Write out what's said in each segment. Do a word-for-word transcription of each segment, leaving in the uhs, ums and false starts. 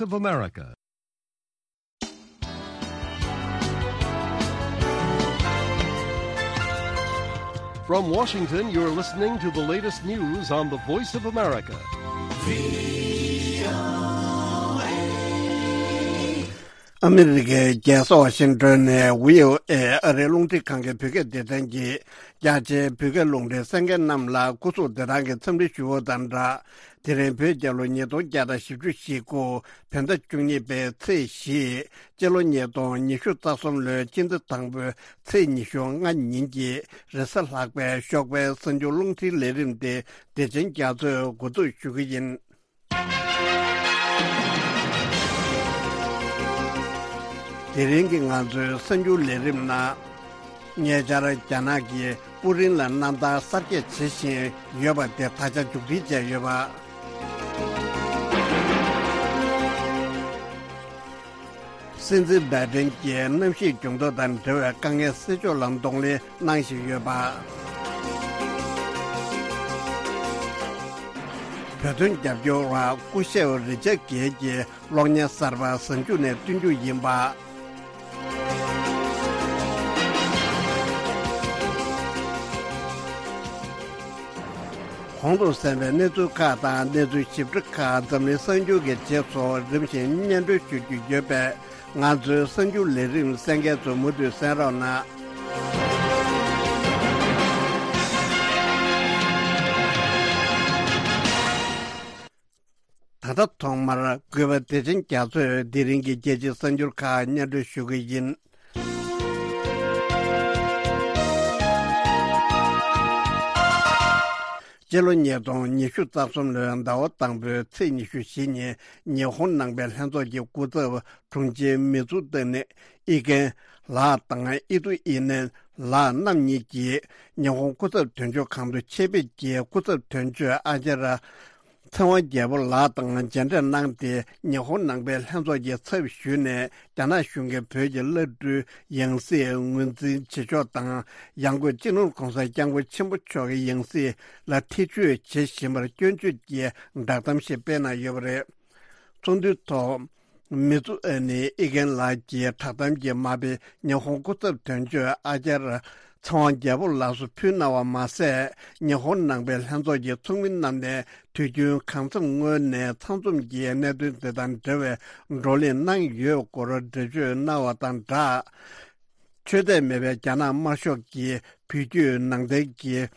of America. From Washington, you're listening to the latest news on the Voice of America. ཨ་མི་རི་ཀའི་རྒྱལ་ས་ཝ་ཤིང་ཏོན་ནས་བྷི་ཨོ་ཨེ་ཨ་རིའི་རླུང་འཕྲིན་ཁང་གི་བོད་སྐད་སྡེ་ཚན་གྱིས་རྒྱ་ཆེའི་བོད་སྐད་རླུང་འཕྲིན་གསན་མཁན་རྣམས་ལ་སྐུ་གཟུགས་བདེ་ཐང་གི་འཚམས་འདྲི་ཞུ་བ་དང་སྦྲགས། དེ་རིང་བོད་རྒྱལ་ལོ་ཉིས་སྟོང་བརྒྱ་དང་བཞི་བཅུ་ཞེ་དགུ་བོད་ཟླ་བཅུ་གཉིས་པའི་ཚེས་བཞི། སྤྱི་ལོ་ཉིས་སྟོང་ཉི་ཤུ་རྩ་གསུམ་ལོའི་སྤྱི་ཟླ་དང་པོའི་ཚེས་ཉི་ཤུ་ལྔ་ཉིན་གྱི་རེས་གཟའ་ལྷག་པའི་ཞོགས་པའི་གསར་འགྱུར་རླུང་འཕྲིན་ལས་རིམ་དེ་བདེ་ཆེན་རྒྱ་མཚོས་འགོ་འཛུགས་ཞུ་གི་ཡིན། དེ་རིང་གི་ང་ཚོའི་གསར་འགྱུར་ལས་རིམ་ནང་། ཉེ་ཆར་རྒྱ་ནག་གིས་པུ་རིན་ལ་གནམ་ཐང་གསར་རྒྱག་བྱེད་བཞིན་ཡོད་པ་དེ་ད་ཆ་མཇུག་སྒྲིལ་བྱས་ཡོད་པ། སྲིད་འཛིན་བྷའི་ཏིན་གྱིས་གནམ་གཤིས་འགྱུར་ལྡོག་དང་འབྲེལ་བའི་དཀའ་ངལ་སེལ་ཕྱོགས་ལ་གདོང་ལེན་གནང་བཞིན་ཡོད་པ། བོད་དོན་རྒྱབ་སྐྱོར་བ་སྐུ་ཞབས་རི་ཅར་གྷེལ་གྱིས་གློག་བརྙན་གསར་པ་གཟའ་མཇུག་ནས་སྟོན་རྒྱུ་ཡིན་པ། གོང་དུ་གསན་པའི་གནས་ཚུལ་ཁག་དང་གནས་ཚུལ་ཞིབ་ཕྲ་ཁག་འཛམ་གླིང་གསར་འགྱུར་གྱི་རྗེས་སུ་རིམ་བཞིན་སྙན་སྒྲོན་ཞུ་རྒྱུ་ཡོད་པས། ང་ཚོའི་གསར་འགྱུར་ལས་རིམ་གསན་མཁན་ཚོ་མུ་མཐུད་གསན་རོགས་གནང་། ད་ལྟ་ཐོག་མར་གུས་པ་བདེ་ཆེན་རྒྱ་མཚོས་དེ་རིང་གི་རྒྱལ་སྤྱིའི་གསར་འགྱུར་ཁག་སྙན་སྒྲོན་ཞུ་གི་ཡིན། སྤྱི་ལོ་ཉིས་སྟོང་ཉི་ཤུ་རྩ་གསུམ་ལོའི་ཟླ་བ་དང་པོའི་ཚེས་ཉི་ཤུ་བཞི་ཉིན་ཉི་ཧོང་ནང་པའི་ལྷན་ཚོགས་ཀྱི་སྐུ་ཚབ་དྲུང་ཆེ་མི་ཙུ་ཏེ་ནི་ཨི་ཀེན་ལགས་དང་ཨི་ཏུ་ཨི་ནན་ལགས་རྣམ་གཉིས་ཀྱིས་ཉི་ཧོང་སྐུ་ཚབ་དོན་གཅོད་ཁང་དུ་ཆེད་ཕེབས་ཀྱིས་སྐུ་ཚབ་དོན་གཅོད་ཨ་ཅཱརྱ་ཚེ་དབང་རྒྱལ་པོ་ལགས་དང་མཇལ་འཕྲད་གནང་སྟེ། ཉི་ཧོང་ནང་པའི་ལྷན་ཚོགས་ཀྱི་ཚབ་ཞུས་ནས་རྒྱ་ནག་གཞུང་གིས་བོད་ཀྱི་བླ་སྤྲུལ་ཡང་སྲིད་ངོས་འཛིན་བྱེད་ཕྱོགས་དང་། ཡང་སྒོས་སྤྱི་ནོར་༧གོང་ས་༧སྐྱབས་མགོན་ཆེན་པོ་མཆོག་གི་ཡང་སྲིད་ལ་ཐེ་བྱུས་བྱེད་བཞིན་པར་སྐྱོན་བརྗོད་ཀྱི་བསྒྲགས་གཏམ་ཞིག་སྤེལ་གནང་ཡོད་པ་རེད། ཚོགས་འདུའི་ཐོག་མི་ཙུ་ཨེ་ནི་ཨི་ཀེན་ལགས་ཀྱིས་བསྒྲགས་གཏམ་གྱི་མ་དཔེ་ཉི་ཧོང་སྐུ་ཚབ་དོན་གཅོད་ཨ་ཅཱརྱ་ཚེ་དབང་རྒྱལ་པོ་ལགས་སུ་ཕུལ་གནང་བ་མ་ཟད། ཉི་ཧོང་ནང་པའི་ལྷན་ཚོགས་ཀྱི་ཚོགས་མི་རྣམས་ནས་དུས་རྒྱུན་གང་འཚམ་སྔོན་ནས་ཚང་འཛོམས་ཀྱིས་གནད་དོན་དེ་དང་འབྲེལ་བའི་བགྲོ་གླེང་གནང་ཡོད་སྐོར་འགྲེལ་བརྗོད་གནང་བ་དང་སྦྲགས། ཆོས་དད་མེད་པའི་རྒྱ་ནག་དམར་ཤོག་གིས་བོད་བརྒྱུད་ནང་བསྟན་གྱི་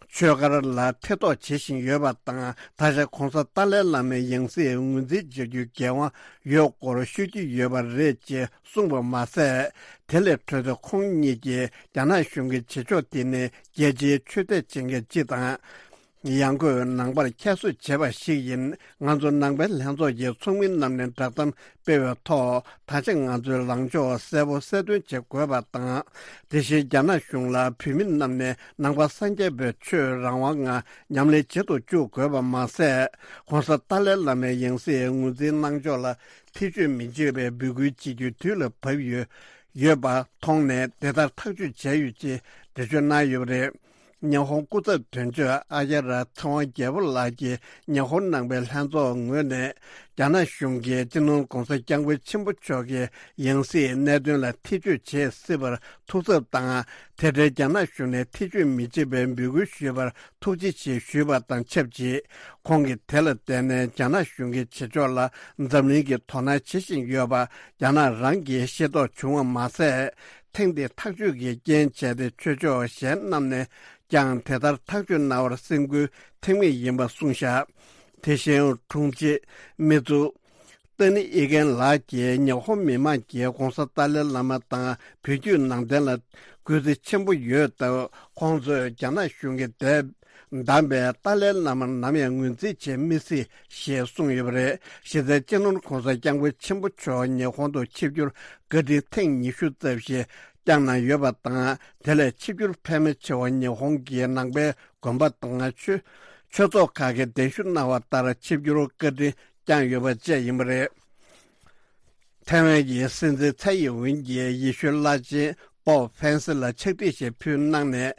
ཆོས་སྒར་ལ་ཐེ་གཏོགས་བྱེད་བཞིན་ཡོད་པ་དང་། ད་ཆ་༧གོང་ས་ཏཱ་ལའི་བླ་མའི་ཡང་སྲིད་ངོས་འཛིན་བྱ་རྒྱུའི་འགན་དབང་ཡོད་སྐོར་ཤོད་ཀྱི་ཡོད་པ་རེད་ཅེས་གསུངས་པ་མ་ཟད། དེ་ལས་འཕྲོས་ཏེ་ཁོང་གཉིས་ཀྱིས་རྒྱ་ནག་གཞུང་གི་བྱེད་ཕྱོགས་དེ་ནི་རྒྱལ་སྤྱིའི་ཆོས་དད་བྱེད་མཁན་སྤྱི་དང་། ཡང་སྒོས་ནང་པར་ཁྱད་གསོད་བྱས་པ་ཞིག་ཡིན། ང་ཚོ་ནང་པའི་ལྷན་ཚོགས་ཀྱི་ཚོགས་མི་རྣམས་ནས་བསྒྲགས་གཏམ་སྤེལ་བའི་ཐོག་ད་ཆ་ང་ཚོའི་ལངས་ཕྱོགས་གསལ་པོ་གསལ་སྟོན་བྱེད་དགོས་པ་དང་། དེ་བཞིན་རྒྱ་ནག་གཞུང་ལ་བོད་མི་རྣམས་ནས་ནང་པ་སངས་རྒྱས་པའི་ཆོས་རང་དབང་ངང་ཉམས་ལེན་བྱེད་དུ་བཅུག་དགོས་པ་མ་ཟད། ྋགོང་ས་ཏཱ་ལའི་བླ་མའི་ཡང་སྲིད་ངོས་འཛིན་གནང་ཕྱོགས་ལ་ཐེ་བྱུས་མི་བྱེད་པའི་འབོད་སྐུལ་བྱེད་རྒྱུའི་དུས་ལ་བབ་ཡོད་ཡོད་པ་མཐོང་ནས་དེ་ལྟར་ཐག་གཅོད་བྱས་ཡོད་ཅེས་འགྲེལ་བརྗོད་གནང་ཡོད་པ་རེད། ཉི་ཧོང་སྐུ་ཚབ་དོན་གཅོད་ཨ་ཅཱརྱ་ཚེ་དབང་རྒྱལ་པོ་ལགས་ཀྱིས་ཉི་ཧོང་ནང་པའི་ལྷན་ཚོགས་ངོས་ནས་རྒྱ་ནག་གཞུང་གིས་སྤྱི་ནོར་༧གོང་ས་༧སྐྱབས་མགོན་ཆེན་པོ་མཆོག་གི་ཡང་སྲིད་གནད་དོན་ལ་ཐེ་བྱུས་བྱེད་སྲིད་པར་ཐུགས་འཚབ་དང་། དེ་འབྲེལ་རྒྱ་ནག་གཞུང་ནས་ཐེ་བྱུས་མི་བྱེད་པའི་འབོད་སྐུལ་ཞུས་པར་ཐུགས་རྗེ་ཆེ་ཞུས་པ་དང་ཆབས་ཅིག་ཁོང་གིས་དེ་ལ་བརྟེན་ནས་རྒྱ་ནག་གཞུང་གི་བྱེད་ཕྱོགས་ལ་འཛམ་གླིང་གིས་དོ་སྣང་བྱེད་བཞིན་ཡོད་པ་རྒྱ་ནག་རང་གིས་ཤེས་རྟོགས་བྱུང་བ་མ་ཟད། ཐེངས་འདིའི་ཐག་གཅོད་ཀྱི་རྐྱེན་བྱས་ཏེ་ཆོས་ཕྱོགས་གཞན་རྣམས་ནས་ཀྱང་དེ་ལྟར་ཐག་གཅོད་གནང་བར་སེམས་འགུལ་ཐེབས་ངེས་ཡིན་པ་གསུངས་བཞག་དེ་བཞིན་དྲུང་ཆེ་མི་ཙུ་ཏེ་ནི་ཨི་ཀེན་ལགས་ཀྱིས་ཉི་ཧོང་མི་མང་གིས་༧གོང་ས་ཏཱ་ལའི་བླ་མ་དང་བོད་བརྒྱུད་ནང་བསྟན་ལ་གུས་བརྩི་ཆེན་པོ་ཡོད་སྟབས། ཁོང་ཚོས་རྒྱ་ནག་གཞུང་གིས་དད་བདམས་པའི་ཏཱ་ལའི་བླ་མ་ནམ་ཡང་ངོས་འཛིན་བྱེད་མི་སྲིད་ཞེས་གསུངས་ཡོད་པ་རེད། གཞི་རྩའི་སྤྱི་ནོར་༧གོང་ས་༧སྐྱབས་མགོན་ཆེན་པོ་མཆོག་ཉི་ཧོང་དུ་ཆིབས་བསྒྱུར་བཀའ་དྲིན་ཐེངས་ཉི་ཤུ་རྩ་བཞི་བསྐྱངས་གནང་ཡོད་པ་དང་། དེ་ལས་ཆིབས་བསྒྱུར་ཕལ་མོ་ཆེ་བ་ཉི་ཧོང་གི་ནང་པའི་དགོན་པ་དང་ཆོས་ཆོས་ཚོགས་ཁག་གིས་གདན་ཞུ་གནང་བ་ལྟར་ཆིབས་བསྒྱུར་བཀའ་དྲིན་བསྐྱངས་ཡོད་པ་བཅས་ཡིན་པ་རེད། ཐའེ་ཝན་གྱི་སྲིད་འཛིན་ཚའེ་ཡིན་ཝིན་གྱིས་ཡེ་ཤུའི་བླ་ཆེན་པོབ་ཧྥན་སི་ལ་ཕྱག་བྲིས་ཤིག་ཕུལ་གནང་ནས།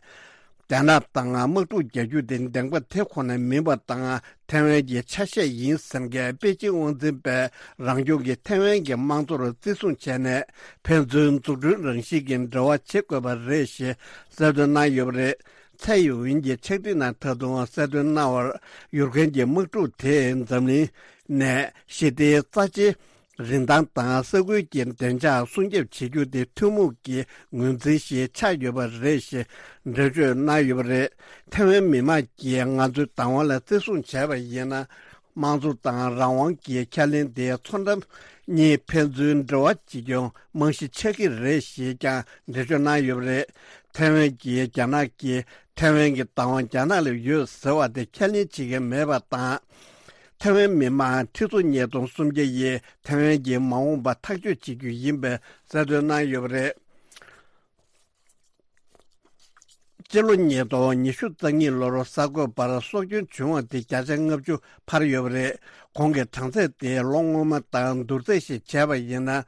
རྒྱ་ནག་དང་དམག་འཁྲུག་རྒྱག་རྒྱུ་དེ་བདེན་པ་དེ་ཁོ་ན་མིན་པ་དང་། ཐའེ་ཝན་གྱི་ཆ་ཤས་ཡིན་ཟེར་མཁན་པེ་ཅིང་དབང་འཛིན་པས་རང་སྐྱོང་གི་ཐའེ་ཝན་གྱི་དམངས་གཙོར་བརྩི་སྲུང་བྱས་ནས། ཕན་ཚུན་འཛུགས་སྐྲུན་རང་བཞིན་གྱི་འབྲེལ་བ་བྱེད་དགོས་པ་རེད་ཞེས་གསལ་སྟོན་གནང་ཡོད་པ་རེད། ཚའེ་ཡུན་ཝིན་གྱིས་ཕྱག་བྲིས་ནང་ད་དུང་གསལ་སྟོན་གནང་བར། ཡུཀ་རེན་གྱི་དམག་འཁྲུག་དེས་འཛམ་གླིང་ནས་ཞི་བདེའི་རྩ་ཆེའི་རིན་ཐང་དང་ས་ཁུལ་གྱི་བདེ་འཇགས་སྲུང་སྐྱོབ་བྱེད་རྒྱུ་དེ་ཐུན་མོང་གི་ངོས་འཛིན་ཞིག་ཆགས་ཡོད་པ་རེད་ཞེས་འགྲེལ་བརྗོད་གནང་ཡོད་པ་རེད། ཐའེ་ཝན་མི་དམངས་ཀྱིས་ང་ཚོའི་བདག་དབང་ལ་བརྩི་སྲུང་བྱས་པ་ཡིན་ན། དམངས་གཙོ་དང་རང་དབང་གི་ཁས་ལེན་དེ་མཚོ་འགྲམ་གཉིས་ཕན་ཚུན་འབྲེལ་བ་བྱེད་རྒྱུའི་རྨང་གཞི་ཆགས་ཀྱི་རེད་ཞེས་ཀྱང་འགྲེལ་བརྗོད་གནང་ཡོད་པ་རེད། ཐའེ་ཝན་གྱིས་རྒྱ་ནག་གིས་ཐའེ་ཝན་གྱི་བདག་དབང་རྒྱ་ནག་ལ་ཡོད་ཟེར་བ་དེ་ཁས་ལེན་བྱེད་ཀྱི་མེད་པ་དང་། ཐའེ་ཝན་མི་དམངས་ཁྲི་ཚོ་ཉིས་སྟོང་སུམ་བརྒྱ་ཡིས་ཐའེ་ཝན་གྱི་མ་འོངས་པ་ཐག་གཅོད་བྱེད་རྒྱུ་ཡིན་པའི་གསལ་སྟོན་གནང་ཡོད་པ་རེད། སྤྱི་ལོ་ཉིས་སྟོང་ཉི་ཤུ་རྩ་གཉིས་ལོར་གསར་འགོད་པར་སྲོག་སྐྱོན་བྱུང་བ་དེ་བརྒྱ་ཆ་ལྔ་བཅུ་འཕར་ཡོད་པ་རེད། གོང་གི་གྲངས་ཚད་དེ་ལོ་སྔོན་མ་དང་བསྡུར་ཚད་ཞིག་བྱས་པ་ཡིན་ན།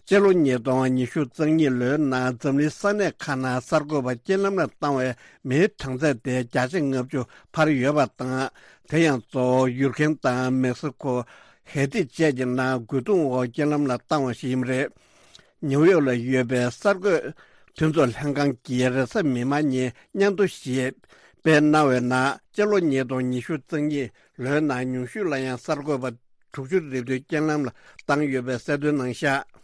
སྤྱི་ལོ་ཉིས་སྟོང་ཉི་ཤུ་རྩ་གཉིས་ལོའི་ནང་འཛམ་གླིང་ས་གནས་ཁག་ནང་གསར་འགོད་པ་རྐྱེན་ལམ་ལ་བཏང་བའི་མིའི་གྲངས་ཚད་དེ་བརྒྱ་ཆ་ལྔ་བཅུ་འཕར་ཡོད་པ་དང་། དེ་ཡང་གཙོ་བོ་ཡུཀ་རེན་དང་མེག་སི་ཁོ། ཧེ་ཏི་བཅས་ཀྱི་ནང་རྒོལ་རྡུང་འོག་རྐྱེན་ལམ་ལ་བཏང་བ་ཞིག་ཡིན་པ་རེད། ནིའུ་ཡོག་ལ་ཡོད་པའི་གསར་འགོད་མཐུན་ཚོགས་ལྷན་ཁང་གིས་རེས་གཟའ་མིག་དམར་ཉིན་སྙན་ཐོ་ཞིག་སྤེལ་གནང་བའི་ནང་། སྤྱི་ལོ་ཉིས་སྟོང་ཉི་ཤུ་རྩ་གཉིས་ལོའི་ནང་ཉུང་ཤོས་ལ་ཡང་གསར་འགོད་པ་དྲུག་ཅུ་རེ་བདུན་རྐྱེན་ལམ་ལ་བཏང་ཡོད་པའི་གསལ་སྟོན་གནང་བཞག་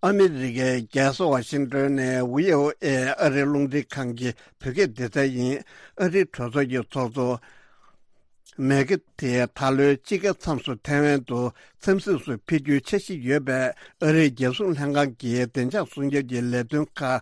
ཨ་མི་རི་ཀའི་རྒྱལ་ས་ཝ་ཤིང་ཏོན་ནས་བྷི་ཨོ་ཨེ་ཨ་རིའི་རླུང་འཕྲིན་ཁང་གི་བོད་སྐད་སྡེ་ཚན་ཡིན། ཨ་རིའི་གྲོས་ཚོགས་ཀྱི་ཚོགས་གཙོ་མེག་ཁ་ཐི་ད་ལོའི་དཔྱིད་ཀའི་མཚམས་སུ་ཐའེ་ཝན་དུ་འཚམས་གཟིགས་སུ་ཕེབས་རྒྱུའི་འཆར་གཞི་ཡོད་པས། ཨ་རིའི་རྒྱལ་སྲུང་ལྷན་ཁང་གིས་བདེ་འཇགས་སྲུང་སྐྱོབ་ཀྱི་ལས་དོན་ཁག་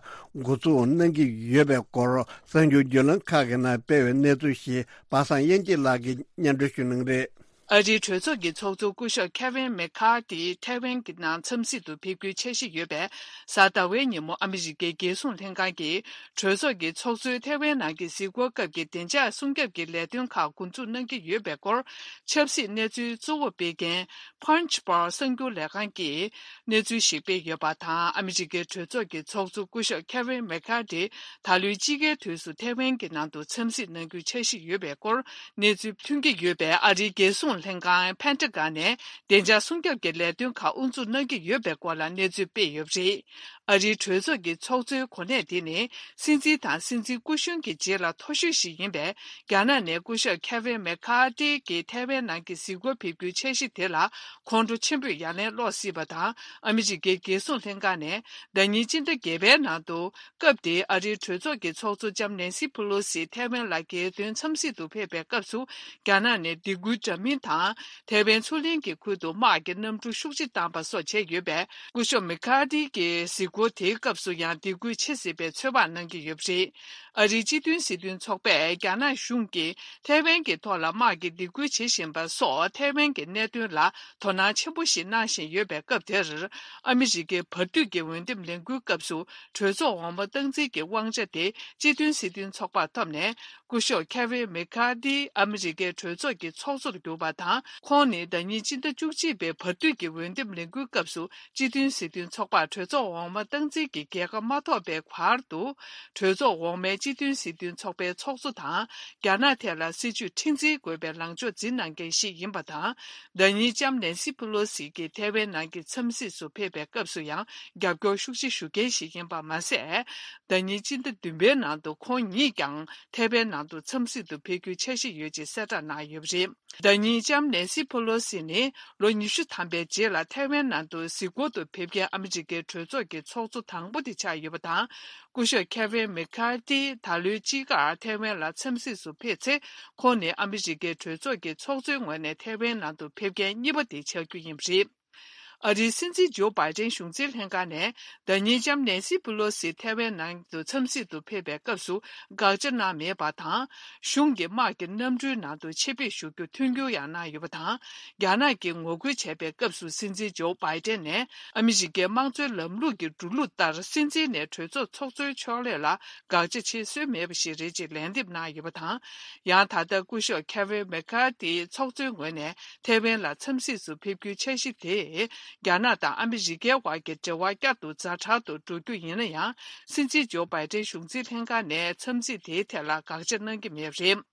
འགོ་འཛུགས་གནང་གི་ཡོད་པའི་སྐོར་གསར་འགྱུར་བརྒྱུད་ལམ་ཁག་གི་ནང་སྤེལ་བའི་གནས་ཚུལ་ཞིག་པ་སངས་དབྱངས་སྐྱིད་ལགས་ཀྱིས་སྙན་སྒྲོན་ཞུ་གནང་གི་རེད། ཨ་རིའི་གྲོས་ཚོགས་ཀྱི་ཚོགས་གཙོ་སྐུ་ཞབས་ཁེ་ཝིན་མེ་ཁ་ཏི་ཐའེ་ཝན་གྱི་ནང་འཚམས་གཟིགས་དུ་ཕེབས་རྒྱུའི་འཆར་གཞི་ཡོད་པས། གཟའ་ཟླ་བའི་ཉིན་མོ་ཨ་མི་རི་ཀའི་རྒྱལ་སྲུང་ལྷན་ཁང་གིས་གྲོས་ཚོགས་ཀྱི་ཚོགས་གཙོའི་ཐའེ་ཝན་ནང་གི་གཟིགས་སྐོར་སྐབས་ཀྱི་བདེ་འཇགས་སྲུང་སྐྱོབ་ཀྱི་ལས་དོན་ཁག་འགོ་འཛུགས་གནང་གི་ཡོད་པའི་སྐོར། ཆབ་སྲིད་གནས་ཚུལ་གཙོ་བོ་སྤེལ་མཁན་Punchbowl གསར་འགྱུར་ལས་ཁང་གིས་གནས་ཚུལ་ཞིག་སྤེལ་ཡོད་པ་དང་། ཨ་མི་རི་ཀའི་གྲོས་ཚོགས་ཀྱི་ཚོགས་གཙོ་སྐུ་ཞབས་ཁེ་ཝིན་མེ་ཁ་ཏི་ད་ལོའི་དཔྱིད་ཀའི་དུས་སུ་ཐའེ་ཝན་གྱི་ནང་དུ་འཚམས་གཟིགས་གནང་རྒྱུའི་འཆར་གཞི་ཡོད་པའི་སྐོར་གནས་ཚུལ་ཐོན་གྱི་ཡོད་པས། ཨ་རིའི་རྒྱལ་སྲུང་ལྷན་ཁང་Pentagon ནས་བདེ་འཇགས་སྲུང་སྐྱོབ་ཀྱི་ལས་དོན་ཁག་དབུ་འཛུགས་གནང་གི་ཡོད་པའི་སྐོར་ལ་གནས་ཚུལ་སྤེལ་ཡོད་པ་རེད། ཨ་རིའི་གྲོས་ཚོགས་ཀྱི་ཚོགས་གཙོའི་གོ་གནས་དེ་ནི་སྲིད་འཛིན་དང་སྲིད་འཛིན་སྐུ་གཞོན་གྱི་རྗེས་ལ་མཐོ་ཤོས་ཤིག་ཡིན་པས། རྒྱ་ནག་ནས་སྐུ་ཞབས་ཁེ་ཝིན་མེ་ཁ་ཏི་གི་ཐའེ་ཝན་ནང་གི་གཟིགས་སྐོར་ཕེབས་རྒྱུའི་འཆར་གཞི་དེ་ལ་ཁོང་ཁྲོ་ཆེན་པོས་ཡ་ལན་སློག་སྲིད་པ་དང་། ཨ་མི་རི་ཀའི་རྒྱལ་སྲུང་ལྷན་ཁང་ནས་ཟླ་ཉིན་སྤྱི་ཟླ་བརྒྱད་པའི་ནང་དུ། སྐབས་དེའི་ཨ་རིའི་གྲོས་ཚོགས་ཀྱི་ཚོགས་གཙོ་ལྕམ་ནན་སི་ཕུ་ལོ་སི་ཐའེ་ཝན་ལ་རྒྱལ་དོན་འཚམས་གཟིགས་དུ་ཕེབས་པའི་སྐབས་སུ། རྒྱ་ནག་ནས་སྡིགས་སྐུལ་འདྲ་མིན་དང་། ཐའེ་ཝན་མཚོ་གླིང་གི་ཁུལ་དུ་དམག་གི་གནམ་གྲུ་ཤུགས་ཆེ་བཏང་པ་སོགས་བྱས་ཡོད་པས། སྐུ་ཞབས་མེ་ཁ་ཏི་གི་གཟིགས་སྐོར་དེའི་སྐབས་སུ་ཡང་སྡིགས་སྐུལ་ཆེ་སྲིད་པའི་ཚོད་དཔག་གནང་གི་ཡོད་པ་རེད། ཨ་རིའི་སྤྱི་མཐུན་སྲིད་དོན་ཚོགས་པས་རྒྱ་ནག་གཞུང་གིས་ཐའེ་ཝན་གྱི་ཐོག་ལ་དམག་གི་སྡིགས་སྐུལ་བྱེད་བཞིན་པ་སོགས་ཐའེ་ཝན་གྱི་གནད་དོན་ལ་དོ་སྣང་ཆེན་པོ་ཞིག་གནང་བཞིན་ཡོད་པའི་སྐབས་དེར། ཨ་མི་རི་ཀའི་བར་དུས་ཀྱི་འོས་འདེམས་ལས་འགུལ་སྐབས་སུ་གྲོས་ཚོགས་འོག་མ་སྟངས་འཛིན་གྱི་དབང་ཆ་དེ་སྤྱི་མཐུན་སྲིད་དོན་ཚོགས་པར་ཐོབ་ནས། སྐུ་ཞབས་ཁེ་ཝིན་མེ་ཁ་ཏི་ཨ་མི་རི་ཀའི་གྲོས་ཚོགས་ཀྱི་ཚོགས་གཙོར་གྱུར་པ་དང་། ཁོང་ནི་ཟླ་ཉིན་སྤྱི་ཟླ་བཅུ་གཅིག་པའི་བར་དུས་ཀྱི་འོས་འདེམས་ལས་འགུལ་སྐབས་སུ་སྤྱི་མཐུན་སྲིད་དོན་ཚོགས་པར་གྲོས་ཚོགས་འོག་མ་སྟངས་འཛིན་གྱི་རྒྱལ་ཁ་མ་ཐོབ་པའི་བར་དུ། གྲོས་ཚོགས་འོག་མའི་སྤྱི་མཐུན་སྲིད་དོན་ཚོགས་པའི་ཚོགས་གཙོ་དང་། རྒྱ་ནག་ཐད་ལ་སྲིད་ཇུས་མཁྲེགས་འཛིན་དགོས་པའི་ལངས་ཕྱོགས་འཛིན་གནང་མཁན་ཞིག་ཡིན་པ་དང་། ཟླ་ཉིན་ལྕམ་ནན་སི་ཕུ་ལོ་སི་གིས་ཐའེ་ཝན་ནང་གི་འཚམས་གཟིགས་སུ་ཕེབས་པའི་སྐབས་སུ་ཡང་རྒྱབ་སྐྱོར་ཤུགས་ཆེ་ཞུ་མཁན་ཞིག་ཡིན་པ་མ་ཟད། ཟླ་ཉིན་སྤྱི་ཟླ་བདུན་པའི་ནང་དུ་ཁོང་ཉིད་ཀྱང་ཐའེ་ཝན་ནང་དུ་འཚམས་གཟིགས་དུ་ཕེབས་རྒྱུའི་འཆར་གཞི་ཡོད་ཅེས་གསལ་བསྒྲགས་གནང་ཡོད་པ་རེད། ཟླ་ཉིན་ལྕམ་ནན་སི་ཕུ་ལོ་སི་ནི་ལོ་ཉི་ཤུ་ཐམ་པའི་རྗེས་ལ་ཐའེ་ཝན་ནང་དུ་གཟིགས་སྐོར་དུ་ཕེབས་མཁན་ཨ་མི་རི་ཀའི་གྲོས་ཚོགས་ཀྱི་ཚོགས་གཙོ་དང་པོ་དེ་ཆགས་ཡོད་པ་དང་། སྐུ་ཞབས་ཁེ་ཝིན་མེ་ཁ་ཏི་ད་ལོའི་དཔྱིད་ཀར་ཐའེ་ཝན་ལ་འཚམས་གཟིགས་སུ་ཕེབས་ཚེ། ཁོང་ནི་ཨ་མི་རི་ཀའི་གྲོས་ཚོགས་ཀྱི་ཚོགས་གཙོའི་ངོས་ནས་ཐའེ་ཝན་ནང་དུ་ཕེབས་མཁན་གཉིས་པ་དེ་ཆགས་རྒྱུ་ཡིན་པ་རེད། ཨ་རིའི་སྲིད་འཛིན་ཇོ་བྷའི་ཏན་གཞུང་འཛིན་ལྷན་ཁང་ནས་ཟླ་ཉིན་ལྕམ་ནན་སི་ཕུ་ལོ་སི་ཐའེ་ཝན་ནང་དུ་འཚམས་གཟིགས་དུ་ཕེབས་པའི་སྐབས་སུ་དགག་བྱ་གནང་མེད་པ་དང་། གཞུང་གི་དམག་གི་གནམ་གྲུའི་ནང་དུ་ཆེད་ཕེབས་ཞུ་རྒྱུ་མཐུན་འགྱུར་ཡང་གནང་ཡོད་པ་དང་། རྒྱ་ནག་གིས་ངོ་རྒོལ་བྱས་པའི་སྐབས་སུ་སྲིད་འཛིན་ཇོ་བྷའི་ཏན་ནས་ཨ་མི་རི་ཀའི་དམངས་གཙོའི་ལམ་ལུགས་ཀྱི་འགྲོ་ལུགས་ལྟར་སྲིད་འཛིན་ནས་གྲོས་ཚོགས་ཚོགས་གཙོའི་ཕྱོགས་ལས་ལ་དགག་བྱ་བྱེད་སྲོལ་མེད་པ་ཞིག་རེད་ཅེས་ལན་འདེབས་གནང་ཡོད་པ་དང་། ཡང་ད་ལྟ་སྐུ་ཞབས་ཁེ་ཝིན་མེ་ཁ་ཏིའི་ཚོགས་གཙོའི་ངོས་ནས་ཐའེ་ཝན་ལ་འཚམས་གཟིགས་སུ་ཕེབས་རྒྱུའི་འཆར་གཞི་དེ། རྒྱ་ནག་དང་ཨ་མི་རི་ཀའི་བར་གྱི་འབྲེལ་བ་བསྐྱར་དུ་ཛ་དྲག་ཏུ་འགྲོ་རྒྱུ་ཡིན་ན་ཡང་། སྲིད་འཛིན་ཇོ་བྷའི་ཏན་གཞུང་འཛིན་ལྷན་ཁང་ནས་འཚམས་གཟིགས་དེའི་ཐད་ལ་དགག་བྱ་གནང་གི་མེད་པ་རེད།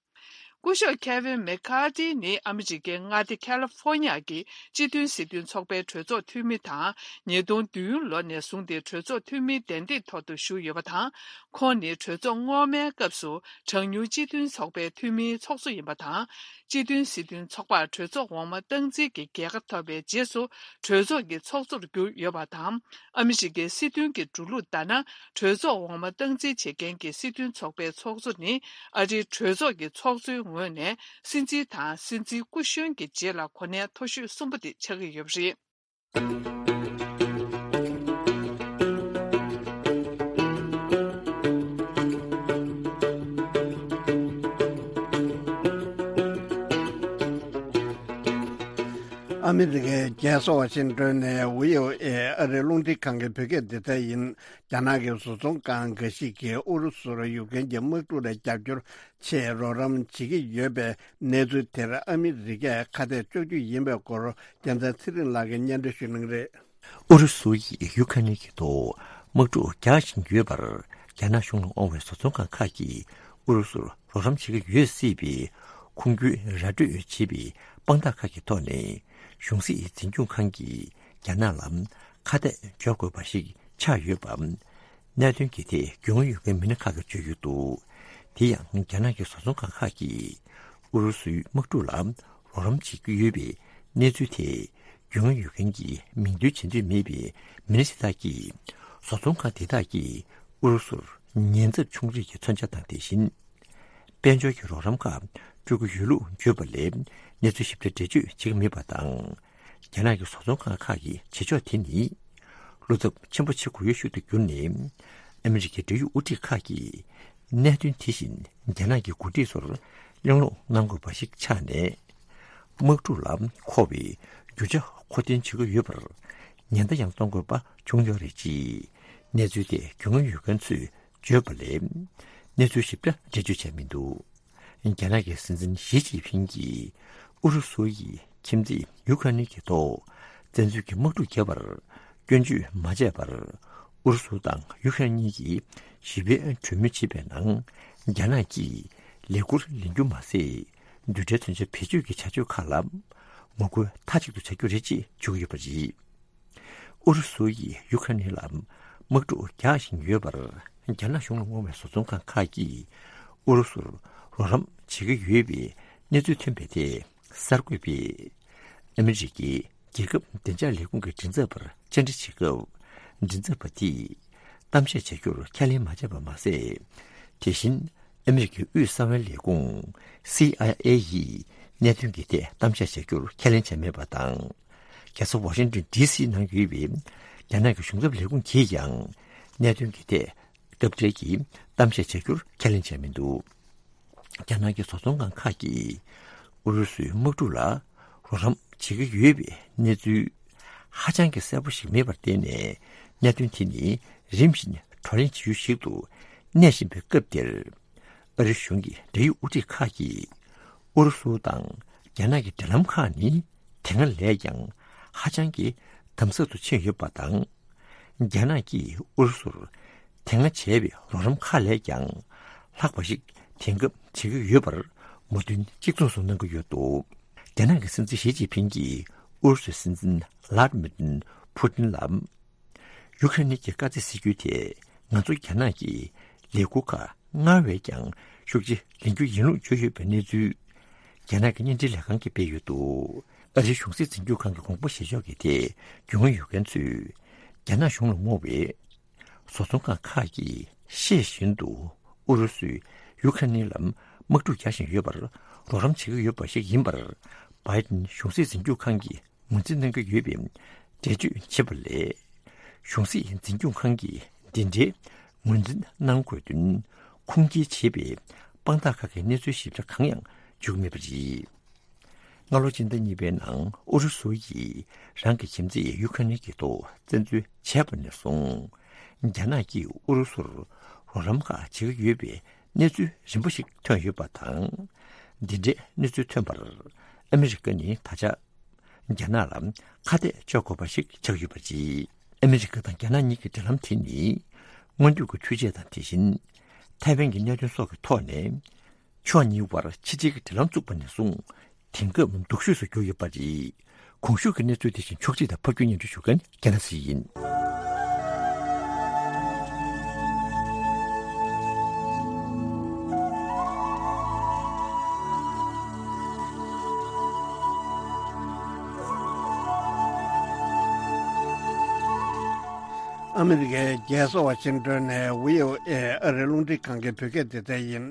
སྐུ་ཞབས་ཁེ་ཝིན་མེ་ཁ་ཏི་ནི་ཨ་མི་རི་ཀའི་མངའ་སྡེ་ཁ་ལི་ཧྥོ་ཉ་གི་སྤྱི་མཐུན་སྲིད་དོན་ཚོགས་པའི་གྲོས་ཚོགས་འཐུས་མི་དང་། ཉིས་སྟོང་བདུན་ལོ་ནས་བཟུང་སྟེ་གྲོས་ཚོགས་འཐུས་མིའི་གདན་ཐིག་ཐོག་ཏུ་བཞུགས་ཡོད་པ་དང་། ཁོང་ནི་གྲོས་ཚོགས་སྔོན་མའི་སྐབས་སུ་གྲངས་ཉུང་སྤྱི་མཐུན་ཚོགས་པའི་འཐུས་མིའི་ཚོགས་གཙོ་ཡིན་པ་དང་། སྤྱི་མཐུན་སྲིད་དོན་ཚོགས་པར་གྲོས་ཚོགས་འོག་མ་སྟངས་འཛིན་གྱི་རྒྱལ་ཁ་ཐོབ་པའི་རྗེས་སུ། གྲོས་ཚོགས་ཀྱི་ཚོགས་གཙོར་གྱུར་ཡོད་པ་དང་། ཨ་མི་རི་ཀའི་སྲིད་དོན་གྱི་འགྲོ་ལུགས་ལྟར་ན། གྲོས་ཚོགས་འོག་མ་སྟངས་འཛིན་བྱེད་མཁན་གྱི་སྲིད་དོན་ཚོགས་པའི་ཚོགས་གཙོ་ནི། ཨ་རིའི་གྲོས་ཚོགས་ཀྱི་ཚོགས་གཙོའི་ངོས་ནས་སྲིད་འཛིན་དང་སྲིད་འཛིན་སྐུ་གཞོན་གྱི་རྗེས་ལ་གོ་གནས་མཐོ་ཤོས་གསུམ་པ་དེ་ཆགས་ཀྱི་ཡོད་པ་རེད། ཨ་མི་རི་ཀའི་རྒྱལ་ས་ཝ་ཤིང་ཏོན་ནས་བྷི་ཨོ་ཨེ་ཨ་རིའི་རླུང་འཕྲིན་ཁང་གི་བོད་སྐད་སྡེ་ཚན་ཡིན། རྒྱ་ནག་གི་བཟོ་ཚོང་ཁང་འགའ་ཞིག་གིས་ཨུ་རུ་སུར་ཡུཀ་རེན་གྱི་དམག་འཁྲུག་ལ་རྒྱབ་སྐྱོར་ཆེད་རོགས་རམ་བྱེད་ཀྱི་ཡོད་པའི་གནས་ཚུལ་དེར་ཨ་མི་རི་ཀས་ཁ་གཏད་གཅོག་རྒྱུ་ཡིན་པའི་སྐོར་རྒྱལ་མཚན་ཚེ་རིང་ལགས་ཀྱིས་སྙན་སྒྲོན་ཞུ་གནང་གི་རེད། ཨུ་རུ་སུ་ཡིས་ཡུ་ཁ་ནི་གི་ཐོག་དམག་འཁྲུག་རྒྱག་བཞིན་ཡོད་པར། རྒྱ་ནག་གཞུང་ལ་དབང་བའི་བཟོ་ཚོང་ཁང་ཁག་གིས་ཨུ་རུ་སུར་རོགས་རམ་བྱེད་ཀྱི་ཡོད་སྲིད་པའི་ཁུངས་སྐྱེལ་ར་སྤྲོད་བྱས་པའི་དཔང་རྟགས་ཁག་གི་ཐོག་ནས། གཞུང་སྲིད་འཛིན་སྐྱོང་ཁང་གིས་རྒྱ་ནག་ལ་ཁ་གཏད་གཅོག་དགོས་པ་ཞིག་ཆགས་ཡོད་པ། གནད་དོན་གྱི་ཐད་རྒྱུས་མངའ་ཡོད་མཁན་མི་སྣ་ཁག་གིས་བརྗོད་ཡོད་འདུག། དེ་ཡང་རྒྱ་ནག་གི་བཟོ་ཚོང་ཁང་ཁག་གིས་ཨུ་རུ་སུའི་དམག་འཁྲུག་ལ་རོགས་རམ་བྱེད་ཀྱི་ཡོད་པའི་གནས་ཚུལ་དེ། རྒྱུས་མངའ་ཡོད་མཁན་གྱི་མིང་འདོན་བྱེད་འདོད་མེད་པའི་མི་སྣ་ཞིག་དག་གིས། བཟོ་ཚོང་ཁང་དེ་དག་གིས་ཨུ་རུ་སུར་ཉེན་ཚབས་ཆུང་རིགས་ཀྱི་མཚོན་ཆ་དང་། དེ་བཞིན། དཔལ་འབྱོར་གྱི་རོགས་རམ་ཁག་སྤྲོད་ཀྱི་ཡོད་ལུགས་བརྗོད་པ་ལས། གནས་ཚུལ་ཞིབ་ཕྲ་འགྲེལ་བརྗོད་བྱེད་ཀྱི་མེད་པ་དང་། རྒྱ་ནག་གི་བཟོ་ཚོང་ཁང་ཁག་གི་བྱེད་ཕྱོགས་དེ་ནི། བློ་འཚབ་ཆེན་པོ་བྱེད་དགོས་ཡོད་ཤུལ་དུ་གྱུར་ནས། ཨ་མི་རི་ཀའི་འབྲེལ་ཡོད་དབུ་ཁྲིད་ཁག་གིས། གནད་དོན་དེ་བཞིན་རྒྱ་ནག་གི་འགོ་ཁྲིད་ཚོར་གླེང་སློང་གནང་དགོས་པ་ཞིག་ཆགས་ནས། དམག་འཁྲུག་ལ་མཁོ་བའི་རྒྱུ་ཆ་མཁོ་འདོན་བྱེད་ཀྱི་ཡོད་པར། ཉེན་བརྡ་ཡང་གཏོང་དགོས་པ་བྱུང་ཡོད་རེད། ཅེས་གནས་ཚུལ་དེ་རྒྱུས་མངའ་ཡོད་མཁན་ཚོས་བརྗོད་པ་ལས། གནས་ཚུལ་ཞིབ་ཕྲ་འགྲེལ་བརྗོད་བྱས་མི་འདུག། རྒྱ་ནག་གི་སྲིད་འཛིན་ཞི་ཅིན་ཕིང་གིས་ཨུ་རུ་སུ་ཡི་ཁྱིམ་མཚེས་ཡུ་ཁ་ནི་གི་ཐོག་བཙན་འཛུལ་གྱི་དམག་འཁྲུག་བརྒྱབ་པར་སྐྱོན་བརྗོད་མ་བྱས་པར། ཨུ་རུ་སུ་དང་ཡུ་ཁ་ནི་གཉིས་ཀྱིས་ཞི་བའི་གྲོས་མོལ་བྱེད་པའི་ནང་། རྒྱ་ནག་གིས་ལས་འཁུར་ལེན་རྒྱུ་མ་ཟད། མདུན་གྲལ་མཚོན་ཆ་བེད་སྤྱོད་ཀྱི་བྱ་སྤྱོད་ཁག་ལ་ངོ་རྒོལ་མཐའ་གཅིག་ཏུ་བྱ་རྒྱུ་རེད་ཅེས་བརྗོད་ཀྱི་ཡོད་པ་རེད། ཨུ་རུ་སུ་ཡིས་ཡུ་ཁ་ནི་ལ་དམག་འཁྲུག་རྒྱག་བཞིན་ཡོད་པར། རྒྱ་ནག་གཞུང་ལ་དབང་བའི་བཟོ་ཚོང་ཁང་ཁག་གིས་ཨུ་རུ་སུར་རོགས་རམ་བྱེད་ཀྱི་ཡོད་པའི་གནས་ཚུལ་ཐོན་པའི་ཐད། གསར་འགོད་པས་ཨ་མི་རི་ཀའི་རྒྱལ་ཁབ་བདེ་འཇགས་ལས་ཁུངས་ཀྱི་མགྲིན་ཚབ་པར་བཅར་འདྲི་བྱེད་སྐབས། མགྲིན་ཚབ་པ་དེས་གཏམ་བཤད་བྱ་རྒྱུར་ཁས་ལེན་མ་བྱས་པ་མ་ཟད། དེ་བཞིན་ཨ་མི་རི་ཀའི་དབུས་གསང་བའི་ལས་ཁུངས་སི་ཨའི་ཨེ་ཡིས་གནད་དོན་གྱི་ཐད་གཏམ་བཤད་བྱ་རྒྱུར་ཁས་ལེན་བྱས་མེད་པ་དང་། རྒྱལ་ས་ཝ་ཤིང་ཏོན་ཌི་སི་ནང་ཡོད་པའི་རྒྱ་ནག་གི་གཞུང་ཚབ་ལས་ཁུངས་ཀྱིས་ཀྱང་གནད་དོན་གྱི་ཐད་སྐབས་འབྲེལ་གྱི་གཏམ་བཤད་བྱ་རྒྱུར་ཁས་ལེན་བྱས་མི་འདུག། རྒྱ་ནག་གི་བཟོ་ཚོང་ཁང་ཁག་གིས་ཨུ་རུ་སུའི་དམག་འཁྲུག་ལ་རོགས་རམ་བྱེད་ཀྱི་ཡོད་པའི་གནས་ཚུལ་ཧ་ཅང་གི་གསལ་པོ་ཞིག་མེད་པར་བརྟེན་ནས། གནད་དོན་དེ་ནི་རིམ་བཞིན་བགྲོ་གླེང་བྱེད་ཡུལ་ཞིག་ཏུ་གནས་བཞིན་པའི་སྐབས་འདིར། ཨ་རི་གཞུང་གི་འབྲེལ་ཡོད་དབུ་ཁྲིད་ཁག་གིས་ཨུ་རུ་སུ་དང་རྒྱ་ནག་གི་འབྲེལ་ལམ་ཁག་ནི་དེ་སྔ་ལས་ཀྱང་ཧ་ཅང་གི་དམ་ཟབ་ཏུ་ཕྱིན་ཡོད་པ་དང་། རྒྱ་ནག་གིས་ཨུ་རུ་སུར་དེ་སྔ་བྱས་པའི་རོགས་རམ་ཁག་ལས་ཀྱང་ལྷག་པ་ཞིག་དེང་སྐབས་བྱེད་ཀྱི་ཡོད་པར་མོས་མཐུན་གཅིག་མཚུངས་སུ་གནང་གི་ཡོད་འདུག། རྒྱ་ནག་གི་སྲིད་འཛིན་ཞི་ཅིན་ཕིང་གིས་ཨུ་རུ་སུའི་སྲིད་འཛིན་ལཱ་ཏི་མིར་ཕུ་ཏིན་ལ། ཡུ་ཁ་རེན་གྱི་དཀའ་ཚེགས་སེལ་རྒྱུའི་ཐད་ང་ཚོ་རྒྱ་ནག་གིས་ལས་འཁུར་ཁག་སྔར་བས་ཀྱང་ཤུགས་ཆེ་ལེན་རྒྱུ་ཡིན་ལུགས་བརྗོད་ཡོད་པའི་གནས་ཚུལ། རྒྱ་ནག་གི་བརྙན་འཕྲིན་ལས་ཁང་གིས་སྤེལ་ཡོད་འདུག། ཨ་རིའི་གཞུང་སྲིད་འཛིན་སྐྱོང་ཁང་གི་དགོངས་པ་བཞེས་ཕྱོགས་ཀྱི་ཐད་རྒྱུས་མངའ་ཡོད་མཁན་ཚོས། རྒྱ་ནག་གཞུང་ལ་བསྔོ་བའི་བཟོ་ཚོང་ཁང་ཁག་གིས་ཤེས་བཞིན་དུ་ཨུ་རུ་སུས་ཡུ་ཁ་རེན་ལ་དམག་འཁྲུག་རྒྱག་བཞིན་ཡོད་པར་རོགས་རམ་བྱེད་ཀྱི་ཡོད་པ་ཞིག་ཡིན་པར། བྷའི་ཏིན་གཞུང་སྲིད་འཛིན་སྐྱོང་ཁང་གིས་ངོས་འཛིན་གནང་གི་ཡོད་པའི་འགྲེལ་བརྗོད་བྱེད་པ་ལས། གཞུང་སྲིད་འཛིན་སྐྱོང་ཁང་གིས་འདི་འདྲའི་ངོས་འཛིན་གནང་དགོས་དོན་ཁུངས་སྐྱེལ་བྱེད་པའི་དཔང་རྟགས་ཁག་གི་གནས་ཚུལ་ཞིབ་ཕྲ་གང་ཡང་བརྗོད་ཀྱི་མེད་པ་རེད། སྔ་ལོ་སྤྱི་ཟླ་གཉིས་པའི་ནང་ཨུ་རུ་སུ་ཡིས་རང་གི་ཁྱིམ་མཚེས་ཡུ་ཁ་རེན་གྱི་ཐོག་བཙན་འཛུལ་བྱས་པ་ནས་བཟུང་། རྒྱ་ནག་གིས་ཨུ་རུ་སུར་རོགས་རམ་ཁག་བྱེད་ཀྱི་ཡོད་པའི་གནས་ཚུལ་རིམ་པ་ཞིག་ཐོན་ཡོད་པ་དང་། འདི་འདྲའི་གནས་ཚུལ་ཐོན་པར་ཨ་མི་རི་ཀ་ནི་ད་ཆ་ རྒྱ་ནག་ལ་ཁ་གཏད་གཅོག་དགོས་པ་ཞིག་ཆགས་ཡོད་པ་རེད། ཨ་མི་རི་ཀ་དང་རྒྱ་ནག་གཉིས་ཀྱི་འབྲེལ་ལམ་དེ་ནི་སྔོན་ཐོན་གྱི་འཕྲུལ་ཆས་དང་དེ་བཞིན་ཐའེ་ཝན་གྱི་གནད་དོན་སོགས་ཀྱི་ཐོག་ནས་ཕྱོགས་གཉིས་དབར་ཕྱི་འབྲེལ་གྱི་འབྲེལ་ལམ་བཙུགས་པ་ནས་བཟུང་དེང་སྐབས་སྡུག་ཤོས་སུ་གྱུར་ཡོད་པ་རེད། གོང་ཞུས་ཀྱི་གནས་ཚུལ་དེ་བཞིན་ཕྱོགས་སྒྲིག་དང་ཕབ་སྒྱུར་སྙན་སྒྲོན་ཞུ་མཁན་རྒྱ་ནག་གསེར་ཡིན། ཨ་མི་རི་ཀའི་རྒྱལ་ས་ཝ་ཤིང་ཏོན་ནས་བྷི་ཨོ་ཨེ་ཨ་རིའི་རླུང་འཕྲིན་ཁང་གི་བོད་སྐད་སྡེ་ཚན་ཡིན།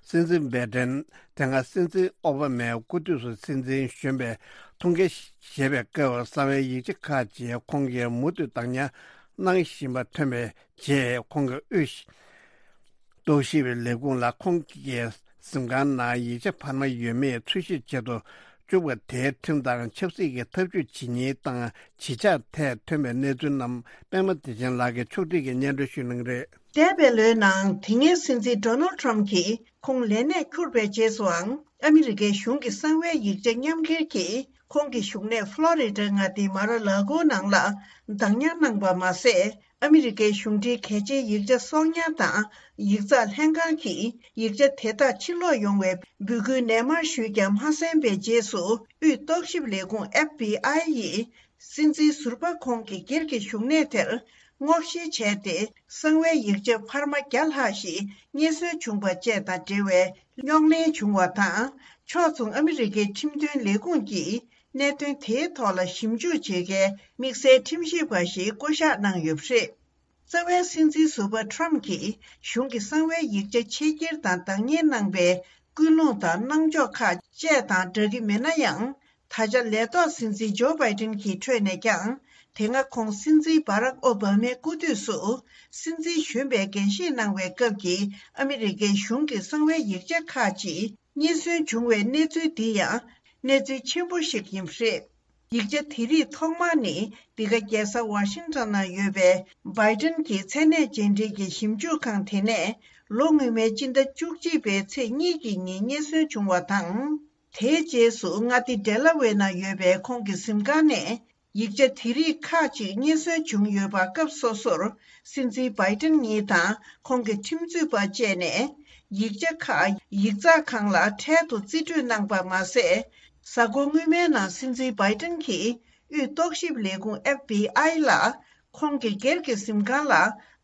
སྲིད་འཛིན་བྷའི་ཏན། དེ་སྔ་སྲིད་འཛིན་ཨོ་བྷ་མའི་སྐུ་དུས་སུ་སྲིད་འཛིན་གཞོན་པའི་ཐུགས་འགན་བཞེས་པའི་སྐབས་གསང་བའི་ཡིག་ཆ་ཁག་ཅིག་ཁོང་གིས་མུ་མཐུད་བདག་ཉར་གནང་བཞིན་པ་ཐོན་པའི་རྗེས། ཁོང་གིས་དབུས་རྟོག་ཞིབ་ལས་ཁུངས་ལ་ཁོང་གི་གཟིམ་ཁང་ནང་ཡིག་ཆ་འཕར་མ་ཡོད་མེད་འཚོལ་ཞིབ་བྱེད་དུ་བཅུག་པ་དེའི་ཁྲིམས་དང་ཆབ་སྲིད་ཀྱི་ཐབས་ཇུས་ཇི་སྙེད་དང་ཇི་ཆགས་ཐད་ཐོན་པའི་གནས་ཚུལ་རྣམས་པད་མ་བདེ་ཆེན་ལགས་ཀྱིས་ཕྱོགས་སྒྲིག་གིས་སྙན་སྒྲོན་ཞུ་གནང་གི་རེད། འདས་པའི་ལོའི་ནང་དེ་སྔའི་སྲིད་འཛིན་ཌོ་ནལ་ཊམ་གྱིས་ཁོང་ལས་གནས་འཁྱུར་བའི་རྗེས་སུའང་ཨ་མི་རི་ཀའི་གཞུང་གི་གསང་བའི་ཡིག་ཆ་མཉམ་འཁྱེར་གྱིས་ཁོང་གི་བཞུགས་གནས་ཕློ་རི་ཌ་མངའ་སྡེའི་མ་ར་ལ་གོ་ནང་ལ་བདག་ཉར་གནང་པ་མ་ཟད། ཨ་མི་རི་ཀའི་གཞུང་འབྲེལ་གལ་ཆེའི་ཡིག་ཆ་གསོག་ཉར་དང་ཡིག་ཚགས་ལྷན་ཁང་གིས་ཡིག་ཆ་དེ་དག་ཕྱིར་སློག་ཡོང་བའི་འབོད་སྐུལ་ནན་མར་ཞུས་ཀྱང་མ་གསན་པའི་རྗེས་སུ། དབུས་རྟོག་ཞིབ་ལས་ཁུངས་ཨེཕ་བྷི་ཨའི་ཡིས་སྲིད་འཛིན་ཟུར་པ་ཁོང་གི་སྒེར་གྱི་བཞུགས་གནས་དེར་སྔོག་བཤེར་བྱས་ཏེ། གསང་བའི་ཡིག་ཆ་འཕར་མ་བརྒྱ་ལྷག་ཞིག་རྙེད་སོན་བྱུང་པ་བཅས་དང་འབྲེལ་བའི་རྙོག་གླེང་བྱུང་བ་དང་། ཕྱོགས་མཚུངས་ཨ་མི་རི་ཀའི་ཁྲིམས་དོན་ལས་ཁུངས་ཀྱིས་གནད་དོན་དེའི་ཐོག་ལ་ཞིབ་འཇུག་བྱེད་མཁན་དམིགས་བསལ་ཁྲིམས་ཞིབ་པ་ཞིག་བསྐོ་གཞག་གནང་ཡོད་པ་རེད། རྩ་བའི་སྲིད་འཛིན་ཟུར་པ་ཊམ་གྱིས་གཞུང་གི་གསང་བའི་ཡིག་ཆ་ཕྱི་འཁྱེར་དང་བདག་གཉེར་གནང་པའི་ཀུན་སློང་དང་གནང་ཕྱོགས་ཁག་བཅས་དང་འདྲ་གི་མེད་ན་ཡང་། ད་ཆ་ལས་ཐོག་སྲིད་འཛིན་ཇོ་བྷའི་ཏིན་གྱི་ཁྲོད་ནས་ཀྱང་། དེ་སྔ་ཁོང་སྲིད་འཛིན་བྷ་རག་ཨོ་བྷ་མའི་སྐུ་དུས་སུ་སྲིད་འཛིན་གཞོན་པའི་འགན་བཞེས་གནང་བའི་སྐབས་ཀྱི་ཨ་མི་རི་ཀའི་གཞུང་གི་གསང་བའི་ཡིག་ཆ་ཁག་ཅིག་རྙེད་སོན་བྱུང་བའི་གནས་ཚུལ་འདི་ཡང་གནས་ཚུལ་ཆེན་པོ་ཞིག་ཡིན་པ་རེད། ཡིག་ཆ་དེ་རིགས་ཐོག་མར་ནི་འདི་ག་རྒྱལ་ས་ཝ་ཤིང་ཊོན་ན་ཡོད་པའི་བྷའི་ཏིན་གྱི་མཚན་གནས་རྗེས་འབྲེལ་གྱི་ཞིབ་འཇུག་ཁང་དེ་ནས་ལོ་སྔོན་མའི་སྤྱི་ཟླ་བཅུ་གཅིག་པའི་ཚེས་གཉིས་ཀྱི་ཉིན་རྙེད་སོན་བྱུང་བ་དང་། དེའི་རྗེས་སུ་མངའ་སྡེ་ཌེ་ལ་ཝེ་ན་ཡོད་པའི་ཁོང་གི་གཟིམ་ཁང་ནས་ཡིག་ཆ་དེ་རིགས་ཁག་ཅིག་རྙེད་སོན་བྱུང་ཡོད་པ། སྐབས་སོ་སོར་སྲིད་འཛིན་བྷའི་ཏིན་ཉིད་དང་ཁོང་གི་ཁྲིམས་རྩོད་པ་བཅས་ནས་ཡིག་ཆ་ཁག་ཡིག་ཚགས་ཁང་ལ་འཕྲལ་དུ་རྩིས་སྤྲོད་གནང་པ་མ་ཟད། གཟའ་འཁོར་སྔོན་མའི་ནང་སྲིད་འཛིན་བྷའི་ཏིན་གྱིས་དབུས་རྟོག་ཞིབ་ལས་ཁུངས་ཨེཕ་བྷི་ཨའི་ལ་ཁོང་གི་སྒེར་གྱི་གཟིམ་ཁང་ལ་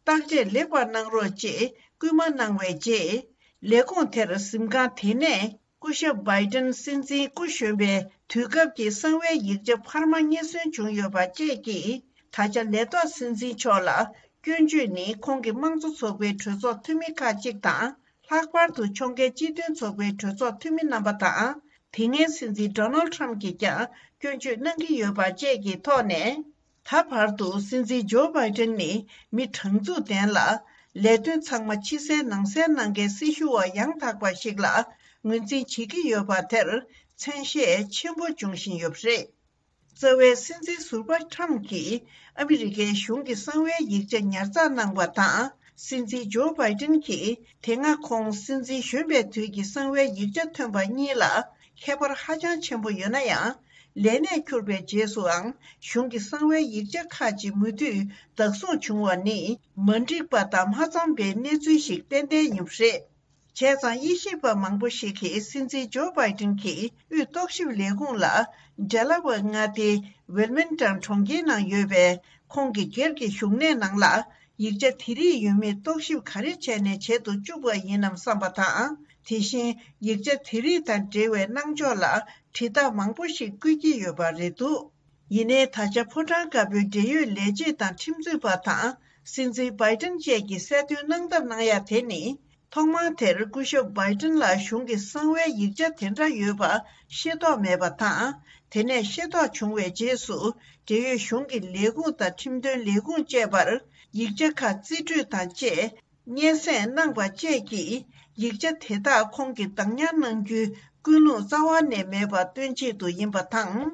བརྟག་དཔྱད་ལེགས་པར་གནང་རོགས་ཅེས་སྐུལ་མ་གནང་བའི་རྗེས། ལས་ཁུངས་དེར་གཟིམ་ཁང་དེ་ནས་སྐུ་ཞབས་བྷའི་ཏིན་སྲིད་འཛིན་སྐུ་གཞོན་པའི་དུས་སྐབས་ཀྱི་གསང་བའི་ཡིག་ཆ་འཕར་མ་རྙེད་སོན་བྱུང་ཡོད་པ་བཅས་ཀྱིས། ད་ཆ་ལས་ཐོག་སྲིད་འཛིན་མཆོག་ལ་སྐྱོན་བརྗོད་ནི་ཁོང་གི་དམངས་གཙོ་ཚོགས་པའི་གྲོས་ཚོགས་འཐུས་མི་ཁག་ཅིག་དང་། ལྷག་པར་དུ་ཕྱོགས་འགལ་སྤྱི་མཐུན་ཚོགས་པའི་གྲོས་ཚོགས་འཐུས་མི་རྣམ་པ་དང་། དེ་སྔའི་སྲིད་འཛིན་ཌོ་ནལ་ཊམ་གྱིས་ཀྱང་སྐྱོན་བརྗོད་གནང་གི་ཡོད་པ་བཅས་ཀྱི་ཐོག་ནས། ད་བར་དུ་སྲིད་འཛིན་ཇོ་བྷའི་ཏིན་ནི་མི་དྲང་ཚུགས་ལྡན་ལ། ལས་དོན་ཚང་མ་ཕྱི་གསལ་ནང་གསལ་གནང་མཁན་སྲི་ཞུ་བ་ཡང་དག་པ་ཞིག་ལ་ངོས་འཛིན་བྱེད་ཀྱི་ཡོད་པ་དེར་མཚན་ཤས་ཆེན་པོ་འབྱུང་བཞིན་ཡོད་པ་རེད། རྩ་བའི་སྲིད་འཛིན་ཟུར་པ་ཊམ་གྱིས་ཨ་མི་རི་ཀའི་གཞུང་གི་གསང་བའི་ཡིག་ཆ་ཉར་ཚགས་གནང་བ་དང་། སྲིད་འཛིན་ཇོ་བྷའི་ཏིན་གྱིས་དེ་སྔ་ཁོང་སྲིད་འཛིན་གཞོན་པའི་དུས་ཀྱི་གསང་བའི་ཡིག་ཆ་ཐོན་པ་གཉིས་ལ་ཁྱད་པར་ཧ་ཅང་ཆེན་པོ་ཡོད་ན་ཡང་། ལས་གནས་འཁྱུར་བའི་རྗེས་སུའང་གཞུང་གི་གསང་བའི་ཡིག་ཆ་ཁག་ཅིག་མུ་མཐུད་བདག་བཟུང་བྱུང་བ་ནི་མ་འགྲིག་པ་དང་མ་འཚམས་པའི་གནས་ཚུལ་ཞིག་ཏན་ཏན་ཡིན་པ་རེད། བྱས་ཙང་དབྱེ་ཞིབ་པ་མང་པོ་ཞིག་གིས་སྲིད་འཛིན་ཇོ་བྷའི་ཏིན་གྱིས་དབུས་རྟོག་ཞིབ་ལས་ཁུངས་ལ་ཌེ་ལ་ཝེ་མངའ་སྡེའི་ཝིལ་མིང་ཊོན་གྲོང་ཁྱེར་ནང་ཡོད་པའི་ཁོང་གི་སྒེར་གྱི་བཞུགས་གནས་ནང་ལ་ཡིག་ཆ་དེ་རིགས་ཡོད་མེད་རྟོག་ཞིབ་ག་རེ་བྱས་ནས་བྱེད་དུ་བཅུག་པ་ཡིན་ནམ་བསམ་པ་དང་། དེ་བཞིན་ཡིག་ཆ་དེ་རིགས་དང་འབྲེལ་བའི་གནང་ཕྱོགས་ལ་དྲི་རྟགས་མང་པོ་ཞིག་བཀོད་ཀྱི་ཡོད་པ་རེད་འདུག་ཡིན་ནའི་ད་ཆ་ཕོ་བྲང་དཀར་པོའི་འབྲེལ་ཡོད་ལས་བྱེད་དང་ཁྲིམས་རྩོད་པ་དང་སྲིད་འཛིན་བྷའི་ཏིན་བཅས་ཀྱིས་གསལ་སྟོན་གནང་ཐབས་གནང་ཡ་དེ་ནི། ཐོག་མར་དེར་སྐུ་ཞབས་བྷའི་ཏིན་ལ་གཞུང་གི་གསང་བའི་ཡིག་ཆ་དེ་འདྲ་ཡོད་པ་ཤེས་རྟོགས་མེད་པ་དང་། དེ་ནས་ཤེས་རྟོགས་བྱུང་བའི་རྗེས་སུ་འབྲེལ་ཡོད་གཞུང་གི་ལས་ཁུངས་དང་ཁྲིམས་དོན་ལས་ཁུངས་བཅས་པར་ཡིག་ཆ་ཁག་རྩིས་སྤྲོད་དང་བཅས་སྙན་སེང་གནང་པ་བཅས་ཀྱིས་ཡིག་ཆ་དེ་དག་ཁོང་གིས་བདག་ཉར་གནང་རྒྱུའི་ཀུན་སློང་རྩ་བ་ནས་མེད་པ་སྟོན་ཆེད་དུ་ཡིན་པ་དང་།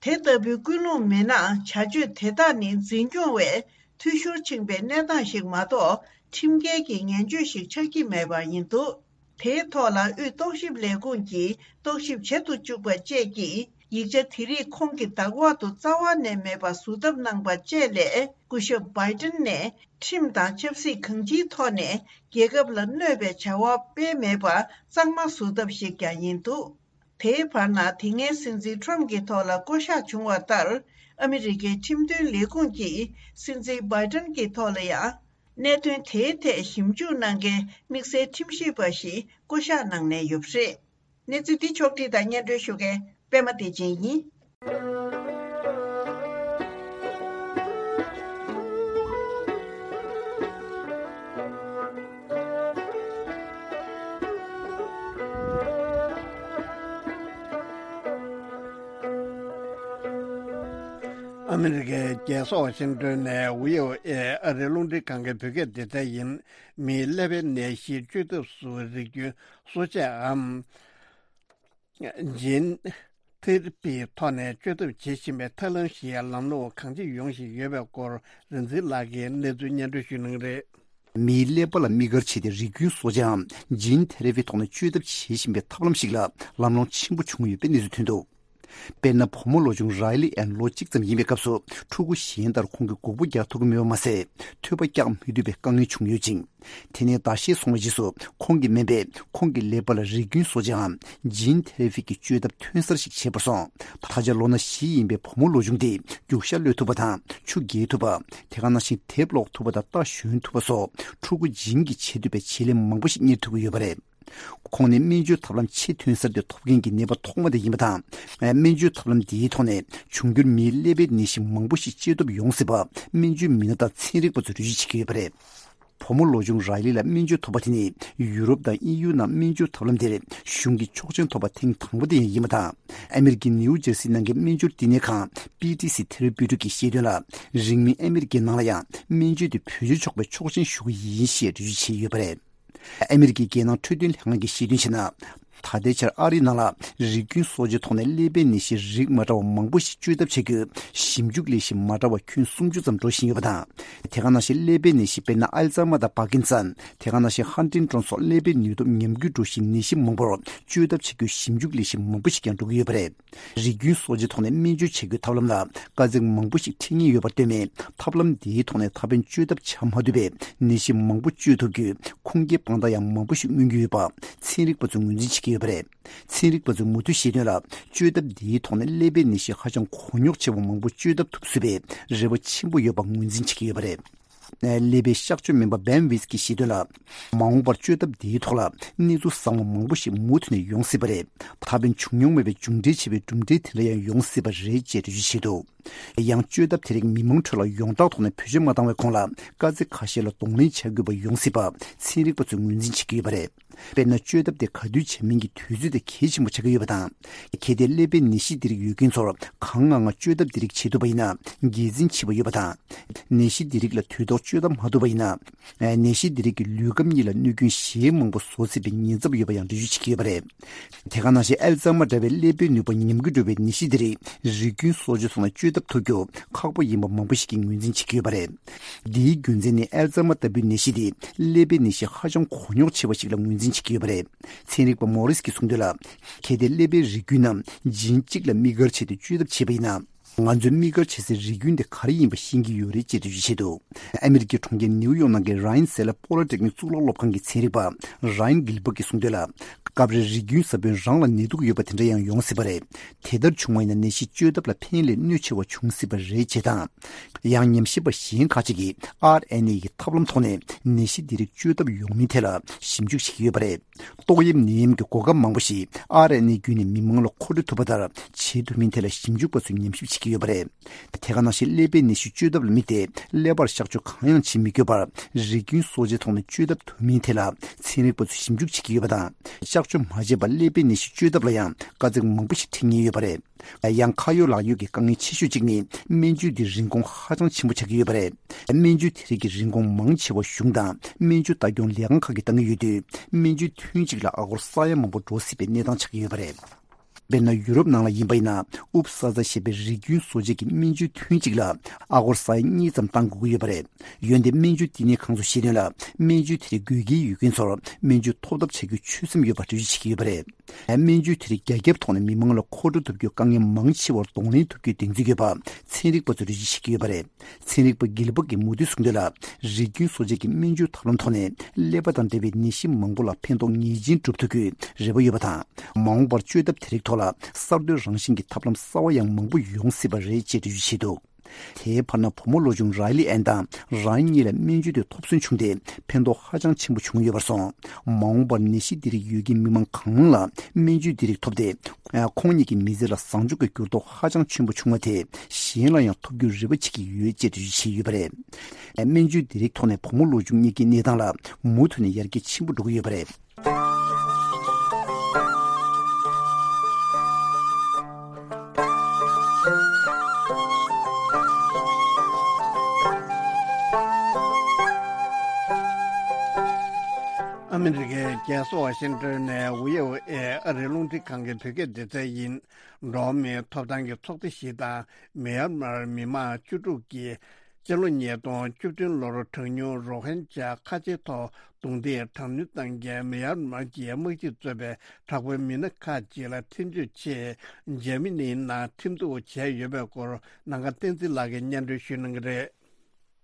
དེ་ལྟ་བུའི་ཀུན་སློང་མེད་ན་བྱ་སྤྱོད་དེ་དག་ནི་འཛིན་སྐྱོང་བས་འཐུས་ཤོར་ཕྱིན་པའི་གནས་སྟངས་ཤིག་མ་གཏོགས་ཁྲིམས་འགལ་གྱི་ངན་བྱུས་ཤིག་ཆགས་ཀྱི་མེད་པ་ཡིན་འདུག་དེའི་ཐོག་ལ་དབུས་རྟོག་ཞིབ་ལས་ཁུངས་ཀྱིས་རྟོག་ཞིབ་བྱེད་དུ་བཅུག་པ་བཅས་ཀྱིས་ ཡིག་ཆ་དེ་རིགས་ཁོང་གིས་བདག་དབང་དུ་རྩ་བ་ནས་མེད་པར་བཟོ་ཐབས་གནང་པ་བཅས་ལས། སྐུ་ཞབས་བྷའི་ཏིན་ནས་ཁྲིམས་དང་ཆབ་སྲིད་གང་ཅིའི་ཐོག་ནས་རྒྱལ་ཁབ་ལ་གནོད་པའི་བྱ་བ་སྤེལ་མེད་པ་གཙང་མ་བཟོ་ཐབས་ཤིག་ཀྱང་ཡིན་འདུག་དེའི་བར་ན། དེ་སྔའི་སྲིད་འཛིན་ཁྲོམ་གྱི་ཐོག་ལ་བསྐོ་གཞག་བྱུང་བ་ལྟར། ཨ་མི་རི་ཀའི་ཁྲིམས་དོན་ལས་ཁུངས་ཀྱིས་སྲིད་འཛིན་བྷའི་ཏིན་གྱི་ཐོག་ལ་ཡང་། གནད་དོན་དེའི་ཐད་ཞིབ་འཇུག་གནང་མཁན་དམིགས་བསལ་ཁྲིམས་ཞིབ་པ་ཞིག་བསྐོ་གཞག་གནང་གནང་ཡོད་པ་རེད། གནས་ཚུལ་འདི་ཕྱོགས་བསྒྲིགས་དང་སྙན་སྒྲོན་ཞུ་མཁན་པད་མ་བདེ་ཆེན་ཡིན། ཨ་མི་རི་ཀའི་རྒྱལ་ས་ཝ་ཤིང་ཏོན་ནས་བྷི་ཨོ་ཨེ་ཨ་རིའི་རླུང་འཕྲིན་ཁང་གི་བོད་སྐད་སྡེ་ཚན་ཡིན། མིའི་ཀླད་པའི་ནད་གཞི་བཅོས་ཐབས་སུ་རིགས་རྒྱུན་གསོ་དཔྱད་འམ། ཇིན་ཐེ་ར་པིའི་ཐོག་ནས་བཅོས་ཐབས་བྱེད་བཞིན་པའི་ཐབས་ལམ་ཞིག་ལམ་ལྷོང་གང་ཅི་ཡོང་བཞིན་ཡོད་པའི་སྐོར་རིག་འཛིན་ལགས་ཀྱིས་གནས་ཚུལ་སྙན་སྒྲོན་ཞུ་གནང་གི་རེད། མིའི་ཀླད་པ་ལ་དམིགས་བཀར་བྱས་ཏེ་རིགས་རྒྱུན་གསོ་དཔྱད་འམ་ཇིན་ཐེ་ར་པིའི་ཐོག་ནས་བཅོས་ཐབས་བྱེད་བཞིན་པའི་ཐབས་ལམ་ཞིག་ལ་ལམ་ལྷོང་ཆེན་པོ་བྱུང་ཡོད་པའི་གནས་ཚུལ་ཐོན་འདུག་དཔེར་ན། བུ་མོ་ལོ་ཆུང་རའི་ལི་ཨན་ལོ་གཅིག་ཙམ་ཡིན་པའི་སྐབས་སུ་ཕྲུ་གུ་གཞན་ལྟར་ཁོང་གིས་སྒོར་མོ་རྒྱག་ཐུབ་ཀྱི་མེད་པ་མ་ཟད། ཐོས་པ་རྒྱག་མི་ཐུབ་པའི་དཀའ་ངལ་བྱུང་ཡོད་ཅིང་། དེ་ནས་ཟླ་ཤས་སོང་བའི་རྗེས་སུ་ཁོང་གི་སྨན་པས་ཁོང་གི་ཀླད་པ་ལ་རིགས་རྒྱུན་གསོ་དཔྱད་འམ་ཇིན་ཐེ་ར་པི་གི་བཅོས་ཐབས་ཐོན་གསར་ཞིག་བྱས་པར་སོང་། ད་ཆ་ལོ་ན་བཞི་ཡིན་པའི་བུ་མོ་ལོ་ཆུང་དེས་རྒྱུག་ཤར་གློད་ཐུབ་པ་དང་ཆུ་རྐྱལ་ཐུབ་པ། དེ་ག་ནང་བཞིན་དེབ་ཀློག་ཐུབ་པ་དང་རྟ་ཞོན་ཐུབ་པ་སོགས་ཕྲུ་གུ་ཇིན་གྱིས་བྱེད་ཐུབ་པའི་བྱེད་ལས་མང་པོ་ཞིག་གཉེར་ཐུབ་ཀྱི་ཡོད་པ་རེད། ཁོང་ནི་སྨན་བཅོས་ཐབས་ལམ་ཆེས་ཐོན་གསར་དེ་ཐོབ་མཁན་གྱི་ནད་པ་ཐོག་མ་དེ་ཡིན་པ་དང་། སྨན་བཅོས་ཐབས་ལམ་འདིའི་ཐོག་ནས་འབྱུང་འགྱུར་མིའི་ཀླད་པའི་ནད་གཞི་མང་པོ་ཞིག་བཅོས་ཐབས་ཡོང་སྲིད་པ་སྨན་བཅོས་མི་སྣ་དང་ཚན་རིག་པ་ཚོས་འགྲེལ་བརྗོད་བྱེད་ཀྱི་ཡོད་པ་རེད། བུ་མོ་ལོ་ཆུང་རའི་ལི་ལ་སྨན་བཅོས་ཐོབ་པ་དེ་ནི་ཡུ་རོབ་དང་དབྱིན་ཡུལ་ནང་སྨན་བཅོས་ཐབས་ལམ་དེར་གཞུང་གིས་ཆོག་མཆན་ཐོབ་པ་ཐེངས་དང་པོ་དེ་ཡང་ཡིན་པ་དང་། ཨ་མི་རི་ཀའི་ནིའུ་ཇར་སི་ནང་གི་སྨན་སྦྱོར་བསྟི་གནས་ཁང་པི་ཏི་སི་ཐེ་ར་པིའུ་ཊིག་གིས་བཤད་དོན་ལ། རིང་མིན་ཨ་མི་རི་ཀའི་ནང་ལ་ཡང་སྨན་བཅོས་དེ་བེད་སྤྱོད་ཆོག་པའི་ཆོག་མཆན་ཞུ་གི་ཡིན་ཞེས་འགྲེལ་བརྗོད་བྱས་ཡོད་པ་རེད། ཨ་མི་རི་ཀའི་རྒྱལ་ནང་འཕྲོད་བསྟེན་ལྷན་ཁང་གིས་བཤད་དོན་བྱས་ན། ད་ལྟའི་ཆར་ཨ་རིའི་ནང་ལ་རིགས་རྒྱུན་གསོ་བཅོས་ཐོག་ནས་ཀླད་པའི་ནད་གཞིའི་རིགས་མ་འདྲ་བ་མང་པོ་ཞིག་བཅོས་ཐབས་བྱ་རྒྱུའི་ཞིབ་འཇུག་ལས་གཞི་མ་འདྲ་བ་ཁྱོན་སུམ་ཅུ་ཙམ་འགྲོ་བཞིན་ཡོད་པ་དང་། དེ་ག་ནང་བཞིན་ཀླད་པའི་ནད་གཞི་དཔེར་ན་ཨལ་ཛཱི་མར་དང་པར་ཀིན་སན། དེ་ག་ནང་བཞིན་ཧན་ཏིང་ཏོན་སོགས་ཀླད་པའི་ནུས་སྟོབས་ཉམས་རྒུད་འགྲོ་བཞིན་ནད་གཞི་མང་པོར་བཅོས་ཐབས་བྱ་རྒྱུའི་ཞིབ་འཇུག་ལས་གཞི་མང་པོ་ཞིག་ཀྱང་འགྲོ་གི་ཡོད་པ་རེད། རིགས་རྒྱུན་གསོ་བཅོས་ཐོག་ནས་སྨན་བཅོས་བྱ་རྒྱུའི་ཐབས་ལམ་ལ་དཀའ་ཚེགས་མང་པོ་ཞིག་འཕྲད་ངེས་ཡོད་པར་ལྟོས་མེད། ཐབས་ལམ་འདིའི་ཐོག་ནས་ད་ཕན་བཅོས་ཐབས་བྱ་མ་ཐུབ་པའི་ནད་གཞི་མང་པོ་བཅོས་ཐུབ་རྒྱུའི་ཁུངས་སྐྱེལ་དཔང་རྟགས་ཡང་མང་པོ་ཞིག་མངོན་གྱི་ཡོད་པ་ཚན་རིག་པ་ཚོས་ངོས་འཛིན་བྱེད་ཀྱི་ཡོད་པ་རེད། ཚན་རིག་པ་ཚོས་མུ་མཐུད་བཤད་དོན་ལ། བཅོས་ཐབས་འདིའི་ཐོག་ནས་ཀླད་པའི་ནད་གཞི་ཧ་ཅང་གོ་རྙོག་ཆེ་བ་མང་པོ་བཅོས་ཐབས་ཐུབ་སྲིད་པའི་རེ་བ་ཆེན་པོ་ཡོད་པ་ངོས་འཛིན་བྱེད་ཀྱི་ཡོད་པ་རེད། ཀླད་པའི་གཤག་བཅོས་སྨན་པ་བེན་ཝིས་ཀྱིས་བཤད་དོན་ལ། མ་འོངས་པར་བཅོས་ཐབས་འདིའི་ཐོག་ལ་གནས་ཚུལ་གསར་བ་མང་པོ་ཞིག་མུ་མཐུད་ནས་ཡོང་སྲིད་པ་རེད། ད་ཕན་བྱུང་མྱོང་མེད་པའི་མཇུག་འབྲས་ཆེ་བའི་གྲུབ་འབྲས་དེ་འདྲ་ཡང་ཡོང་སྲིད་པ་རེད་ཅེས་འགྲེལ་བརྗོད་བྱས་འདུག་ཡང་བཅོས་ཐབས་དེ་རིགས་མི་མང་ཁྲོད་ལ་ཡོངས་གྲགས་ཐོག་ནས་བེད་སྤྱོད་མ་བཏང་བའི་གོང་ལ་དཀའ་ཚེགས་ཁ་ཤས་ལ་གདོང་ལེན་བྱ་དགོས་པ་ཡོང་སྲིད་པ་ཚན་རིག་པ་ཚོས་ངོས་འཛིན་བྱེད་ཀྱི་ཡོད་པ་རེད། དཔེར་ན། བཅོས་ཐབས་དེ་ག་དུས་བྱ་མིན་གྱི་དུས་ཚོད་དེ་གལ་ཆེན་པོ་ཆགས་ཀྱི་ཡོད་པ་དང་། གལ་ཏེ་ཀླད་པའི་ནད་གཞི་འདི་རིགས་ཡོད་མཁན་ཚོར་གང་སྔ་སྔ་བཅོས་ཐབས་འདི་རིགས་བྱེད་ཐུབ་པ་ཡིན་ན་དགེ་མཚན་ཆེ་བ་ཡོད་པ་དང་། ནད་གཞི་འདི་རིགས་ལ་དུས་ཐོག་བཅོས་ཐབས་མ་ཐུབ་པ་ཡིན་ན། ནད་གཞི་འདི་རིགས་ཀྱིས་ལུས་ཁམས་གཉིས་ལ་གནོད་སྐྱོན་གཞན་མང་པོ་བཟོ་སྲིད་པའི་ཉེན་ཚབས་ཡོད་པ་ཡང་འགྲེལ་བརྗོད་བྱེད་ཀྱི་ཡོད་པ་རེད། དེ་ག་ནང་བཞིན་ཨལ་ཛཱི་མར་འདྲ་བའི་ཀླད་པའི་ནུས་པ་ཉམས་རྒུད་འགྲོ་བའི་ནད་གཞི་འདི་རིགས་རིགས་རྒྱུན་གསོ་བཅོས་ཐོག་ནས་བཅོས་ཐབས་ཐུབ་རྒྱུ་ཁག་པོ་ཡིན་པ་མང་པོ་ཞིག་གིས་ངོས་འཛིན་བྱེད་ཀྱི་ཡོད་པ་རེད། འདིའི་རྒྱུ་མཚན་ནི་ཨལ་ཛཱི་མར་ལྟ་བུའི་ནད་གཞི་དེ་ཀླད་པའི་ནད་གཞི་ཧ་ཅང་གོ་རྙོག་ཆེ་བ་ཞིག་ལ་ངོས་འཛིན་བྱེད་ཀྱི་ཡོད་པ་རེད། ཚན་རིག་པ་མོ་རིས་ཀྱིས་གསུངས་དོན་ལ། གལ་ཏེ་ཀླད་པའི་རིགས་རྒྱུན་ནམ་ཇིན་གཅིག་ལ་དམིགས་བཀར་བྱས་ཏེ་བཅོས་ཐབས་བྱས་པ་ཡིན་ན། ང་ཚོས་དམིགས་བཀར་བྱེད་སའི་རིགས་རྒྱུན་དེ་ག་རེ་ཡིན་པ་ཤེས་ཀྱི་ཡོད་རེད་ཅེས་འགྲེལ་བརྗོད་བྱས་འདུག་ཨ་མི་རི་ཀའི་གྲོང་ཁྱེར་ནིའུ་ཡོག་ནང་གི་རཱ་ཡན་སེ་ལ་པོ་ལི་ཊེག་ནིག་གཙུག་ལག་སློབ་ཁང་གི་ཚན་རིག་པ་རཱ་ཡན་གྷིལ་བྷར་ཊི་གྱིས་གསུངས་དོན་ལ། སྐབས་རེ་རིགས་རྒྱུན་ཟབ་དཔོན་རང་ལ་ནད་དུག་ཡོད་པ་དེ་འདྲ་ཡང་ཡོང་སྲིད་པ་རེད། དེ་ལྟར་བྱུང་བ་ཡིན་ན་ནད་གཞི་བཅོས་ཐབས་ལ་ཕན་ལས་གནོད་ཆེ་བ་འབྱུང་སྲིད་པ་རེད་ཅེས་དང་། ཡང་ཉམས་ཞིབ་པ་གཞན་ཁག་ཅིག་གིས་ཨར་ཨེན་ཨེ་ཡི་ཐབས་ལམ་ཐོག་ནས་ནད་གཞི་འདི་རིགས་བཅོས་ཐབས་ཡོང་མིན་ཐད་ལ་ཞིབ་འཇུག་བྱེད་ཀྱི་ཡོད་པ་རེད། ཏོག་དབྱིབས་ནད་ཡམས་ཀྱི་འགོག་ཁབ་མང་པོ་ཞིག་ཨར་ཨེན་ཨེ་བརྒྱུད་ནས་མི་མང་ལ་མཁོ་སྤྲོད་ཐུབ་པ་ལྟར་བྱེད་ཐུབ་མིན་ཐད་ལ་ཞིབ་འཇུག་པ་ཚོས་ཉམས་ཞིབ་བྱེད་ཀྱི་ཡོད་པ་རེད། དེ་ག་ནང་བཞིན་ཀླད་པའི་ནད་གཞི་བཅོས་ཐབས་ལ་དམིགས་ཏེ་ཀླད་པར་གཤག་བཅོས་གང་ཡང་བྱེད་མི་དགོས་པར་རིགས་རྒྱུན་གསོ་བཅོས་ཐོག་ནས་བཅོས་ཐབས་ཐུབ་མིན་ཐད་ལ་ཚན་རིག་པ་ཚོས་ཞིབ་འཇུག་བྱེད་ཀྱི་ཡོད་པ་དང་། གཤག་བཅོས་མ་བྱས་པར་ཀླད་པའི་ནད་གཞི་བཅོས་ཐབས་ལ་ཡང་དཀའ་ཚེགས་མང་པོ་ཞིག་འཕྲད་ངེས་ཡོད་པ་རེད། ཡང་ཁ་ཡོད་ལག་ཡོད་ཀྱི་དཀའ་ངལ་ཆེ་ཤོས་གཅིག་ནི་སྨན་བཅོས་འདིའི་རིན་གོང་ཧ་ཅང་ཆེན་པོ་ཆགས་ཀྱི་ཡོད་པ་རེད། སྨན་བཅོས་དེ་རིགས་ཀྱི་རིན་གོང་མང་ཆེ་བ་གཞུང་དང་སྨན་བཅོས་ལྟ་སྐྱོང་ལས་ཁང་ཁག་གིས་བཏང་གི་ཡོད་དུས། སྨན་བཅོས་ཐུན་གཅིག་ལ་ཨ་སྒོར་ས་ཡ་མང་པོ་འགྲོ་སྲིད་པའི་གནས་སྟངས་ཆགས་ཀྱི་ཡོད་པ་རེད། དཔེར་ན། ཡུ་རོབ་ནང་ལ་ཡིན་པ་ཡིན་ན། ཨུབ་སཱ་ཛ་ཞེས་པའི་རིགས་རྒྱུན་བཟོ་བྱེད་ཀྱི་སྨན་བཅོས་ཐུན་གཅིག་ལ་ཨ་སྒོར་ས་ཡ་གཉིས་ཙམ་བཏང་དགོས་ཀྱི་ཡོད་པ་རེད། འོན་ཏེ་སྨན་བཅོས་བསྟི་གནས་ཁང་ཚོས་བཤད་དོན་ལ། སྨན་བཅོས་དེ་རིགས་དགོས་གལ་ཡོད་མཁན་ཚོར་སྨན་བཅོས་ཐོབ་ཐབས་བྱ་རྒྱུའི་ཆོད་སེམས་ཡོད་པ་འགྲེལ་བརྗོད་བྱེད་ཀྱི་ཡོད་པ་རེད། སྨན་བཅོས་དེ་རིགས་རྒྱ་ཁྱབ་ཐོག་ནས་མི་མང་ལ་མཁོ་སྤྲོད་ཐུབ་རྒྱུའི་དཀའ་ངལ་མང་ཆེ་བར་གདོང་ལེན་ཐུབ་རྒྱུའི་གདེང་ཚོད་ཡོད་པ་ཚན་རིག་པ་ཚོས་འགྲེལ་བརྗོད་བྱེད་ཀྱི་ཡོད་པ་རེད། ཚན་རིག་པ་གྷིལ་བྷག་གིས་མུ་མཐུད་གསུངས་དོན་ལ། རིགས་རྒྱུན་སྲོག་ཆགས་ཀྱི་སྨན་བཅོས་ཐབས་ལམ་ཐོག་ནས་ཀླད་པ་དང་འབྲེལ་བའི་ནད་གཞི་མང་པོ་ལ་ཕན་ཐོགས་ངེས་ཅན་སྒྲུབ་ཐུབ་རྒྱུའི་རེ་བ་ཡོད་པ་དང་། མ་འོངས་པར་བཅོས་ཐབས་དེ་རིགས་ཐོག་ལ་གསར་གཏོད་རང་བཞིན་གྱི་ཐབས་ལམ་གསར་བ་ཡང་མང་པོ་ཡོང་སྲིད་པ་རེད་ཅེས་འགྲེལ་བརྗོད་བྱས་འདུག། དེའི་བར་ན་བུ་མོ་ལོ་ཆུང་རའི་ལི་ཨན་དང་རང་ཉིད་ལ་སྨན་བཅོས་དེ་ཐོབ་ཚུལ་བྱུང་སྟེ་ཕན་ཐོགས་ཧ་ཅང་ཆེན་པོ་བྱུང་ཡོད་པར་སོང་། མ་འོངས་པར་ནད་གཞི་འདི་རིགས་ཡོད་མཁན་མི་མང་གང་ལ་སྨན་བཅོས་འདི་རིགས་ཐོབ་སྟེ། ཁོང་ཉིད་ཀྱི་མི་ཚེ་ལ་བཟང་ཕྱོགས་ཀྱི་འགྱུར་ལྡོག་ཧ་ཅང་ཆེན་པོ་བྱུང་བ་དེ་གཞན་ལ་ཡང་ཐོབ་རྒྱུའི་རེ་བ་བྱེད་ཀྱི་ཡོད་ཅེས་འགྲེལ་བརྗོད་བྱས་ཡོད་པ་རེད། སྨན་བཅོས་འདི་རིགས་ཐོག་ནས་བུ་མོ་ལོ་ཆུང་གཉིས་ཀྱི་གནས་སྟངས་ལ་མུ་མཐུད་ནས་ཡར་རྒྱས་ཆེན་པོ་འགྲོ་གི་ཡོད་པ་རེད། ཨ་མི་རི་ཀའི་རྒྱལ་ས་ཝ་ཤིང་ཏོན་ནས་ཝི་ཨོ་ཨེ་ཨ་རིའི་རླུང་འཕྲིན་ཁང་གི་བོད་སྐད་སྡེ་ཚན་ཡིན། འགྲོ་བ་མིའི་ཐོབ་ཐང་གི་ཚོགས་སྡེ་ཞིག་དང་མི་ཡར་མར་མི་མང་བཅུ་དྲུག་གིས། སྤྱི་ལོ་ཉིས་སྟོང་བཅུ་བདུན་ལོར་གྲངས་ཉུང་རོ་ཧིན་ཇཱ་ཁ་ཆེའི་ཐོག་རྡུང་རྡེག་དྲག་གནོན་བཏང་མཁན་མི་ཡར་མར་གྱི་དམག་སྤྱིས་གཙོས་པའི་དྲག་པོའི་མི་སྣ་ཁག་ཅིག་ལ་ཁྲིམས་གཅོད་ཆེད་འཇར་མ་ནིའི་ནང་ཁྲིམས་གཏུག་བྱས་ཡོད་པའི་སྐོར་ནམ་མཁའ་བསྟན་འཛིན་ལགས་ཀྱིས་སྙན་སྒྲོན་ཞུ་གནང་གི་རེད།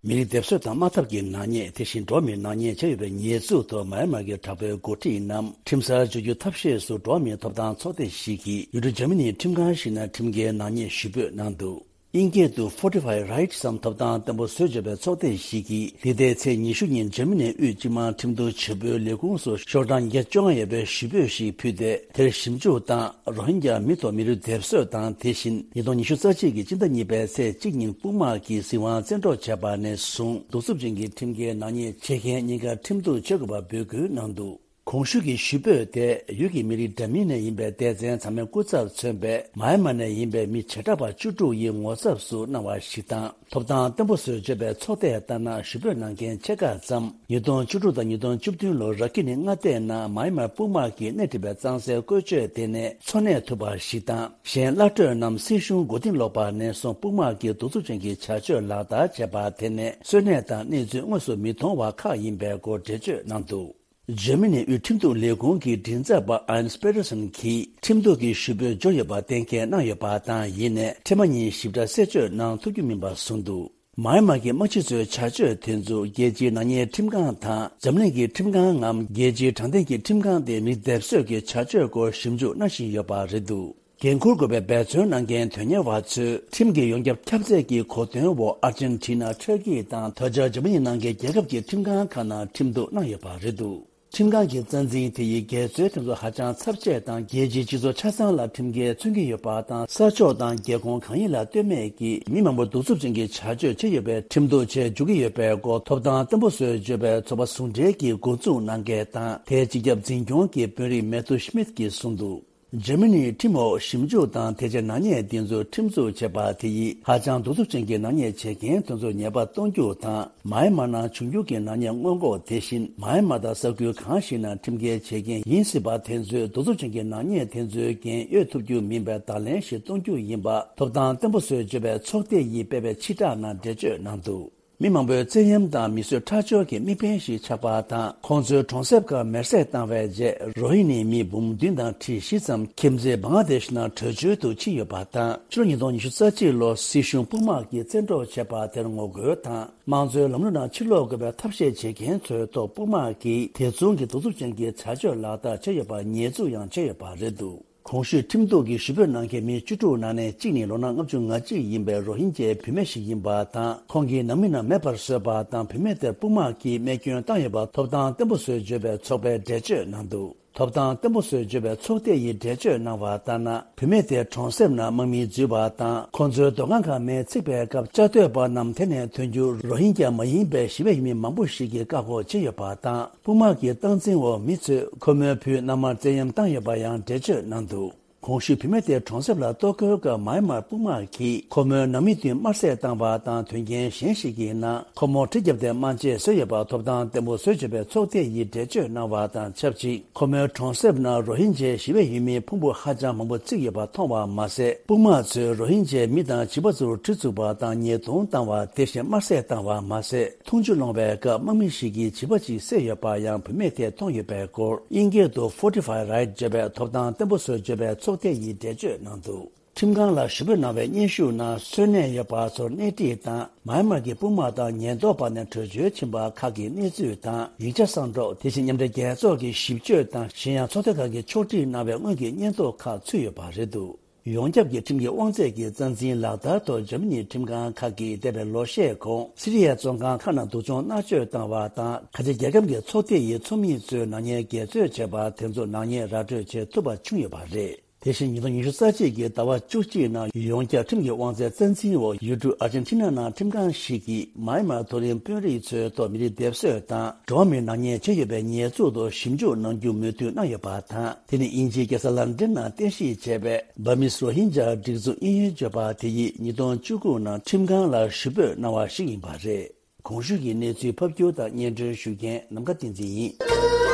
མི་རིགས་སྡེབ་གསོད་དང་དམག་འཐབ་ཀྱི་ནག་ཉེས། དེ་བཞིན་འགྲོ་བ་མིའི་ནག་ཉེས་བྱས་ཡོད་པའི་ཉེས་འཛུགས་ཐོག་མཱ་ཡན་མར་གྱི་དྲག་པོའི་འགོ་ཁྲིད་རྣམས་ཁྲིམས་སར་འཇུག་རྒྱུ་ཐབས་ཤེས་སུ་འགྲོ་བ་མིའི་ཐོབ་ཐང་ཚོགས་སྡེ་ཞིག་གིས་ཡུལ་གྲུ་འཇར་མ་ནིའི་ཁྲིམས་ཁང་ཞིག་ནང་ཁྲིམས་འགལ་ནག་ཉེས་ཞུ་འབོད་གནང་འདུག། དབྱིན་སྐད་དུ་Fortify Rights ཐོབ་ཐང་བརྟན་པོ་བཟོས་བྱས་པའི་ཚོགས་སྡེ་ཞིག་གིས་འདི་ཟླའི་ཚེས་ཉི་ཤུ་ཉིན་འཇར་མ་ནིའི་དབུས་སྤྱི་དམངས་ཁྲིམས་གཏུག་བྱེད་པོའི་ལས་ཁུངས་སུ་ཤོག་གྲངས་བརྒྱད་ཅུ་གྱ་བཅོ་ལྔ་ཡོད་པའི་ཞུ་འབོད་ཞིག་ཕུལ་ཏེ། དེར་ཞིབ་འཇུག་དང་རོ་ཧིན་རྒྱ་མི་ཐོག་མི་རིགས་སྡེབ་གསོད་དང་། དེ་བཞིན་ཉིས་སྟོང་ཉི་ཤུ་རྩ་གཅིག་གི་སྤྱི་ཟླ་གཉིས་པའི་ཚེས་གཅིག་ཉིན་དཔུང་དམག་གིས་སྲིད་དབང་བཙན་འཕྲོག་བྱས་པ་ནས་བཟུང་གདུག་རྩུབ་ཅན་གྱི་ཁྲིམས་འགལ་ནག་ཉེས་བྱེད་མཁན་གཉིས་ཀ་ཁྲིམས་གཏུག་བྱེད་དགོས་པ་འབོད་སྐུལ་གནང་འདུག། གོང་ཞུས་ཀྱི་ཞུ་འབོད་དེ་ཡུལ་གྱི་མི་རིགས་འདྲ་མིན་ནས་ཡིན་པའི་སྡེ་ཚན་ཚང་མའི་སྐུ་ཚབ་མཚོན་པའི་མཱ་ཡན་མ་ནས་ཡིན་པའི་མི་བྱེ་བྲག་པ་བཅུ་དྲུག་ཡི་ངོ་ཚབ་སུ་གནང་བ་ཞིག་དང་། ཐོབ་ཐང་བརྟན་པོ་བཟོས་བརྗོད་པའི་ཚོགས་སྡེ་ལྟར་ན། ཞུ་འབོད་གནང་མཁན་ཕྱེད་ཀ་ཙམ་ཉིས་སྟོང་བཅུ་དྲུག་དང་ཉིས་སྟོང་བཅུ་བདུན་ལོར་ར་ཁི་ནི་མངའ་སྡེའི་ནང་མཱ་ཡན་མ་དཔུང་དམག་གིས་སྣེ་ཁྲིད་པའི་གཙང་སེལ་བཀོལ་སྤྱོད་དེ་ནས་འཚོ་གནས་ཐུབ་པ་ཞིག་དང་། གཞན་གླ་སྤྲོད་རྣམས་སྲིད་གཞུང་མགོ་རྟིང་སློག་པ་ནས་བཟུང་དཔུང་དམག་གིས་གདུག་རྩུབ་ཅན་གྱི་བྱ་སྤྱོད་ལག་བསྟར་བྱས་པ་དེ་ནས་གསོན་གནས་དང་གནས་ཚུལ་དངོས་སུ་མི་མཐོང་བ་ཁག་ཡིན་པའི་སྐོར་འགྲེལ་བརྗོད་གནང་འདུག། འཇར་མ་ནིའི་དབུས་ཁྲིམས་གཏུག་ལས་ཁུངས་ཀྱི་མགྲིན་ཚབ་པ་ཨན་པེ་རི་སན་གྱིས་ཁྲིམས་གཏུག་གི་ཞུ་འབོད་འབྱོར་ཡོད་པ་གཏན་འཁེལ་གནང་ཡོད་པ་དང་། ཡིན་ནའི་འཕྲལ་མ་ཉིད་ཞིབ་ཕྲ་གསལ་བརྗོད་གནང་ཐུབ་རྒྱུ་མིན་པ་གསུངས་འདུག། མཱ་ཡན་མ་གི་དམག་སྤྱི་ཚོའི་བྱ་སྤྱོད་དེ་ཚོ་རྒྱལ་སྤྱིའི་ནག་ཉེས་ཁྲིམས་ཁང་དང་འཛམ་གླིང་གི་ཁྲིམས་ཁང་ངམ་རྒྱལ་སྤྱིའི་དྲང་བདེན་གྱི་ཁྲིམས་ཁང་དེ་མི་སྡེབ་གསོད་ཀྱི་བྱ་སྤྱོད་སྐོར་ཞིབ་འཇུག་གནང་བཞིན་ཡོད་པ་རེད་འདུག། འགན་འཁུར་དགོས་པའི་འབད་བརྩོན་གནང་མཁན་དོན་གཉེར་བ་ཚོས་ཁྲིམས་ཀྱི་ཡོངས་ཁྱབ་ཁྱབ་ཚད་ཀྱི་གོ་སྟོན་འོག་ཨར་ཇན་ཊི་ན། ཊར་ཀི་དང་དོལ་རྒྱལ་འཇར་མ་ནི་ནང་གི་རྒྱལ་ཁབ་ཀྱི་ཁྲིམས་ཁང་ཁག་ནང་ཁྲིམས་གཏུག་གནང་ཡོད་པ་རེད་འདུག། ཁྲིམས་ཁང་གི་རྩ་འཛིན་དེ་ཡིས་འགལ་འཛོལ་དེ་ཚོ་ཧ་ཅང་ཚབས་ཆེ་དང་། རྒྱལ་སྤྱིའི་སྤྱི་ཚོགས་ཆ་ཚང་ལ་ཁྲིམས་འགལ་མཚོན་གྱི་ཡོད་པ་དང་། ས་ཕྱོགས་དང་རྒྱལ་ཁོངས་གང་ཡིན་ལ་ལྟོས་མེད་ཀྱིས་མི་མང་པོ་གདུག་རྩུབ་ཅན་གྱི་བྱ་སྤྱོད་བྱས་ཡོད་པའི་ཁྲིམས་གཏུག་བྱེད་འཇུག་གི་ཡོད་པའི་སྐོར་ཐོབ་ཐང་བརྟན་པོ་བཟོས་བརྗོད་པའི་ཚོགས་པ་ཟུང་འབྲེལ་གྱི་འགོ་འཛུགས་གནང་མཁན་དང་། དེའི་སྤྱི་ཁྱབ་འཛིན་སྐྱོང་གི་དཔོན་རིགས་མེ་ཐུ་ཤི་མིད་ཀྱིས་གསུངས་འདུག། འཇར་མ་ནིའི་ཁྲིམས་འོག་ཞིབ་འཇུག་དང་དེ་བྱས་ནག་ཉེས་འདི་ཚོ་ཁྲིམས་འཛུགས་བྱས་པ་དེ་ཡིས་ཧ་ཅང་གདུག་རྩུབ་ཅན་གྱི་ནག་ཉེས་བྱེད་མཁན་དེ་ཚོ་ཉེས་པ་གཏོང་རྒྱུ་དང་། མཱ་ཡན་མ་ནང་བྱུང་རྒྱུ་གི་ནག་ཉེས་སྔོན་འགོག། དེ་བཞིན་མཱ་ཡན་མ་དང་ས་ཁུལ་གང་ཞིག་ནང་ཁྲིམས་འགལ་བྱེད་མཁན་ཡིན་སྲིད་པ་དེ་ཚོའི་གདུག་རྩུབ་ཅན་གྱི་ནག་ཉེས་དེ་ཚོའི་འགན་གཡོལ་ཐུབ་རྒྱུ་མིན་པའི་བརྡ་ལན་ཞིག་གཏོང་རྒྱུ་ཡིན་པ་ཐོབ་ཐང་བརྟན་པོ་བཟོས་བརྗོད་པའི་ཚོགས་སྡེ་ཡིས་སྤེལ་བའི་ཕྱིར་བསྒྲགས་ནང་འགྲེལ་བརྗོད་གནང་འདུག། མི་མང་པོའི་བཙན་གཡེམ་དང་མི་གསོད་ཁྲག་སྦྱོར་གྱི་དམིགས་འབེན་ཞིག་ཆགས་པ་དང་། ཁོང་ཚོའི་གྲོང་གསེབ་ཁག་མེར་སྲེག་བཏང་བའི་རྗེས། རོ་ཧི་ནི་མི་འབུམ་བདུན་དང་ཁྲི་བཞི་ཙམ་ཁྱིམ་མཚེས་བང་ལ་དེཤ་ནང་བྲོས་བྱོལ་དུ་ཕྱིན་ཡོད་པ་དང་། ཕྱི་ལོ་ཉིས་སྟོང་ཉི་ཤུ་རྩ་གཅིག་ལོར་སྲིད་གཞུང་དཔུང་དམག་གིས་བཙན་འཕྲོག་བྱས་པ་དེར་ངོ་རྒོལ་དང་། དམངས་གཙོའི་ལམ་ལུགས་ནང་ཕྱིར་ལོག་དགོས་པའི་ཐབས་ཤེས་བྱེད་མཁན་ཚོའི་ཐོག་དཔུང་དམག་གིས་དེ་མཚུངས་ཀྱི་གདུག་རྩུབ་ཅན་གྱི་བྱ་སྤྱོད་ལག་བསྟར་བྱས་ཡོད་པར་ཉེས་འཛུགས་ཡང་བྱས་ཡོད་པ་རེད་འདུག། གོང་ཞུས་ཁྲིམས་གཏུག་གི་ཞུ་འབོད་གནང་མཁན་མི་བཅུ་དྲུག་ནང་ནས་གཅིག་ནི་ལོ་ན་ལྔ་བཅུ་ང་གཅིག་ཡིན་པའི་རོ་ཧིན་རྒྱའི་བུད་མེད་ཞིག་ཡིན་པ་དང་། ཁོང་གི་ནང་མི་རྣམས་མེད་པར་བཟོས་པ་དང་། བུད་མེད་དེར་དཔུང་དམག་གིས་རྨས་སྐྱོན་བཏང་ཡོད་པ་ཐོབ་ཐང་བརྟན་པོ་བཟོས་བརྗོད་པའི་ཚོགས་པས་འགྲེལ་བརྗོད་གནང་འདུག། ཐོབ་ཐང་བརྟན་པོ་བཟོས་བརྗོད་པའི་ཚོགས་སྡེ་ཡིས་འགྲེལ་བརྗོད་གནང་བ་ལྟར་ན། བུད་མེད་དེ་གྲོང་གསེབ་ནང་དམག་མིས་འཛུལ་བ་དང་། ཁོང་ཚོའི་སྡོད་ཁང་ཁག་མེས་ཚིག་པའི་སྐབས། བཅའ་སྡོད་པ་རྣམས་དེ་ནས་ཐོན་རྒྱུར་རོ་ཧིན་རྒྱ་མ་ཡིན་པའི་ཞི་བའི་ཡུལ་མི་མང་པོ་ཞིག་གིས་བཀག་འགོག་བྱས་ཡོད་པ་དང་། དཔུང་དམག་གི་སྟངས་འཛིན་འོག་མི་ཚོས་ཁོ་མོའི་བུས་མནའ་མར་བཙན་གཡེམ་བཏང་ཡོད་པ་ཡང་འགྲེལ་བརྗོད་གནང་འདུག། གོང་ཞུས་བུད་མེད་དེ་གྲོང་གསེབ་ལ་གཏོར་རྒོལ་སྐབས་མཱ་ཡན་མར་དཔུང་དམག་གིས་ཁོ་མོའི་ནང་མི་བདུན་དམར་བསད་བཏང་བ་དང་། དོན་རྐྱེན་གཞན་ཞིག་གི་ནང་ཁོ་མོར་གྲི་བརྒྱབ་སྟེ་དམར་ཆས་བཟོས་ཡོད་པ་ཐོབ་ཐང་བརྟན་པོ་བཟོས་བྱས་པའི་ཚོགས་སྡེ་ཡིས་འགྲེལ་བརྗོད་གནང་བ་དང་ཆབས་ཅིག་ཁོ་མོའི་གྲོང་གསེབ་ནང་རོ་ཧིན་ཇའི་ཞི་བའི་ཡུལ་མིའི་ཕུང་པོ་ཧ་ཅང་མང་པོ་བརྩིགས་ཡོད་པ་མཐོང་བ་མ་ཟད། དཔུང་དམག་ཚོས་རོ་ཧིན་ཇའི་མི་དང་བྱིས་པ་ཚོར་གྲི་བཙུགས་པ་དང་ཉེས་རྡུང་བཏང་བ། དེ་བཞིན་དམར་བསད་བཏང་བ་མ་ཟད། འཐུང་ཆུ་སློང་བའི་སྐབས་དམག་མི་ཞིག་གིས་བྱིས་པ་གཅིག་བསད་ཡོད་པ་ཡང་བུད་མེད་དེས་མཐོང་ཡོད་པའི་སྐོར། དབྱིན་སྐད་དུ་Fortify Right བརྗོད་པའི་ཐོབ་ཐང་བརྟན་པོ་བཟོས་བརྗོད་པའི་ཚོགས་སྡེ་ཡིས་འགྲེལ་བརྗོད་གནང་འདུག་ཁྲིམས་ཁང་ལ་ཞུ་འབོད་གནང་བའི་སྙན་ཞུ་ནང་གསོན་གནས་ཡོད་པ་ཚོར་སྣེ་ཁྲིད་དང་། མཱ་ཡན་མར་གྱི་དཔུང་དམག་དང་ཉེན་རྟོག་པ་ནས་བྲོས་བྱོལ་ཕྱིན་པ་ཁག་གི་གནས་ཚུལ་དང་། ཡིག་ཆ་གསང་སྒྲོག་དེ་བཞིན་མཉམ་འབྲེལ་རྒྱལ་ཚོགས་ཀྱི་ཞིབ་དཔྱོད་དང་གཞན་ཡང་ཚོགས་སྡེ་ཁག་གིས་ཕྱོགས་སྒྲིག་གནང་བའི་སྔོན་གྱི་སྙན་ཐོ་ཁག་ཚུད་ཡོད་པ་རེད་འདུག་ཡོངས་ཁྱབ་ཀྱི་ཁྲིམས་ཀྱི་དབང་ཚད་ཀྱི་རྩ་འཛིན་ལག་བསྟར་ཐོག་འཇར་མ་ནིའི་ཁྲིམས་ཁང་ཁག་གིས་འདས་པའི་ལོ་ཤས་གོང་སི་རི་ཡའི་བཙོན་ཁང་ཁག་ནང་སྡུག་སྦྱོང་མནར་གཅོད་བཏང་བ་དང་། ཁ་ཆེ་རྒྱལ་ཁབ་ཀྱི་ཚོགས་སྡེ་ཡིས་ཚོགས་མི་ཚོས་ནག་ཉེས་འགལ་རྩོད་བྱས་པ་དེ་ཚོ་ནག་ཉེས་ར་སྤྲོད་བྱེད་ཐུབ་པ་བྱུང་ཡོད་པ་རེད། དེ་བཞིན་ཉིས་སྟོང་ཉི་ཤུ་རྩ་གཅིག་གི་ཟླ་བ་བཅུ་གཅིག་ནང་ཡོངས་ཁྱབ་ཁྲིམས་ཀྱི་དབང་ཚད་རྩ་འཛིན་འོག་ཡུལ་གྲུ་ཨར་ཇེན་ཊི་ན་ནང་ཁྲིམས་ཁང་ཞིག་གིས་མཱ་ཡན་མར་མཐོ་རིམ་དཔོན་རིགས་ཚོའི་ཐོག་མི་རིགས་སྡེབ་གསོད་དང་འགྲོ་བ་མིའི་ནག་ཉེས་བྱས་ཡོད་པའི་ཉེས་འཛུགས་ཐོག་ཞིབ་འཇུག་གནང་རྒྱུ་མོས་མཐུན་གནང་ཡོད་པ་དང་། དེ་ནི་དབྱིན་ཇིའི་རྒྱལ་ས་ལན་ཀྲན་ནང་རྟེན་གཞི་བྱས་པའི་Burmese Rohingya སྒྲིག་འཛུགས་དབྱིན་ཡུལ་བརྗོད་པ་དེ་ཡིས་ཉིས་སྟོང་བཅུ་དགུ་ནང་ཁྲིམས་ཁང་ལ་ཞུ་འབོད་གནང་བ་ཞིག་ཡིན་པ་རེད། གོང་ཞུས་ཀྱི་གནས་ཚུལ་ཕབ་སྒྱུར་དང་སྙན་སྒྲོན་ཞུ་མཁན་ནམ་མཁའ་བསྟན་འཛིན་ཡིན།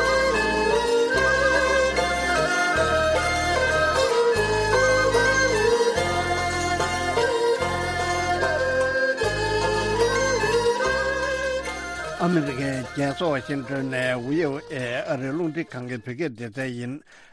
ཨ་མི་རི་ཀའི་རྒྱལ་ས་ཝ་ཤིང་ཊོན་ནས་བྷི་ཨོ་ཨེ་ཨ་རིའི་རླུང་འཕྲིན་ཁང་གི་བོད་སྐད་སྡེ་ཚན་ཡིན།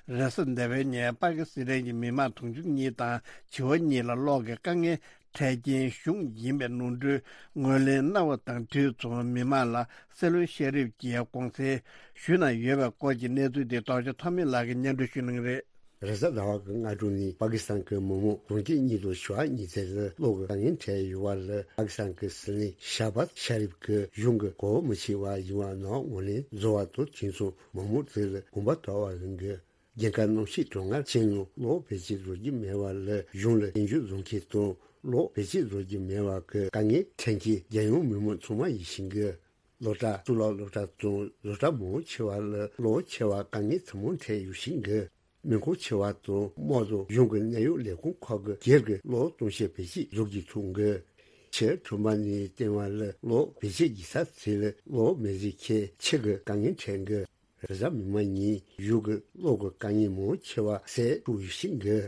རེས་གཟའ་ཟླ་བའི་ཉིན་པ་ཀི་སི་ཐན་གྱི་མི་མང་དུང་ཕྱུར་གཉིས་དང་བྱིས་པ་གཉིས་ལ་གློག་གི་དཀའ་ངལ་འཕྲད་རྐྱེན་གཞུང་ཡིན་པའི་ནོར་འཁྲུལ་ངོས་ལེན་གནང་བ་དང་འཁྲིལ་བྱུང་མི་མང་ལ་སྲིད་བློན་ཤ་རིབ་ཀྱིས་དགོངས་སེལ་ཞུས་གནང་ཡོད་པའི་སྐོར་གྱི་གནས་ཚུལ་དེ་རྡོ་རྗེ་ཐོགས་མེད་ལགས་ཀྱིས་སྙན་སྒྲོན་ཞུ་གནང་གི་རེད། རེས་གཟའ་ཟླ་བ་གི་སྔ་དྲོ་ནས་པ་ཀི་སི་ཐན་གྱི་མི་མང་དུང་ཕྱུར་གཉིས་དང་བྱེ་བ་གཉིས་ཙམ་ལ་གློག་གི་དཀའ་ངལ་འཕྲད་ཡོད་པ་ལ་པ་ཀི་སི་ཐན་གྱི་སྲིད་བློན་ཤ་བཱཛ་ཤ་རིབ་ཀྱིས་གཞུང་གི་གོ་བ་མི་ཆོད་པ་ཡིན་པ་ནང་ངོས་ལེན་བཟོ་བ་དང་དེ་མཚུངས་མི་མང་དེ་ལ་དགོངས་པ་དག་པ་ཡིན་གྱི། རྒྱལ་ཁབ་གནམ་གཤིས་གྲང་ངར་ཆེ་ནང་གློག་བེད་སྤྱོད་བཟོ་རྒྱུ་མེད་པ་ལ་གཞུང་ལ་སྐྱོན་བརྗོད་བཟོ་མཁན་དང་གློག་བེད་སྤྱོད་བཟོ་རྒྱུ་མེད་པ་གི་དཀའ་ངལ་འཕྲད་མཁན་རྒྱལ་ཡོངས་མི་མང་ཚང་མ་ཡིན་ཞིང་གི། སློབ་གྲྭ་གཙུག་ལག་སློབ་གྲྭ་དང་བཟོ་གྲྭ་མང་ཆེ་བ་ལ་གློག་ཆེ་བ་དཀའ་ངལ་ཚང་མ་འཕྲད་ཡོད་ཞིང་གི། མེ་འཁོར་ཆེ་བ་དང་དམག་དང་གཞུང་གི་གནད་ཡོད་ལས་ཁུངས་ཁག་གི་སྒེར་གྱི་གློག་གཏོང་བྱེད་བེད་སྤྱོད་བཟོ་རྒྱུ་ཐུབ་གི། ཕྱིར་ཐོན་པ་ནས་བསྟན་པ་ལ་གློག་བེད་སྤྱོད་བགྱིས་ས་ཚོ་ལ་གློག་མེད་ཚེ་ཁྱད་ཆེ་གི་དཀའ་ངལ་འཕྲད་གི། རེས་གཟའ་མིག་དམར་ཉིན་གཞུང་གི་གློག་གི་དཀའ་ངལ་མང་ཆེ་བ་སེལ་ཐུབ་ཡོད་ཞིང་གི།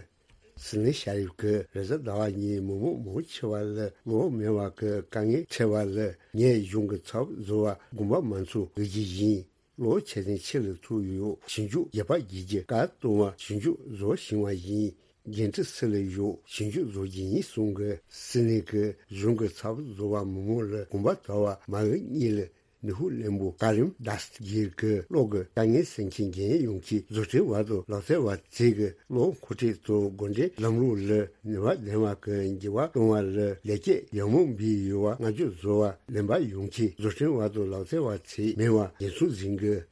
སྲིད་བློན་ཤ་རིབ་ཀྱིས་རེས་གཟའ་ཟླ་བ་ཉིན་མི་མང་མང་ཆེ་བ་ལ་གློག་མེད་པ་གི་དཀའ་ངལ་འཕྲད་པ་ལ་ངས་གཞུང་གི་ཚབ་བཟོ་བ་དགོངས་པ་མ་ཚོམ་འབུལ་རྒྱུ་ཡིན། གློག་ཆེ་ཆུང་ཆེ་ལ་ཐུག་ཡོད་ཞིབ་འཇུག་རྒྱག་པ་བགྱིས་རྒྱུ་བཀའ་གཏོང་བ་ཞིབ་འཇུག་བཟོ་བཞིན་པ་ཡིན། འགན་འཁྲི་སུ་ལ་ཡོད་ཞིབ་འཇུག་བཟོ་རྒྱུ་ཡིན་གསུང་གི། སྲིད་བློན་གྱིས་གཞུང་གི་ཚབ་བཟོ་བ་མི་མང་ལ་དགོངས་པ་དག་པ་མ་འོས་གཉིས་ལ། ནུས་ཤུགས་བརླན་པོ་ཀ་རིམ་དཱས་གིར་གྱིས་གློག་གི་དཀའ་ངལ་སེལ་མཁན་རྒན་ཡོལ་མཁན་བཟོ་སྐྲུན་པ་དང་ལག་རྩལ་པ་ཚོས་ཀྱིས་གློག་མཁོ་སྤྲོད་དང་འགོ་འདྲེན་ལམ་ལུགས་ལ་ནུས་པ་ལྡན་པ་གི་འགྱུར་བ་གཏོང་བ་ལ་ལེགས་སྐྱེས་ཡག་མོ་འབུལ་ཡོད་པ་བསྔགས་བརྗོད་བཟོ་བ་ལེན་པ་ཡོང་མཁན་བཟོ་སྐྲུན་པ་དང་ལག་རྩལ་པ་ཚོས་མེད་པ་འགན་སྲུང་འཛིན་དགོས།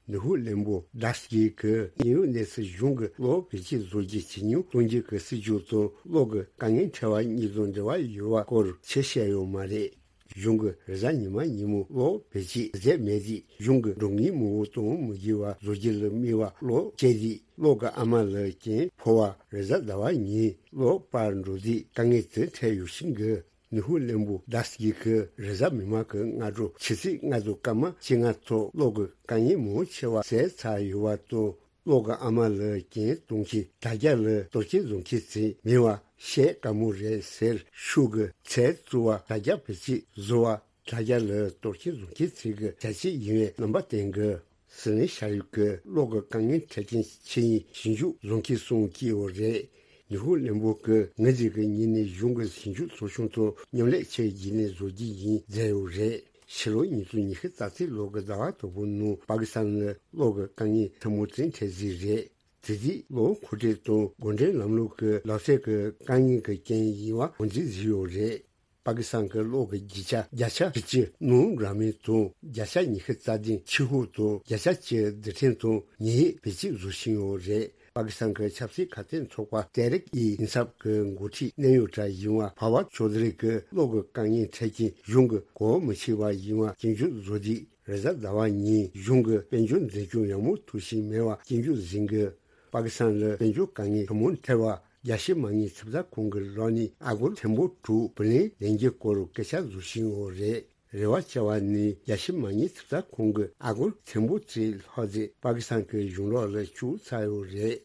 ནུས་ཤུགས་བརླན་པོ་དཱས་གིར་གྱིས་དངོས་ཡོད་གནས་ཚུལ་གཞུང་གི་གློག་བེད་སྤྱོད་བཟོ་རྒྱུ་ཇེ་ཉུང་གཏོང་རྒྱུ་གི་སྲིད་ཇུས་དང་གློག་གི་དཀའ་ངལ་འཕྲད་པ་གཉིས་དང་འབྲེལ་བ་ཡོད་པ་སྐོར་ཆེ་བཤད་ཡོད་མ་རེད། གཞུང་གིས་རེས་གཟའ་ཉི་མ་ཉིན་མོ་གློག་བེད་སྤྱོད་མཛད་མེད་དུས་གཞུང་གི་འགྲོ་མཁན་མང་པོ་གཏོང་མི་དགོས་པ་བཟོ་རྒྱུ་ལ་དམིགས་པ་གློག་བཅད་དུས་གློག་གི་ཨ་མ་ལ་རྐྱེན་ཕོག་པ་རེས་གཟའ་ཟླ་བ་ཉིན་གློག་པར་འགྲོ་དུས་དཀའ་ངལ་དེ་འཕྲད་ཡོད་ཞིང་གི། ནུས་ཤུགས་བརླན་པོ་དཱས་གིར་གྱིས་རེས་གཟའ་མིག་དམར་གྱི་སྔ་དྲོ་ཆུ་ཚོད་ལྔ་དང་སྐར་མ་བཅོ་ལྔ་ཐོག་གློག་གི་དཀའ་ངལ་མང་ཆེ་བ་སེལ་ཚར་ཡོད་པ་དང་། གློག་གི་ཨ་མ་ལ་རྐྱེན་གཏོང་མཁན་དྲ་རྒྱ་ལ་གཏོར་སྐྱོན་བཟོ་མཁན་ཚོས་མེད་པ་བཤད་དཀའ་མོ་རེད་ཟེར་ཤོད་གི། ཚལ་བཙུགས་པ་དྲ་རྒྱ་བེད་སྤྱོད་བཟོ་བ་དྲ་རྒྱ་ལ་གཏོར་སྐྱོན་བཟོ་མཁན་ཚོ་གི་བྱ་སྤྱོད་ཡིན་པའི་རྣམ་པ་བསྟན་གི། སྲིད་བློན་ཤ་རིབ་ཀྱིས་གློག་གི་དཀའ་ངལ་འཕྲད་རྐྱེན་ཆེ་ཉུང་ཞིབ་འཇུག་བཟོ་མཁན་གསུམ་བསྐོས་ཡོད་རེད། ནུས་ཤུགས་བརླན་པོ་གིས་ངེད་ཅག་གི་ངོས་ནས་གཞུང་གི་ཞིབ་འཇུག་ཚོགས་ཆུང་དང་མཉམ་ལས་བྱས་བརྒྱུད་ནས་བཟོ་རྒྱུ་ཡིན་མཛད་ཡོད་རེད། ཕྱི་ལོ་ཉིས་སྟོང་ཉི་ཤུ་རྩ་གཅིག་ལོ་གི་ཟླ་བ་དང་པོའི་ནང་པ་ཀི་སི་ཐན་ལ་གློག་གི་དཀའ་ངལ་ཐེངས་མ་གཅིག་འཕྲད་ཟིན་རེད། དེ་དུས་གློག་མཁོ་སྤྲོད་དང་སྒོ་འགྲམ་ལམ་ལུགས་ཀྱི་ལག་རྩལ་གྱི་དཀའ་ངལ་གྱི་རྐྱེན་ཡིན་པ་ངོས་འཛིན་བཟོས་ཡོད་རེད། པ་ཀི་སི་ཐན་གྱི་གློག་གི་རྒྱུ་ཆ་བརྒྱ་ཆ་དྲུག་ཅུ་ནང་ར་མིན་དང་། བརྒྱ་ཆ་ཉི་ཤུ་རྩ་བདུན་ཕྱི་ཧུ་དང་། བརྒྱ་ཆ་གཅིག་རྡུལ་ཕྲན་དང་ཉི་འོད་བེད་སྤྱོད་བཟོ་བཞིན་ཡོད་རེད། པ་ཀི་སི་ཐན་གྱི་ཆབ་སྲིད་ཁ་གཏད་ཚོགས་པ་ཏེ་རིག་ཨི་ཨིན་སབ་ཀྱི་འགོ་ཁྲིད་གནད་ཡོད་གྲས་ཡིན་པ་ཕ་ཝར་ཆོ་དྷ་རི་གིས་གློག་གི་དཀའ་ངལ་འཕྲད་རྐྱེན་གཞུང་གི་གོ་བ་མི་ཆོད་པ་ཡིན་པ་སྐྱོན་བརྗོད་བཟོ་དུས། རེས་གཟའ་ཟླ་བ་ཉིན་གཞུང་གིས་དཔལ་འབྱོར་འཛིན་སྐྱོང་ཡག་མོ་ཐུབ་བཞིན་མེད་པ་སྐྱོན་བརྗོད་ཟིན་གི། པ་ཀི་སི་ཐན་ལ་དཔལ་འབྱོར་དཀའ་ངལ་གང་མང་འཕྲད་པ། རྒྱལ་སྤྱིའི་མ་དངུལ་ཚབ་ཚ་ཁང་གི་ལག་ནས་ཨ་སྒོར་ཐེར་འབུམ་དྲུག་བུ་ལོན་ལེན་རྒྱུའི་སྐོར་སྐད་ཆ་བཟོ་བཞིན་ཡོད་རེད། རེ་བ་བྱ་བ་ནི་རྒྱལ་སྤྱིའི་མ་དངུལ་ཚབ་ཚ་ཁང་གི་ཨ་སྒོར་ཐེར་འབུམ་གཅིག་ལྷག་ཙམ་པ་ཀི་སི་ཐན་གྱི་གཞུང་ལག་ལ་བཅུག་ཚར་ཡོད་རེད།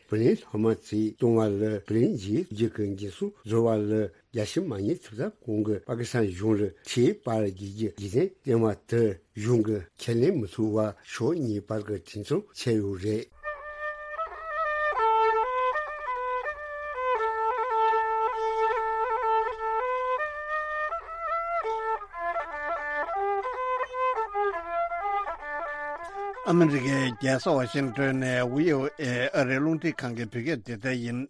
བུ་ལོན་ལྷག་མ་ཚོས་བཏང་བ་ལ་བུ་ལོན་འཇལ་རྒྱུ་གི་འགན་སྲུང་བཟོ་བ་ལ་རྒྱལ་སྤྱིའི་མ་དངུལ་ཚབ་ཚ་ཁང་གིས་པ་ཀི་སི་ཐན་གཞུང་ལ་ཁྲལ་སྤར་རྒྱག་རྒྱུའི་རྒྱུ་མཚན་བསྟན་པ་དེར་གཞུང་གིས་ཁས་ལེན་མི་ཐུབ་པར་ཕྱོགས་གཉིས་བར་གྱི་གྲོས་མཐུན་བྱས་ཡོད་རེད། ཨ་མི་རི་ཀའི་རྒྱལ་ས་ཝ་ཤིང་ཏོན་ནས་བྷི་ཨོ་ཨེ་ཨ་རིའི་རླུང་འཕྲིན་ཁང་གི་བོད་སྐད་སྡེ་ཚན་ཡིན།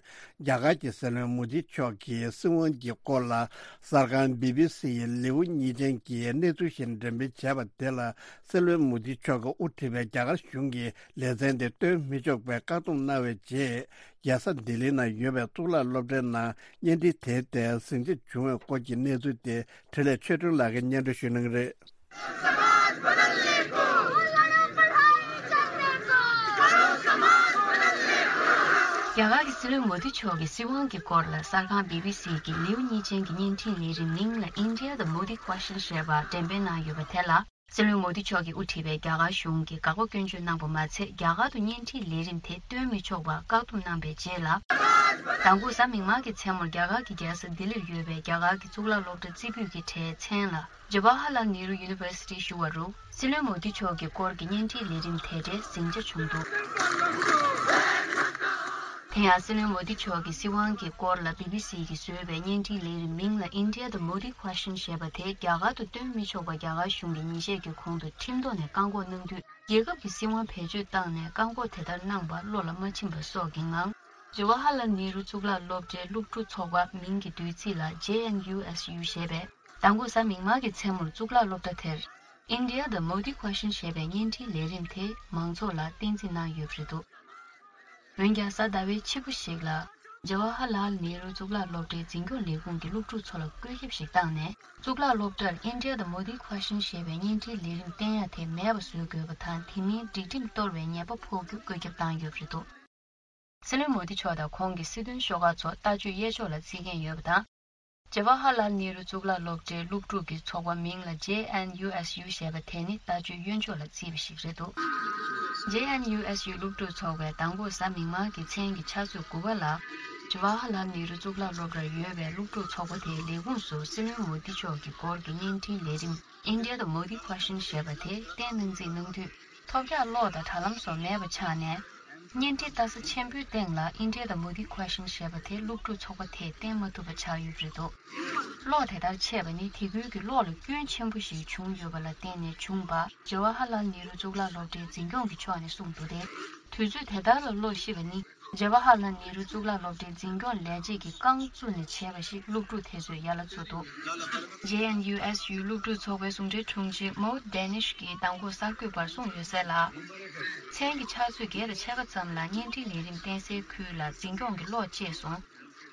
རྒྱ་གར་གྱི་སྲིད་བློན་མོ་དི་མཆོག་གིས་སྲིད་དབང་གི་སྐོར་ལ་གསར་ཁང་བི་བི་སི་ཡི་ལེའུ་གཉིས་ཅན་གྱི་གནས་ཚུལ་ཞིག་འགྲེམས་སྤེལ་བྱས་པ་དེ་ལ། སྲིད་བློན་མོ་དི་མཆོག་གིས་དབུ་ཁྲིད་པའི་རྒྱ་གར་གཞུང་གིས་ལེ་ཚན་དེ་སྟོན་མི་ཆོག་པའི་བཀག་སྡོམ་གནང་བའི་རྗེས། རྒྱལ་ས་ལྡི་ལིའི་ནང་ཡོད་པའི་གཙུག་ལག་སློབ་གྲྭའི་ནང་བརྙན་འཕྲིན་དེ་ཐད་ཟིང་ཆ་བྱུང་བའི་སྐོར་གྱི་གནས་ཚུལ་དེ་འཕྲིན་ལས་ཆོས་སྒྲོན་ལགས་ཀྱིས་སྙན་སྒྲོན་ཞུ་གནང་གི་རེད། རྒྱ་གར་གྱི་སྲིད་བློན་མོ་དི་མཆོག་གི་སྲིད་དབང་གི་སྐོར་ལ་གསར་ཁང་བི་བི་སི་གི་ལེའུ་གཉིས་ཅན་གྱི་བརྙན་འཕྲིན་ལས་རིམ་མིང་ལ་India the Modi Question ཞེས་པ་འགྲེམས་སྤེལ་གནང་ཡོད་པ་དེ་ལ། སྲིད་བློན་མོ་དི་མཆོག་གིས་དབུ་ཁྲིད་པའི་རྒྱ་གར་གཞུང་གིས་དགག་པ་སྐྱོན་བརྗོད་གནང་པ་མ་ཚད། རྒྱ་གར་དུ་བརྙན་འཕྲིན་ལས་རིམ་དེ་སྟོན་མི་ཆོག་པར་བཀག་སྡོམ་གནང་པའི་རྗེས་ལ། མདང་དགོང་གཟའ་མིག་དམར་གྱི་མཚན་མོར་རྒྱ་གར་གྱི་རྒྱལ་ས་ལྡི་ལིར་ཡོད་པའི་རྒྱ་གར་གྱི་གཙུག་ལག་སློབ་གྲྭ་རྩེ་ཕུད་ཀྱི་གྲྭའི་མཚན་ལ་Jawaharlal Nehru University ཞུ་བ་རུ། སྲིད་བློན་མོ་དི་མཆོག་གི་སྐོར་གྱི་བརྙན་འཕྲིན་ལས་རིམ་དེ་འདྲའི་ཟིང་ཆ་བྱུང་འདུག་དེ་ཡང་སྲིད་བློན་མོ་དི་མཆོག་གི་སྲིད་དབང་གི་སྐོར་ལ་བི་བི་སི་གིས་བཟོས་པའི་བརྙན་འཕྲིན་ལས་རིམ་མིང་ལ་India the Modi Question ཞེས་པ་དེ་རྒྱ་གར་དུ་སྟོན་མི་ཆོག་པ་རྒྱ་གར་གཞུང་གིས་ཉིན་ཤས་ཀྱི་གོང་དུ་ཁྲིམས་ཐོག་ནས་བཀག་འགོག་གནང་དུས། རྒྱལ་ཁབ་ཀྱི་སྲིད་དབང་བེད་སྤྱོད་བཏང་ནས་བཀག་འགོག་དེ་ལྟར་གནང་པ་བློ་ལ་མ་ཆིམས་པ་སོགས་ཀྱི་ངང་། ཇ་ཝ་ཧ་ལལ་ནེ་རུ་གཙུག་ལག་སློབ་གྲྭའི་སློབ་ཕྲུག་ཚོགས་པ་མིང་གི་བསྡུས་ཚིག་ལ་ཇེ་ཨེན་ཡུ་ཨེས་ཡུ་ཞེས་པས། མདང་དགོང་གཟའ་མིག་དམར་གྱི་མཚན་མོར་གཙུག་ལག་སློབ་གྲྭ་དེར། India the Modi Question ཞེས་པའི་བརྙན་འཕྲིན་ལས་རིམ་དེ་མང་ཚོགས་ལ་བསྟན་འཛིན་གནང་ཡོད་པ་རེད་འདུག་འོན་ཀྱང་གཟའ་ཟླ་བའི་ཕྱི་པོ་ཞིག་ལ། ཇ་ཝ་ཧ་ལལ་ནེ་རུ་གཙུག་ལག་སློབ་གྲྭའི་འཛིན་སྐྱོང་ལས་ཁུངས་ཀྱིས་སློབ་ཕྲུག་ཚོ་ལ་བཀོད་ཁྱབ་ཞིག་བཏང་ནས། གཙུག་ལག་སློབ་གྲྭར་India the Modi Question ཞེས་པའི་བརྙན་འཕྲིན་ལས་རིམ་བསྟན་ཡ་དེ་མེད་པ་བཟོ་དགོས་པ་དང་། དེ་མིན་སྒྲིག་ཁྲིམས་གཏོར་བའི་ཉེས་པ་ཕོག་རྒྱུ་བཀོད་ཁྱབ་བཏང་ཡོད་པ་རེད་འདུག་སྲིད་བློན་མོ་དི་མཆོག་དང་ཁོང་གི་སྲིད་དོན་ཤོག་ཁག་ཚོ་ལྟ་སྤྱོད་གཡས་ཕྱོགས་ལ་བརྩི་མཁན་ཡོད་པ་དང་། ཇ་ཝ་ཧ་ལལ་ནེ་རུ་གཙུག་ལག་སློབ་གྲྭའི་སློབ་ཕྲུག་གི་ཚོགས་པ་མིང་ལ་ཇེ་ཨེན་ཡུ་ཨེས་ཡུ་ཞེས་པ་དེ་ནི་ལྟ་སྤྱོད་གཡོན་ཕྱོགས་ལ་བརྩིས་པ་ཞིག་རེད་འདུག་ཇེ་ཨེན་ཡུ་ཨེས་ཡུ་སློབ་ཕྲུག་ཚོགས་པས་མདང་དགོང་གཟའ་མིག་དམར་གྱི་མཚན་གྱི་ཕྱག་ཚོད་དགུ་པ་ལ། ཇ་ཝ་ཧ་ལལ་ནེ་རུ་གཙུག་ལག་སློབ་གྲྭར་ཡོད་པའི་སློབ་ཕྲུག་ཚོགས་པ་དེའི་ལས་ཁུངས་སུ་སྲིད་བློན་མོ་དི་མཆོག་གི་སྐོར་གྱི་བརྙན་འཕྲིན་ལས་རིམ་India the Modi Question ཞེས་པ་དེ་བསྟན་གནང་རྩིས་གནང་དུས། ཐོབ་རྒྱག་གློག་དང་དྲ་ལམ་སོགས་མེད་པ་ཆགས་ནས། བརྙན་འཕྲིན་ལྟ་ས་ཆེན་པོའི་སྟེང་ལ་India the Modi Question ཞེས་པ་དེ་སློབ་ཕྲུག་ཚོགས་པ་དེས་བསྟན་མ་ཐུབ་པ་ཆགས་ཡོད་པ་རེད་འདུག་གློག་དེ་ལྟར་ཆད་པ་ནི་དེ་ཁུལ་གྱི་གློག་ལ་སྐྱོན་ཆེན་པོ་ཞིག་བྱུང་ཡོད་པ་ལ་བརྟེན་ནས་བྱུང་བ། ཇ་ཝ་ཧ་ལལ་ནེ་རུ་གཙུག་ལག་སློབ་གྲྭའི་འཛིན་སྐྱོང་གི་ཕྱོགས་ནས་གསུངས་འདུག་སྟེ། དུས་ཚོད་དེ་ལྟར་ལ་གློག་ཤི་བ་ནི། ཇ་ཝ་ཧ་ལལ་ནེ་རུ་གཙུག་ལག་སློབ་གྲྭའི་འཛིན་སྐྱོང་ལས་བྱེད་ཀྱིས་རྐང་བཙུགས་ནས་བྱས་པ་ཞིག་སློབ་ཕྲུག་དེ་ཚོས་ཡ་ལ་བཙུགས་འདུག་ཇེ་ཨེན་ཡུ་ཨེས་ཡུ་སློབ་ཕྲུག་ཚོགས་པའི་ཟུང་འབྲེལ་དྲུང་ཆེ་མོ་ཌེ་ནིཤ་གིས་མདང་དགོང་གསར་འགོད་པར་གསུངས་ཡོད་གསལ་ལ། མཚན་གྱི་ཕྱག་ཚོད་བརྒྱད་དང་ཕྱེད་ཀ་ཙམ་ལ་བརྙན་འཕྲིན་ལས་རིམ་བསྟན་སའི་ཁུལ་ལ་འཛིན་སྐྱོང་གི་གློག་བཅད་སོང་།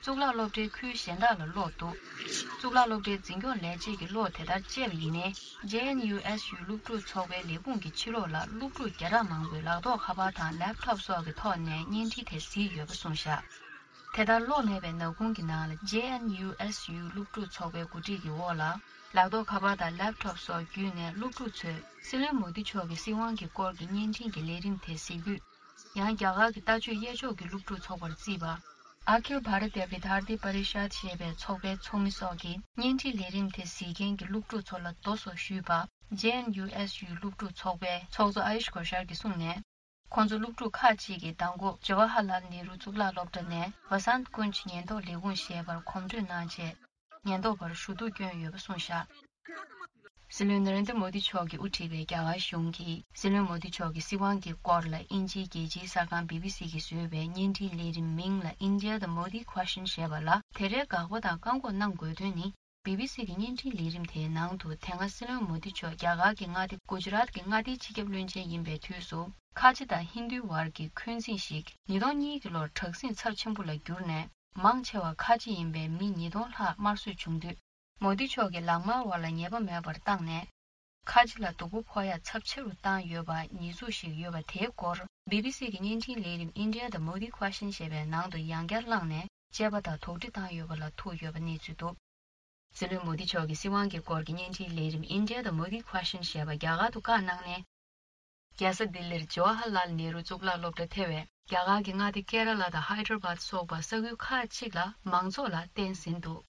གཙུག་ལག་སློབ་གྲྭའི་ཁུལ་གཞན་དག་ལ་གློག་འདུག་གཙུག་ལག་སློབ་གྲྭའི་འཛིན་སྐྱོང་ལས་བྱེད་ཀྱིས་གློག་དེ་ལྟར་བཅད་པ་ཡིན་ནའི། ཇེ་ཨེན་ཡུ་ཨེས་ཡུ་སློབ་ཕྲུག་ཚོགས་པའི་ལས་ཁུངས་ཀྱི་ཕྱི་ལོགས་ལ་སློབ་ཕྲུག་བརྒྱ་ཕྲག་མང་པོས་ལག་ཐོགས་ཁ་པར་དང་ལེབ་ཐོབ་སོགས་ཀྱི་ཐོག་ནས་བརྙན་འཕྲིན་དེ་གཟིགས་ཡོད་པ་གསུངས་བཞག་དེ་ལྟར་གློག་མེད་པའི་ནག་ཁུང་གི་ནང་ལ་ཇེ་ཨེན་ཡུ་ཨེས་ཡུ་སློབ་ཕྲུག་ཚོགས་པའི་གོ་སྒྲིག་གི་འོག་ལ། ལག་ཐོགས་ཁ་པར་དང་ལེབ་ཐོབ་སོགས་བརྒྱུད་ནས་སློབ་ཕྲུག་ཚོས་སྲིད་བློན་མོ་དི་མཆོག་གི་སྲིད་དབང་གི་སྐོར་གྱི་བརྙན་འཕྲིན་གྱི་ལས་རིམ་དེ་གཟིགས་དུས། ཡང་རྒྱ་གར་གྱི་ལྟ་སྤྱོད་གཡས་ཕྱོགས་ཀྱི་སློབ་ཕྲུག་ཚོགས་པར་བརྩིས་པ། Akhil Bharatiya Vidyarthi Parishad ཞེས་པའི་ཚོགས་པའི་ཚོགས་མི་སོགས་ཀྱིས་བརྙན་འཕྲིན་ལས་རིམ་དེ་གཟིགས་མཁན་གྱི་སློབ་ཕྲུག་ཚོ་ལ་རྡོ་སོགས་གཞུས་པ། ཇེ་ཨེན་ཡུ་ཨེས་ཡུ་སློབ་ཕྲུག་ཚོགས་པའི་ཚོགས་གཙོ་ཨ་ཡུཤ་གོ་ཤར་གྱིས་གསུངས་ནས། ཁོང་ཚོ་སློབ་ཕྲུག་ཁག་ཅིག་གིས་མདང་དགོང་ཇ་ཝ་ཧ་ལལ་ནེ་རུ་གཙུག་ལག་སློབ་གྲྭ་ནས་Vasant Kunj ཉེན་རྟོག་ལས་ཁུངས་ཞེས་པར་གོམ་བགྲོད་གནང་རྗེས། ཉེན་རྟོག་པར་ཞུ་གཏུག་བསྐྱོན་ཡོད་པ་གསུངས་བཞག་སྲིད་བློན་ན་རེན་དྲ་མོ་དི་མཆོག་གིས་དབུ་ཁྲིད་པའི་རྒྱ་གར་གཞུང་གིས་སྲིད་བློན་མོ་དི་མཆོག་གི་སྲིད་དབང་གི་སྐོར་ལ་དབྱིན་ཇིའི་རྒྱལ་སྤྱིའི་གསར་ཁང་བི་བི་སི་གིས་བཟོས་པའི་བརྙན་འཕྲིན་ལས་རིམ་མིང་ལ་India the Modi Question ཞེས་པ་ལ་དེ་འདྲའི་དགག་པ་དང་བཀག་འགོག་གནང་དགོས་དོན་ནི། བི་བི་སི་གི་བརྙན་འཕྲིན་ལས་རིམ་དེའི་ནང་དུ་དེ་སྔ་སྲིད་བློན་མོ་དི་མཆོག་རྒྱ་གར་གྱི་མངའ་སྡེ་གུ་ཇི་རཱཏ་གི་མངའ་སྡེའི་སྤྱི་ཁྱབ་བློན་ཆེན་ཡིན་པའི་དུས་སུ་ཁ་ཆེ་དང་ཧིན་རྡུའི་བར་གྱི་འཁོན་འཛིང་ཞིག་ཉིས་སྟོང་གཉིས་ཀྱི་ལོར་དྲག་ཟིང་ཚབས་ཆེན་པོ་ལ་གྱུར་ནས། མང་ཆེ་བ་ཁ་ཆེ་ཡིན་པའི་མི་ཉིས་སྟོང་ལྷག་དམར་གསོད་བྱུང་དུས། མོ་དི་མཆོག་གིས་ལག་དམར་བ་ལ་ཉེས་པ་མེད་པར་བཏང་ནས། ཁ་ཆེ་ལ་སྡུག་པོ་ཕོག་ཡག་ཚབས་ཆེ་རུ་བཏང་ཡོད་པ་ཉེས་འཛུགས་ཤིག་ཡོད་པ་དེའི་སྐོར། བྷི་བྷི་སི་གི་བརྙན་འཕྲིན་ལས་རིམ་India the Modi Question ཞེས་པའི་ནང་དུ་ཡང་བསྐྱར་བླངས་ནས་དཔྱད་པ་དང་དོགས་འདྲི་བཏང་ཡོད་པ་ལ་ཐུག་ཡོད་པ་གནས་ཚུལ་འདུག་སྲིད་བློན་མོ་དི་མཆོག་གི་སྲིད་དབང་གི་སྐོར་གྱི་བརྙན་འཕྲིན་ལས་རིམ་India the Modi Question ཞེས་པ་རྒྱ་གར་དུ་བཀའ་གནང་ནས། རྒྱལ་ས་ལྡི་ལིར་ཇོ་ཧར་ལཱལ་ནེ་རུ་གཙུག་ལག་སློབ་གྲྭ་ཐེ་བའི་རྒྱ་གར་གྱི་མངའ་སྡེ་ཀེ་ར་ལ་དང་ཧའི་ཏྲ་བཱད་སོགས་པ་ས་ཁུལ་ཁག་ཅིག་ལ་མང་ཚོགས་ལ་བསྟན་ཟིན་འདུག་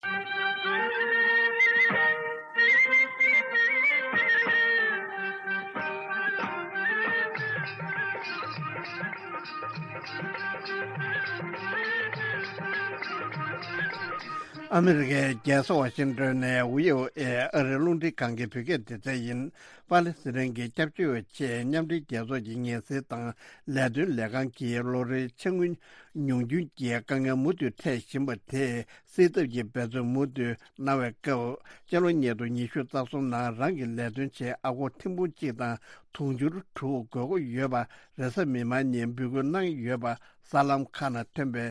ཨ་མི་རི་ཀའི་རྒྱལ་ས་ཝ་ཤིང་ཏོན་ནས་ཝི་ཨོ་ཨེ་ཨ་རིའི་རླུང་འཕྲིན་ཁང་གི་བོད་སྐད་སྡེ་ཚན་ཡིན། པ་ལི་སི་ཐན་གྱི་སྐྱབས་བཅོལ་བའི་ཆེད་མཉམ་འབྲེལ་རྒྱལ་ཚོགས་ཀྱི་ངལ་སེལ་དང་ལས་དོན་ལས་ཁང་གིས་ལོ་རེའི་ཆ་དངུལ་ཉུང་སྐྱོན་གྱི་དཀའ་ངལ་མུ་མཐུད་འཕྲད་བཞིན་པ་དེ་སེལ་ཐབས་ཀྱི་འབད་བརྩོན་མུ་མཐུད་གནང་བའི་སྐབས། སྤྱི་ལོ་ཉིས་སྟོང་ཉི་ཤུ་རྩ་གསུམ་ནང་རང་གི་ལས་དོན་ཆེད་ཨ་སྒོར་ཐེར་འབུམ་གཅིག་དང་དུང་ཕྱུར་དྲུག་དགོས་མཁོ་ཡོད་པ་རེས་གཟའ་མིག་དམར་ཉིན་འབོད་སྐུལ་གནང་ཡོད་པ། གསར་ལམ་ཁག་ནང་ཐོན་པའི་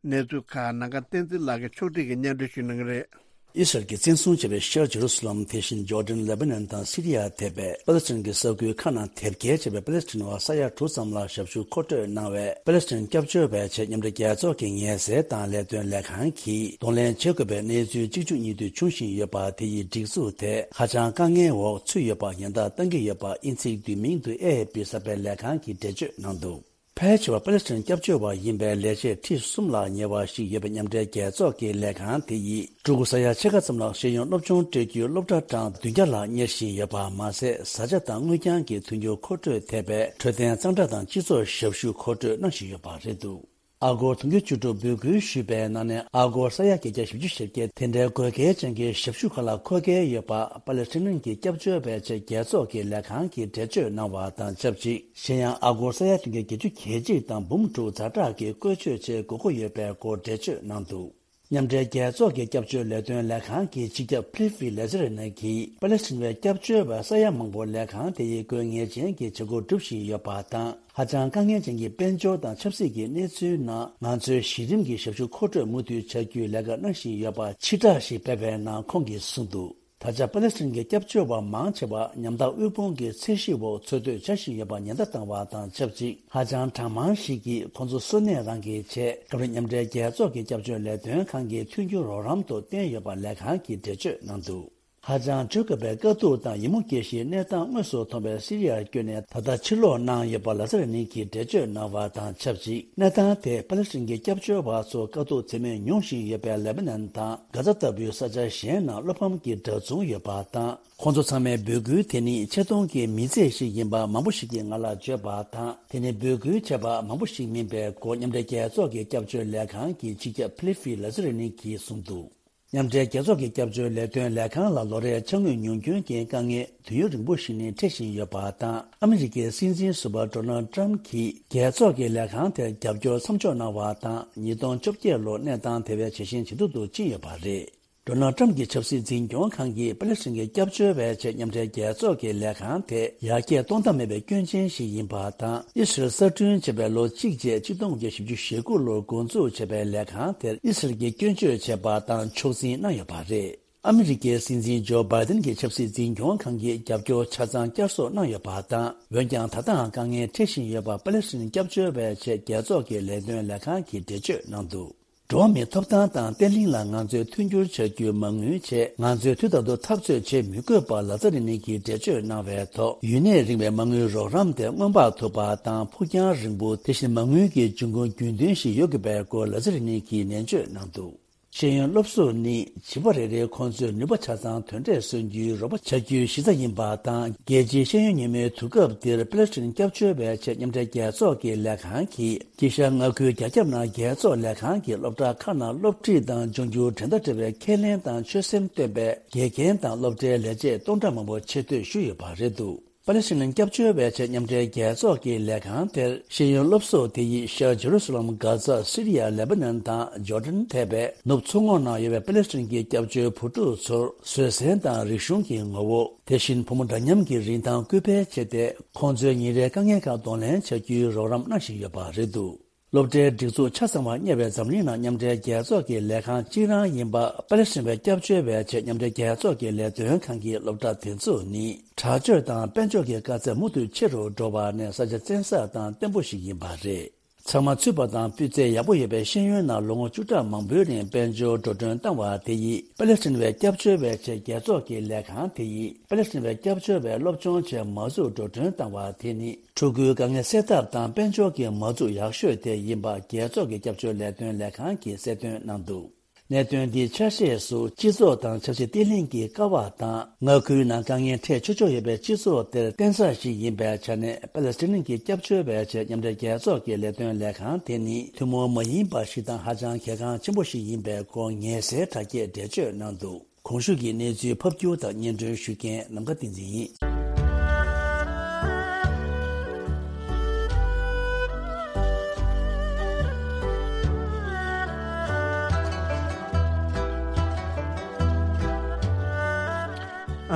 གནས་ཚུལ་ཁག་ནང་ཁ་བསྟན་འཛིན་ལགས་ཀྱིས་ཕྱོགས་སྒྲིག་གིས་སྙན་སྒྲོན་ཞུ་གནང་གི་རེད། ཨི་སི་རལ་གྱིས་བཙན་བཟུང་བྱས་པའི་ཤར་ཇེ་རུ་སི་ལམ། དེ་བཞིན་ཇོར་ཌན། ལེ་བྷ་ནན་དང་སི་རི་ཡ་ཐེ་བའི་པ་ལེ་སི་ཐན་གྱི་ས་ཁུལ་ཁག་ནང་དེབ་སྐྱེལ་བྱས་པའི་པ་ལེ་སི་ཐན་བ་ས་ཡ་དྲུག་ཙམ་ལ་ཞབས་ཞུ་མཁོ་སྤྲོད་གནང་བའི་པ་ལེ་སི་ཐན་སྐྱབས་བཅོལ་བའི་ཆེད་མཉམ་འབྲེལ་རྒྱལ་ཚོགས་ཀྱི་ངལ་སེལ་དང་ལས་དོན་ལས་ཁང་གིས་གདོང་ལེན་བྱེད་དགོས་པའི་གནས་ཚུལ་གཅིག་མཇུག་གཉིས་མཐུད་འབྱུང་བཞིན་ཡོད་པ། དེ་ཡི་སྒྲིག་འཛུགས་དེ་ཧ་ཅང་དཀའ་ངལ་འོག་ཚུད་ཡོད་པ་ཉེན་བརྡ་བཏང་གི་ཡོད་པ། དབྱིན་ཚིག་བསྡུས་མིང་དུ་ཨེ་ཨེཕ་པི་གསར་སྤེལ་ལས་ཁང་གིས་འགྲེལ་བརྗོད་གནང་འདུག་ཕལ་ཆེ་བ་པ་ལེ་སི་ཐན་སྐྱབས་བཅོལ་བ་ཡིན་པའི་ལས་བྱེད་ཁྲི་གསུམ་ལ་ཉེ་བ་ཞིག་ཡོད་པའི་མཉམ་འབྲེལ་རྒྱལ་ཚོགས་ཀྱི་ལས་ཁང་དེ་ཡིས་ཕྲུ་གུ་ས་ཡ་ཕྱེད་ཀ་ཙམ་ལ་ཤེས་ཡོན་སློབ་སྦྱོང་སྤྲོད་རྒྱུའི་སློབ་གྲྭ་གྲངས་བདུན་བརྒྱ་ལ་གཉེར་བཞིན་ཡོད་པ་མ་ཟད། བཟའ་བཅའ་དང་དངུལ་རྐྱང་གི་མཐུན་འགྱུར་མཁོ་སྤྲོད་ཐེབས་པའི་འཕྲོད་བསྟེན་གཙང་སྦྲ་དང་སྤྱི་ཚོགས་ཞབས་ཞུ་མཁོ་སྤྲོད་གནང་བཞིན་ཡོད་པ་རེད་འདུག་ཨ་སྒོར་དུང་ཕྱུར་བཅུ་དྲུག་འབོད་སྐུལ་ཞུས་པའི་ནང་ནས་ཨ་སྒོར་ས་ཡ་བརྒྱད་བརྒྱ་བཞི་བཅུ་ཞེ་བརྒྱད་དེ་འདྲའི་དགོས་གལ་ཅན་གྱི་ཞབས་ཞུ་ཁག་ལ་མཁོ་གལ་ཡོད་པ་པ་ལེ་སི་ཐན་གྱི་སྐྱབས་བཅོལ་བའི་ཆེད་རྒྱལ་ཚོགས་ཀྱི་ལས་ཁང་གིས་འགྲེལ་བརྗོད་གནང་བ་དང་ཆབས་ཅིག་གཞན་ཡང་ཨ་སྒོར་ས་ཡ་བདུན་བརྒྱ་བརྒྱད་ཅུ་གྱ་གཅིག་དང་འབུམ་དྲུག་ཛ་དྲག་གི་བཀོལ་སྤྱོད་ཆེད་དགོས་མཁོ་ཡོད་པའི་སྐོར་འགྲེལ་བརྗོད་གནང་འདུག་མཉམ་འབྲེལ་རྒྱལ་ཚོགས་ཀྱི་སྐྱབས་བཅོལ་ལས་དོན་ལས་ཁང་གི་སྤྱི་ཁྱབ་ཕི་ལི་ཕི་ལེ་ཛེ་རི་ནི་གིས་པ་ལེ་སི་ཐན་བའི་སྐྱབས་བཅོལ་བ་ས་ཡ་མང་པོ་ལས་ཁང་དེ་ཡིས་དགོས་ངེས་ཅན་གྱི་བྱེད་སྒོ་སྒྲུབ་བཞིན་ཡོད་པ་དང་། ཧ་ཅང་དཀའ་ངལ་ཅན་གྱི་དཔལ་འབྱོར་དང་ཆབ་སྲིད་ཀྱི་གནས་ཚུལ་ནང་ང་ཚོས་གཞི་རིམ་གྱི་ཞབས་ཞུ་མཁོ་སྤྲོད་མུ་མཐུད་བྱ་རྒྱུའི་ལས་ཀ་གནང་བཞིན་ཡོད་པ་ཕྱིར་བསྒྲགས་ཤིག་སྤེལ་བའི་ནང་ཁོང་གིས་གསུངས་འདུག་ད་ཆ་པ་ལེ་སི་ཐན་གྱི་སྐྱབས་བཅོལ་བ་མང་ཆེ་བ་ཉམ་ཐག་དབུལ་ཕོངས་ཀྱི་ཚད་གཞི་འོག་འཚོ་སྡོད་བྱ་བཞིན་ཡོད་པ་ཉེན་བརྡ་བཏང་བ་དང་ཆབས་ཅིག་ཧ་ཅང་གྲངས་མང་ཞིག་གིས་ཁོང་ཚོ་གསོན་གནས་རང་གི་ཆེད་སྐབས་རེ་མཉམ་འབྲེལ་རྒྱལ་ཚོགས་ཀྱི་སྐྱབས་བཅོལ་ལས་དོན་ཁང་གི་མཐུན་འགྱུར་རོགས་རམ་དུ་བཏོན་ཡོད་པ་ལས་ཁང་གིས་འགྲེལ་བརྗོད་གནང་འདུག་ཧ་ཅང་བཅོས་དཀའ་བའི་དཀའ་སྡུག་དང་ཡིད་མུག་སྐྱེ་གཞིའི་གནས་སྟངས་དངོས་སུ་མཐོང་བའི་སི་རི་ཡར་བསྐྱོད་ནས་ད་ལྟ་ཕྱིར་ལོག་གནང་ཡོད་པ་ལ་ཛ་རི་ནི་གིས་འགྲེལ་བརྗོད་གནང་བ་དང་ཆབས་ཅིག་གནས་སྟངས་དེས་པ་ལེ་སི་ཐན་གྱི་སྐྱབས་བཅོལ་བ་ཚོ་དཀའ་སྡུག་ཚད་མེད་མྱོང་བཞིན་ཡོད་པའི་ལེ་བྷ་ནན་དང་གྷ་ཛ་ལྟ་བུའི་ས་ཆ་གཞན་ནང་བློ་ཕམ་གྱི་གྲྭ་བཙུན་ཡོད་པ་དང་། ཁོང་ཚོ་ཚང་མའི་འབོད་སྐུལ་དེ་ནི་ཆེ་མཐོང་གི་མི་ཚེ་ཞིག་ཡིན་པ་མང་པོ་ཞིག་གིས་ང་ལ་བརྗོད་པ་དང་། དེ་ནི་འབོད་སྐུལ་བྱས་པ་མང་པོ་ཞིག་མིན་པའི་སྐོར་མཉམ་འབྲེལ་རྒྱལ་ཚོགས་ཀྱི་སྐྱབས་བཅོལ་ལས་ཁང་གི་སྤྱི་ཁྱབ་ཕི་ལི་ཕི་ལ་ཛི་རི་ནི་གིས་གསུངས་འདུག་མཉམ་འབྲེལ་རྒྱལ་ཚོགས་ཀྱི་སྐྱབས་བཅོལ་ལས་དོན་ལས་ཁང་ལ་ལོ་རེའི་ཅ་དངོས་ཉུང་སྐྱོན་གྱི་དཀའ་ངལ་དུས་ཡུན་རིང་པོ་ཞིག་ནས་འཕྲད་བཞིན་ཡོད་པ་དང་། ཨ་མི་རི་ཀའི་སྲིད་འཛིན་ཟུར་པ་ཌོ་ནལ་ཌི་ཊརམ་གྱིས་རྒྱལ་ཚོགས་ཀྱི་ལས་ཁང་དེར་རྒྱབ་སྐྱོར་མཚམས་འཇོག་གནང་བ་དང་། ཉིས་སྟོང་བཅོ་བརྒྱད་ལོར་གནས་སྟངས་དེ་བས་ཇེ་ཞན་ཇེ་སྡུག་ཏུ་ཕྱིན་ཡོད་པ་རེད། ཌོ་ནལ་ཌི་ཊརམ་གྱི་ཆབ་སྲིད་འཛིན་སྐྱོང་ཁང་གིས་པ་ལེ་སི་ཐན་གྱི་སྐྱབས་བཅོལ་བའི་ཆེད་མཉམ་འབྲེལ་རྒྱལ་ཚོགས་ཀྱི་ལས་ཁང་དེ་ཡར་རྒྱས་གཏོང་ཐབས་མེད་པའི་སྐྱོན་ཅན་ཞིག་ཡིན་པ་དང་། ཨི་སི་རལ་གསར་སྐྲུན་བྱས་པའི་ལོ་གཅིག་རྗེས་གཅིག་སྟོང་དགུ་བརྒྱ་བཞི་བཅུ་ཞེ་དགུ་ལོར་འགོ་འཛུགས་བྱས་པའི་ལས་ཁང་དེར་ཨི་སི་རལ་གྱིས་སྐྱོན་བརྗོད་བྱས་པ་དང་ཕྱོགས་འཛིན་གནང་ཡོད་པ་རེད། ཨ་མི་རི་ཀའི་སྲིད་འཛིན་ཇོ་བྷའི་ཏིན་གྱི་ཆབ་སྲིད་འཛིན་སྐྱོང་ཁང་གིས་རྒྱབ་སྐྱོར་ཆ་ཚང་བསྐྱར་གསོ་གནང་ཡོད་པ་དང་། འོན་ཀྱང་ད་ལྟའང་དཀའ་ངལ་འཕྲད་བཞིན་ཡོད་པ་པ་ལེ་སི་ཐན་སྐྱབས་བཅོལ་བའི་ཆེད་རྒྱལ་ཚོགས་ཀྱི་ལས་དོན་ལས་ཁང་གིས་འགྲེལ་བརྗོད་གནང་འདུག་འགྲོ་བ་མིའི་ཐོབ་ཐང་དང་བརྟན་ལྷིང་ལ་ང་ཚོས་མཐུན་འགྱུར་བྱ་རྒྱུའི་མ་དངུལ་ཆེད་ང་ཚོས་དུས་ལྟར་དུ་འཐབ་རྩོད་བྱེད་མི་དགོས་པ་ལ་ཛ་རི་ནི་གིས་འགྲེལ་བརྗོད་གནང་བའི་ཐོག་ཡུན་གནས་རིང་བའི་མ་དངུལ་རོགས་རམ་དེ་སྔོན་དཔག་ཐུབ་པ་དང་ཕུགས་རྒྱང་རིང་པོ། དེ་བཞིན་མ་དངུལ་གྱི་འབྱུང་ཁུངས་རྒྱུན་ལྡན་ཞིག་ཡོད་དགོས་པའི་སྐོར་ལ་ཛ་རི་ནི་གིས་ནན་བརྗོད་གནང་འདུག་ཤེས་ཡོན་སློབ་གསོ་ནི་བྱིས་པ་རེ་རེའི་ཁོང་ཚོའི་ནུས་པ་ཆ་ཚང་དོན་འབྲས་སོན་རྒྱུའི་རོགས་པ་བྱ་རྒྱུའི་གཞི་རྩ་ཡིན་པ་དང་། རྒྱལ་སྤྱིའི་ཤེས་ཡོན་ཉིན་མོའི་དུས་སྐབས་འདིར་པ་ལེ་སི་ཐན་སྐྱབས་བཅོལ་བའི་ཆེད་མཉམ་འབྲེལ་རྒྱལ་ཚོགས་ཀྱི་ལས་ཁང་གིས་དཀྱིལ་ཤར་མངའ་ཁུལ་རྒྱ་ཁྱབ་ནང་རྒྱལ་ཚོགས་ལས་ཁང་གི་སློབ་གྲྭ་ཁག་ནང་སློབ་ཁྲིད་དང་སྦྱོང་རྒྱུར་འགྲན་ཟླ་བྲལ་བའི་ཁས་ལེན་དང་ཆོད་སེམས་བཏོན་པའི་དགེ་རྒན་དང་སློབ་གྲྭའི་ལས་བྱེད་སྟོང་ཕྲག་མང་པོ་ཆེད་གཏོད་ཞུས་ཡོད་པ་རེད་འདུག་པ་ལེ་སི་ཐན་སྐྱབས་བཅོལ་བའི་ཆེད་མཉམ་འབྲེལ་རྒྱལ་ཚོགས་ཀྱི་ལས་ཁང་དེར་ཤེས་ཡོན་སློབ་གསོ་དེ་ཡིས་ཤར་ཇེ་རུ་སི་ལམ། གྷ་ཛ། སི་རི་ཡ། ལེ་པ་ནན་དང་ཇོར་ཌན་ཐེ་བའི་ནུབ་མཚོ་ངོགས་ནང་ཡོད་པའི་པ་ལེ་སི་ཐན་གྱི་སྐྱབས་བཅོལ་བུ་ཕྲུག་ཚོར་བཟོད་བསྲན་དང་རིག་གཞུང་གི་ངོ་བོ། དེ་བཞིན་ཕོ་མོ་འདྲ་མཉམ་གྱི་རིན་ཐང་སྐུལ་སྤེལ་བྱས་ཏེ། ཁོང་ཚོའི་ཉིན་རེའི་དཀའ་ངལ་ཁག་གདོང་ལེན་བྱ་རྒྱུའི་རོགས་རམ་གནང་བཞིན་ཡོད་པ་རེད་འདུག་སློབ་གྲྭའི་སྒྲིག་འཛུགས་ཆ་ཚང་བ་གཉེར་བའི་འཛམ་གླིང་ནང་མཉམ་འབྲེལ་རྒྱལ་ཚོགས་ཀྱི་ལས་ཁང་གཅིག་རང་ཡིན་པ། པ་ལེ་སི་ཐན་པའི་སྐྱབས་བཅོལ་བའི་ཆེད་མཉམ་འབྲེལ་རྒྱལ་ཚོགས་ཀྱི་ལས་དོན་ཁང་གི་སློབ་གྲྭ་དེ་ཚོ་ནི། དྲག་སྤྱོད་དང་དཔལ་འབྱོར་གྱི་དཀའ་ཚེགས་མུ་མཐུད་ཆེ་རུ་འགྲོ་བ་ནི་ས་ཆ་བཙན་ས་དང་བརྟན་པོ་ཞིག་ཡིན་པ་རེད། ཚང་མ་ཚུད་པ་དང་སྤུས་ཚད་ཡག་པོ་ཡོད་པའི་ཤེས་ཡོན་ནང་ལོ་ངོ་བཅུ་ཕྲག་མང་པོའི་རིང་དཔལ་འབྱོར་འགྲོ་གྲོན་བཏང་བ་དེ་ཡིས། པ་ལེ་སི་ཐན་པའི་སྐྱབས་བཅོལ་བའི་ཆེད་རྒྱལ་ཚོགས་ཀྱི་ལས་ཁང་དེ་ཡིས། པ་ལེ་སི་ཐན་པའི་སྐྱབས་བཅོལ་བའི་སློབ་སྦྱོང་ཆེད་མ་འཛུགས་འགྲོ་གྲོན་བཏང་བ་དེ་ནི། ཕྲུ་གུའི་དཀའ་ངལ་སེལ་ཐབས་དང་དཔལ་འབྱོར་གྱི་མ་འཛུགས་ཡག་ཤོས་དེ་ཡིན་པ། རྒྱལ་ཚོགས་ཀྱི་སྐྱབས་བཅོལ་ལས་དོན་ལས་ཁང་གིས་གསལ་སྟོན་གནང་འདུག་གནད་དོན་འདིའི་ཆ་ཤས་སུ། སྤྱི་ཚོགས་དང་འཆར་གཞི་བརྟན་ལྷིང་གི་ཀ་བ་དང་། མངའ་ཁུལ་ནང་དཀའ་ངལ་འཕྲད་ཆོག་ཆོག་ཡོད་པའི་སྤྱི་ཚོགས་དེར་བརྟེན་ས་ཞིག་ཡིན་པའི་ཆ་ནས། པ་ལེ་སི་ཐན་གྱི་སྐྱབས་བཅོལ་བའི་ཆེད་མཉམ་འབྲེལ་རྒྱལ་ཚོགས་ཀྱི་ལས་དོན་ལས་ཁང་དེ་ནི་ཐུན་མོང་མ་ཡིན་པ་ཞིག་དང་། ཧ་ཅང་གལ་འགངས་ཆེན་པོ་ཞིག་ཡིན་པའི་སྐོར་ངལ་སེལ་དྲ་རྒྱས་འགྲེལ་བརྗོད་གནང་འདུག་གོང་ཞུས་ཀྱི་གནས་ཚུལ་ཕབ་སྒྱུར་དང་སྙན་སྒྲོན་ཞུ་མཁན་ནམ་མཁའ་བསྟན་འཛིན་ཡིན།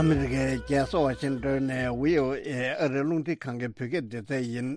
ཨ་མི་རི་ཀའི་རྒྱལ་ས་ཝ་ཤིང་ཏོན་ནས་བྷི་ཨོ་ཨེ་ཨ་རིའི་རླུང་འཕྲིན་ཁང་གི་བོད་སྐད་སྡེ་ཚན་ཡིན།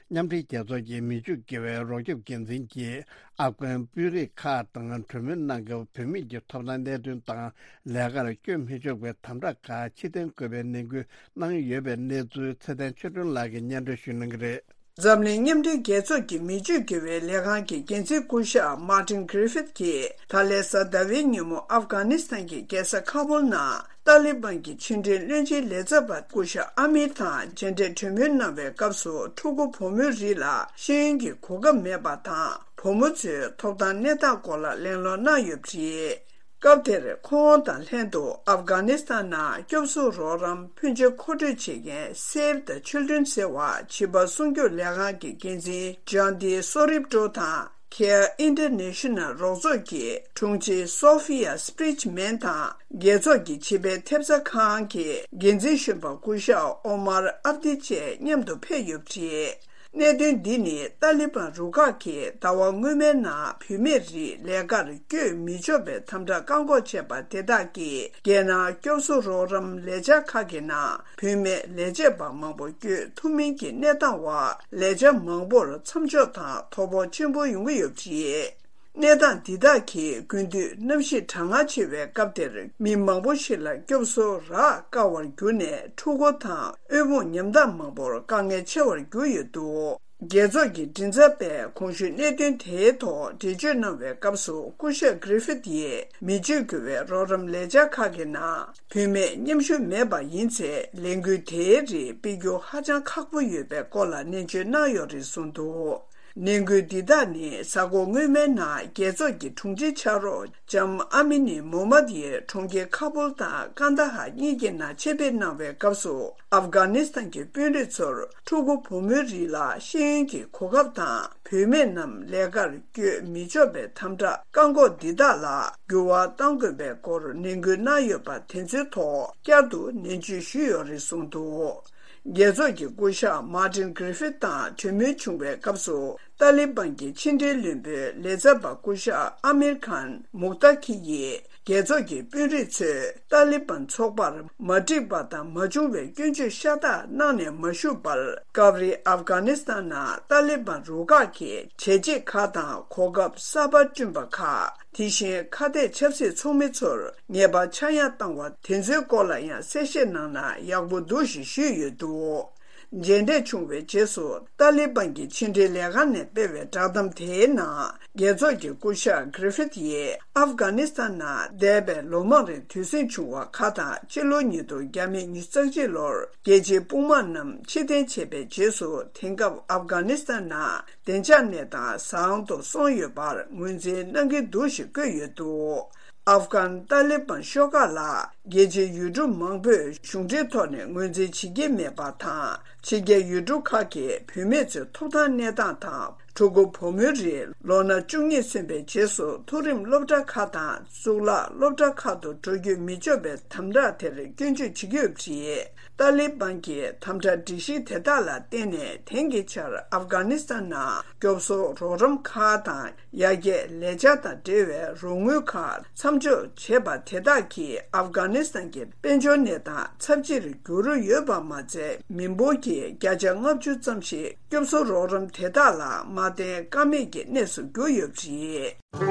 མཉམ་འབྲེལ་རྒྱལ་ཚོགས་ཀྱི་མི་ཆོས་དགེ་བའི་རོགས་སྐྱོབ་འགན་འཛིན་གྱིས། ཨབ་གྷན་དཔོན་རིགས་ཁག་དང་གྲོས་མོལ་གནང་སྐབས། བུད་མེད་ཀྱི་ཐོབ་ཐང་གནད་དོན་དང་། ལས་ཀར་བསྐྱོད་མི་ཆོག་པའི་དམ་དྲག་ཁག་ཕྱིར་འཐེན་དགོས་པའི་ནན་སྐུལ་གནང་ཡོད་པའི་གནས་ཚུལ་ཚེ་བརྟན་ཆོས་སྒྲོན་ལགས་ཀྱིས་སྙན་སྒྲོན་ཞུ་གནང་གི་རེད། འཛམ་གླིང་མཉམ་འབྲེལ་རྒྱལ་ཚོགས་ཀྱི་མི་ཆོས་དགེ་བའི་ལས་ཁང་གི་འགན་འཛིན་སྐུ་ཞབས་Martin Griffith་གྱིས། ད་ལན་གཟའ་ཟླ་བའི་ཉིན་མོ་ཨབ་གྷ་ནི་སི་ཐན་གྱི་རྒྱལ་ས་ཁ་བུལ་ནང་ཏཱ་ལི་བན་གྱི་ཕྱི་འབྲེལ་བློན་ཆེན་ལས་ཚབ་པ་སྐུ་ཞབས་ཨ་མིར་དང་མཇལ་འཕྲད་གྲོས་མོལ་གནང་བའི་སྐབས་སུ། ཕྲུ་གུ་བུ་མོའི་རིགས་ལ་ཤེས་ཡོན་གྱི་གོ་སྐབས་མེད་པ་དང་། བུ་མོ་ཚོའི་ཐོབ་ཐང་གནས་སྟངས་སྐོར་ལ་གླེང་སློང་གནང་ཡོད་པ་རེད། སྐབས་དེར་ཁོང་དང་ལྷན་དུ་ཨབ་གྷ་ནི་སི་ཐན་ནང་སྐྱོབ་གསོ་རོགས་རམ་ཕོན་ཆེ་མཁོ་སྤྲོད་བྱེད་མཁན་Save the Children་ཟེར་བ་བྱིས་པ་སྲུང་སྐྱོབ་ལས་ཁང་གི་འགན་འཛིན་ཇོན་ཏི་སོ་རིབ་ཀྲོ་དང་། Care International་རོགས་ཚོགས་ཀྱི་དྲུང་ཆེ་Sophia Sprichman་དང་། རྒྱལ་ཚོགས་ཀྱི་བྱིས་པའི་ཐེབས་རྩ་ཁང་གི་འགན་འཛིན་གཞོན་པ་སྐུ་ཞབས་ཨོ་མར་ཨབ་དི་བཅས་མཉམ་དུ་ཕེབས་ཡོད་པ་རེད། གནད་དོན་འདི་ནི་ཏཱ་ལི་བན་རུ་ཁག་གིས་ཟླ་བ་སྔོན་མའི་ནང་བུད་མེད་རིགས་ལས་ཀར་བསྐྱོད་མི་ཆོག་པའི་དམ་དྲག་བཀག་འགོག་བྱས་པ་དེ་དག་གིས། རྒྱལ་ནང་སྐྱོབ་གསོ་རོགས་རམ་ལས་འཆར་ཁག་གི་ནང་བུད་མེད་ལས་བྱེད་པ་མང་པོ་བསྐྱོད་ཐུབ་མིན་གྱི་གནས་སྟངས་འོག་ལས་འཆར་མང་པོར་མཚམས་འཇོག་དང་དོ་ཕོག་ཆེན་པོ་ཡོང་གི་ཡོད་པ་རེད། གནས་སྟངས་འདི་དག་གིས་དགུན་དུས་གནམ་གཤིས་གྲང་ངར་ཆེ་བའི་སྐབས་དེར། མི་མང་པོ་ཞིག་ལ་སྐྱོབ་གསོ་རག་དཀའ་བར་གྱུར་ནས། ཕྲུ་གུ་དང་དབུལ་ཕོངས་ཉམ་ཐག་མང་པོར་དཀའ་ངལ་ཆེ་བར་གྱུར་ཡོད་འདུག་རྒྱལ་ཚོགས་ཀྱི་མགྲིན་ཚབ་པས་གོང་ཞུས་གནད་དོན་དེའི་ཐོག་འགྲེལ་བརྗོད་གནང་བའི་སྐབས་སུ། སྐུ་ཞབས་Griffith་ཡིས་མི་ཆོས་དགེ་བའི་རོགས་རམ་ལས་འཆར་ཁག་གི་ནང་བུད་མེད་མཉམ་ཞུགས་མེད་པ་ཡིན་ཚེ། ལས་འགུལ་དེའི་རིགས་སྤེལ་རྒྱུ་ཧ་ཅང་ཁག་པོ་ཡོད་པའི་སྐོར་ལ་ནན་བརྗོད་གནང་ཡོད་རེད་གསུངས་འདུག་ནན་སྐུལ་འདི་དག་ནི་གཟའ་འཁོར་སྔོན་མའི་ནང་རྒྱལ་ཚོགས་ཀྱི་དྲུང་ཆེ་ཕྱག་རོགས་ལྕམ་ཨ་མི་ནི་མོ་མད་ཡིས་གྲོང་ཁྱེར་ཁ་བུལ་དང་ཀན་ད་ཧར་གཉིས་ཀྱི་ནང་ཆེད་ཕེབས་གནང་བའི་སྐབས་སུ། ཨབ་གྷ་ནི་སི་ཐན་གྱི་དཔོན་རིགས་ཚོར་ཕྲུ་གུ་བུ་མོའི་རིགས་ལ་ཤེས་ཡོན་གྱི་གོ་སྐབས་དང་། བུད་མེད་རྣམས་ལས་ཀར་བསྐྱོད་མི་ཆོག་པའི་དམ་དྲག་བཀག་འགོག་འདི་དག་ལ་འགྱུར་བ་གཏང་དགོས་པའི་སྐོར་ནན་སྐུལ་གནང་ཡོད་པ་དེ་ཚོའི་ཐོག་བསྐྱར་དུ་ནན་བརྗོད་ཞུས་ཡོད་རེད་གསུངས་འདུག་རྒྱལ་ཚོགས་ཀྱི་སྐུ་ཞབས་Martin Griffith་དང་གྲོས་མོལ་བྱུང་བའི་སྐབས་སུ། ཏཱ་ལི་བན་གྱི་ཕྱི་འབྲེལ་བློན་པོའི་ལས་ཚབ་པ་སྐུ་ཞབས་ཨ་མིར་ཁཱན་མུག་ཏཱ་ཁི་ཡིས། རྒྱལ་ཚོགས་ཀྱི་དཔོན་རིགས་ཚོས་ཏཱ་ལི་བན་ཚོགས་པར་མ་འགྲིག་པ་དང་མ་བྱུང་བའི་སྐྱོན་བརྗོད་ཤ་སྟག་གནང་ནས་མ་བཞུགས་པར། སྐབས་རེ་ཨབ་གྷ་ནི་སི་ཐན་ནང་ཏཱ་ལི་བན་རུ་ཁག་གིས་བྱས་རྗེས་ཁག་དང་གོ་སྐབས་གསར་པ་བསྐྲུན་པ་ཁག་དེ་བཞིན་ཁ་གཏད་ཆབ་སྲིད་ཚོགས་མི་ཚོར་ཉེས་པ་ཆག་ཡང་བཏང་བ་དེ་ཚོའི་སྐོར་ལ་ཡང་གསལ་བཤད་གནང་ན་ཡག་པོ་འདུག་ཞེས་ཞུས་ཡོད་འདུག་མཇལ་འཕྲད་བྱུང་བའི་རྗེས་སུ། ཏཱ་ལི་བན་གྱི་ཕྱི་འབྲེལ་ལས་ཁང་ནས་སྤེལ་བའི་བསྒྲགས་གཏམ་དེའི་ནང་། རྒྱལ་ཚོགས་ཀྱི་སྐུ་ཞབས་Griffith་ཡིས་ཨབ་གྷ་ནི་སི་ཐན་ནང་འདས་པའི་ལོ་མང་རིང་དུས་ཟིང་བྱུང་བ་ཁག་དང་། ཕྱི་ལོ་ཉིས་སྟོང་བརྒྱ་མེད་ཉི་ཤུ་རྩ་གཅིག་ལོར་རྒྱལ་གཅེས་དཔུང་དམག་རྣམས་ཕྱིར་འཐེན་བྱས་པའི་རྗེས་སུ། དེང་སྐབས་ཨབ་གྷ་ནི་སི་ཐན་ནང་བདེ་འཇགས་གནས་སྟངས་བཟང་དུ་སོང་ཡོད་པར་ངོས་འཛིན་གནང་གི་འདུག་ཞེས་བཀོད་ཡོད་འདུག་ཨབ་གྷན་ཏཱ་ལི་བན་ཤོག་ཁག་ལ་རྒྱལ་སྤྱིའི་ཡུལ་གྲུ་མང་པོས་གཞུང་འབྲེལ་ཐོག་ནས་ངོས་འཛིན་བྱེད་ཀྱི་མེད་པ་དང་། ཕྱི་རྒྱལ་ཡུལ་གྲུ་ཁག་གིས་བུད་མེད་ཚོའི་ཐོབ་ཐང་གནས་སྟངས་དང་། ཕྲུ་གུ་བུ་མོའི་རིགས་ལོ་ན་བཅུ་གཉིས་སོན་པའི་རྗེས་སུ་མཐོ་རིམ་སློབ་གྲྭ་ཁག་དང་གཙུག་ལག་སློབ་གྲྭ་ཁག་ཏུ་འགྲོ་རྒྱུ་མི་ཆོག་པའི་དམ་དྲག་དེར་སྐྱོན་བརྗོད་བྱེད་ཀྱི་ཡོད་པ་རེད། ཏཱ་ལི་བན་གྱི་དམ་དྲག་སྒྲིག་གཞི་དེ་དག་ལ་བརྟེན་ནས། དེང་གི་ཆར་ཨབ་གྷ་ནི་སི་ཐན་ནང་སྐྱོབ་གསོ་རོགས་རམ་ཁག་དང་། ཡར་རྒྱས་ལས་འཆར་དང་འབྲེལ་བའི་རོགས་དངུལ་ཁག་མཚམས་འཇོག་བྱས་པ་དེ་དག་གིས་ཨབ་གྷ་ནི་སི་ཐན་གྱི་དཔལ་འབྱོར་གནས་སྟངས་ཚབས་ཆེར་འགྱུར་ཡོད་པ་མ་ཚད། མི་འབོར་གྱི་བརྒྱ་ཆ་ལྔ་བཅུ་ཙམ་ཞིག་སྐྱོབ་གསོ་རོགས་རམ་དེ་དག་ལ་མ་ ལ་བརྟེན་ཀ་མེད་ཀྱི་གནས་སུ་གྱུར་ཡོད་པ་རེད།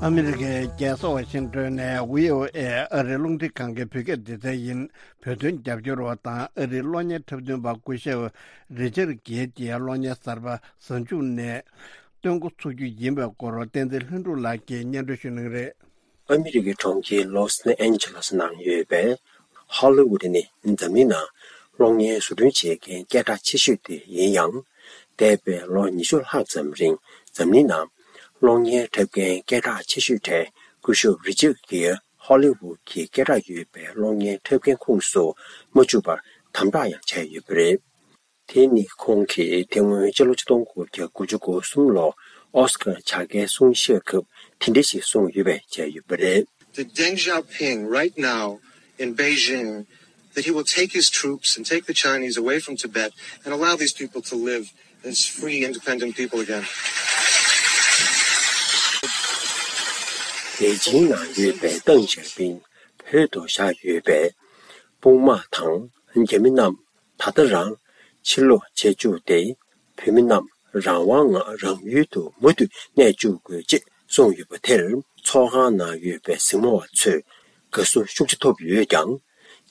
ཨ་མི་རི་ཀའི་རྒྱལ་ས་ཝ་ཤིང་ཏོན་ནས་བྷི་ཨོ་ཨེ་ཨ་རིའི་རླུང་འཕྲིན་ཁང་གི་བོད་སྐད་སྡེ་ཚན་ཡིན། བོད་དོན་རྒྱབ་སྐྱོར་བ་དང་ཨ་རིའི་གློག་བརྙན་འཁྲབ་སྟོན་པ་སྐུ་ཞབས་རི་ཅར་གྷེ་ཡི་གློག་བརྙན་གསར་པ་གཟའ་མཇུག་ནས་སྟོན་འགོ་ཚུགས་རྒྱུ་ཡིན་པའི་སྐོར་བསྟན་འཛིན་ལྷུན་གྲུབ་ལགས་ཀྱིས་སྙན་སྒྲོན་ཞུ་གནང་གི་རེད། ཨ་མི་རི་ཀའི་གྲོང་ཁྱེར་ལོས་ཨན་ཇེ་ལེས་ནང་ཡོད་པའི་ཧོ་ལི་ཝུད་ནི་འཛམ་གླིང་ནང་གློག་བརྙན་བཟོ་སྐྲུན་བྱེད་མཁན་སྐད་གྲགས་ཆེ་ཤོས་དེ་ཡིན་ཡང་། འདས་པའི་ལོ་ཉི་ཤུ་ལྷག་ཙམ་རིང་འཛམ་གླིང་ནང་གློག་བརྙན་འཁྲབ་མཁན་སྐད་གྲགས་ཆེ་ཤོས་གྲས་སྐུ་ཞབས་རི་ཅར་གྷེ་ཡི་ཧོ་ལི་ཝུད་ཀྱི་སྐད་གྲགས་ཡོད་པའི་གློག་བརྙན་འཁྲབ་མཁན་ཁོངས་སུ་མ་བཅུག་པར་དམ་དྲག་ཡང་བྱས་ཡོད་པ་རེད། དེ་ནི་ཁོང་གིས་དེ་སྔོན་སྤྱི་ལོ་ཆིག་སྟོང་དགུ་བརྒྱ་དགུ་བཅུ་གོ་གསུམ་ལོར་ཨོ་སི་ཀར་བྱ་དགའི་གསུང་བཤད་སྐབས་དེ་འདྲ་ཞིག་གསུངས་ཡོད་པ་བཅས་ཡོད་པ་རེད། To Deng Xiaoping right now in Beijing that he will take his troops and take the Chinese away from Tibet and allow these people to live as free, independent people again. པེ་ཅིང་ནང་ཡོད་པའི་ཏེང་ཞའོ་ཕིང་བོད་དུ་བཞག་ཡོད་པའི་དཔུང་དམག་དང་རྒྱ་མི་རྣམས་ད་ལྟ་རང་ཕྱིར་ལོག་བྱེད་བཅུག་སྟེ། བོད་མི་རྣམས་རང་དབང་ངང་རང་ཡུལ་དུ་མུ་མཐུད་གནས་བཅུག་དགོས་ཅེས་གསུངས་ཡོད་པ་དེར། ཚོགས་ཁང་ནང་ཡོད་པའི་གཟིགས་མོ་བ་ཚོས་དགའ་བསུ་ཤུགས་ཆེ་ཐོབ་ཡོད་ཀྱང་།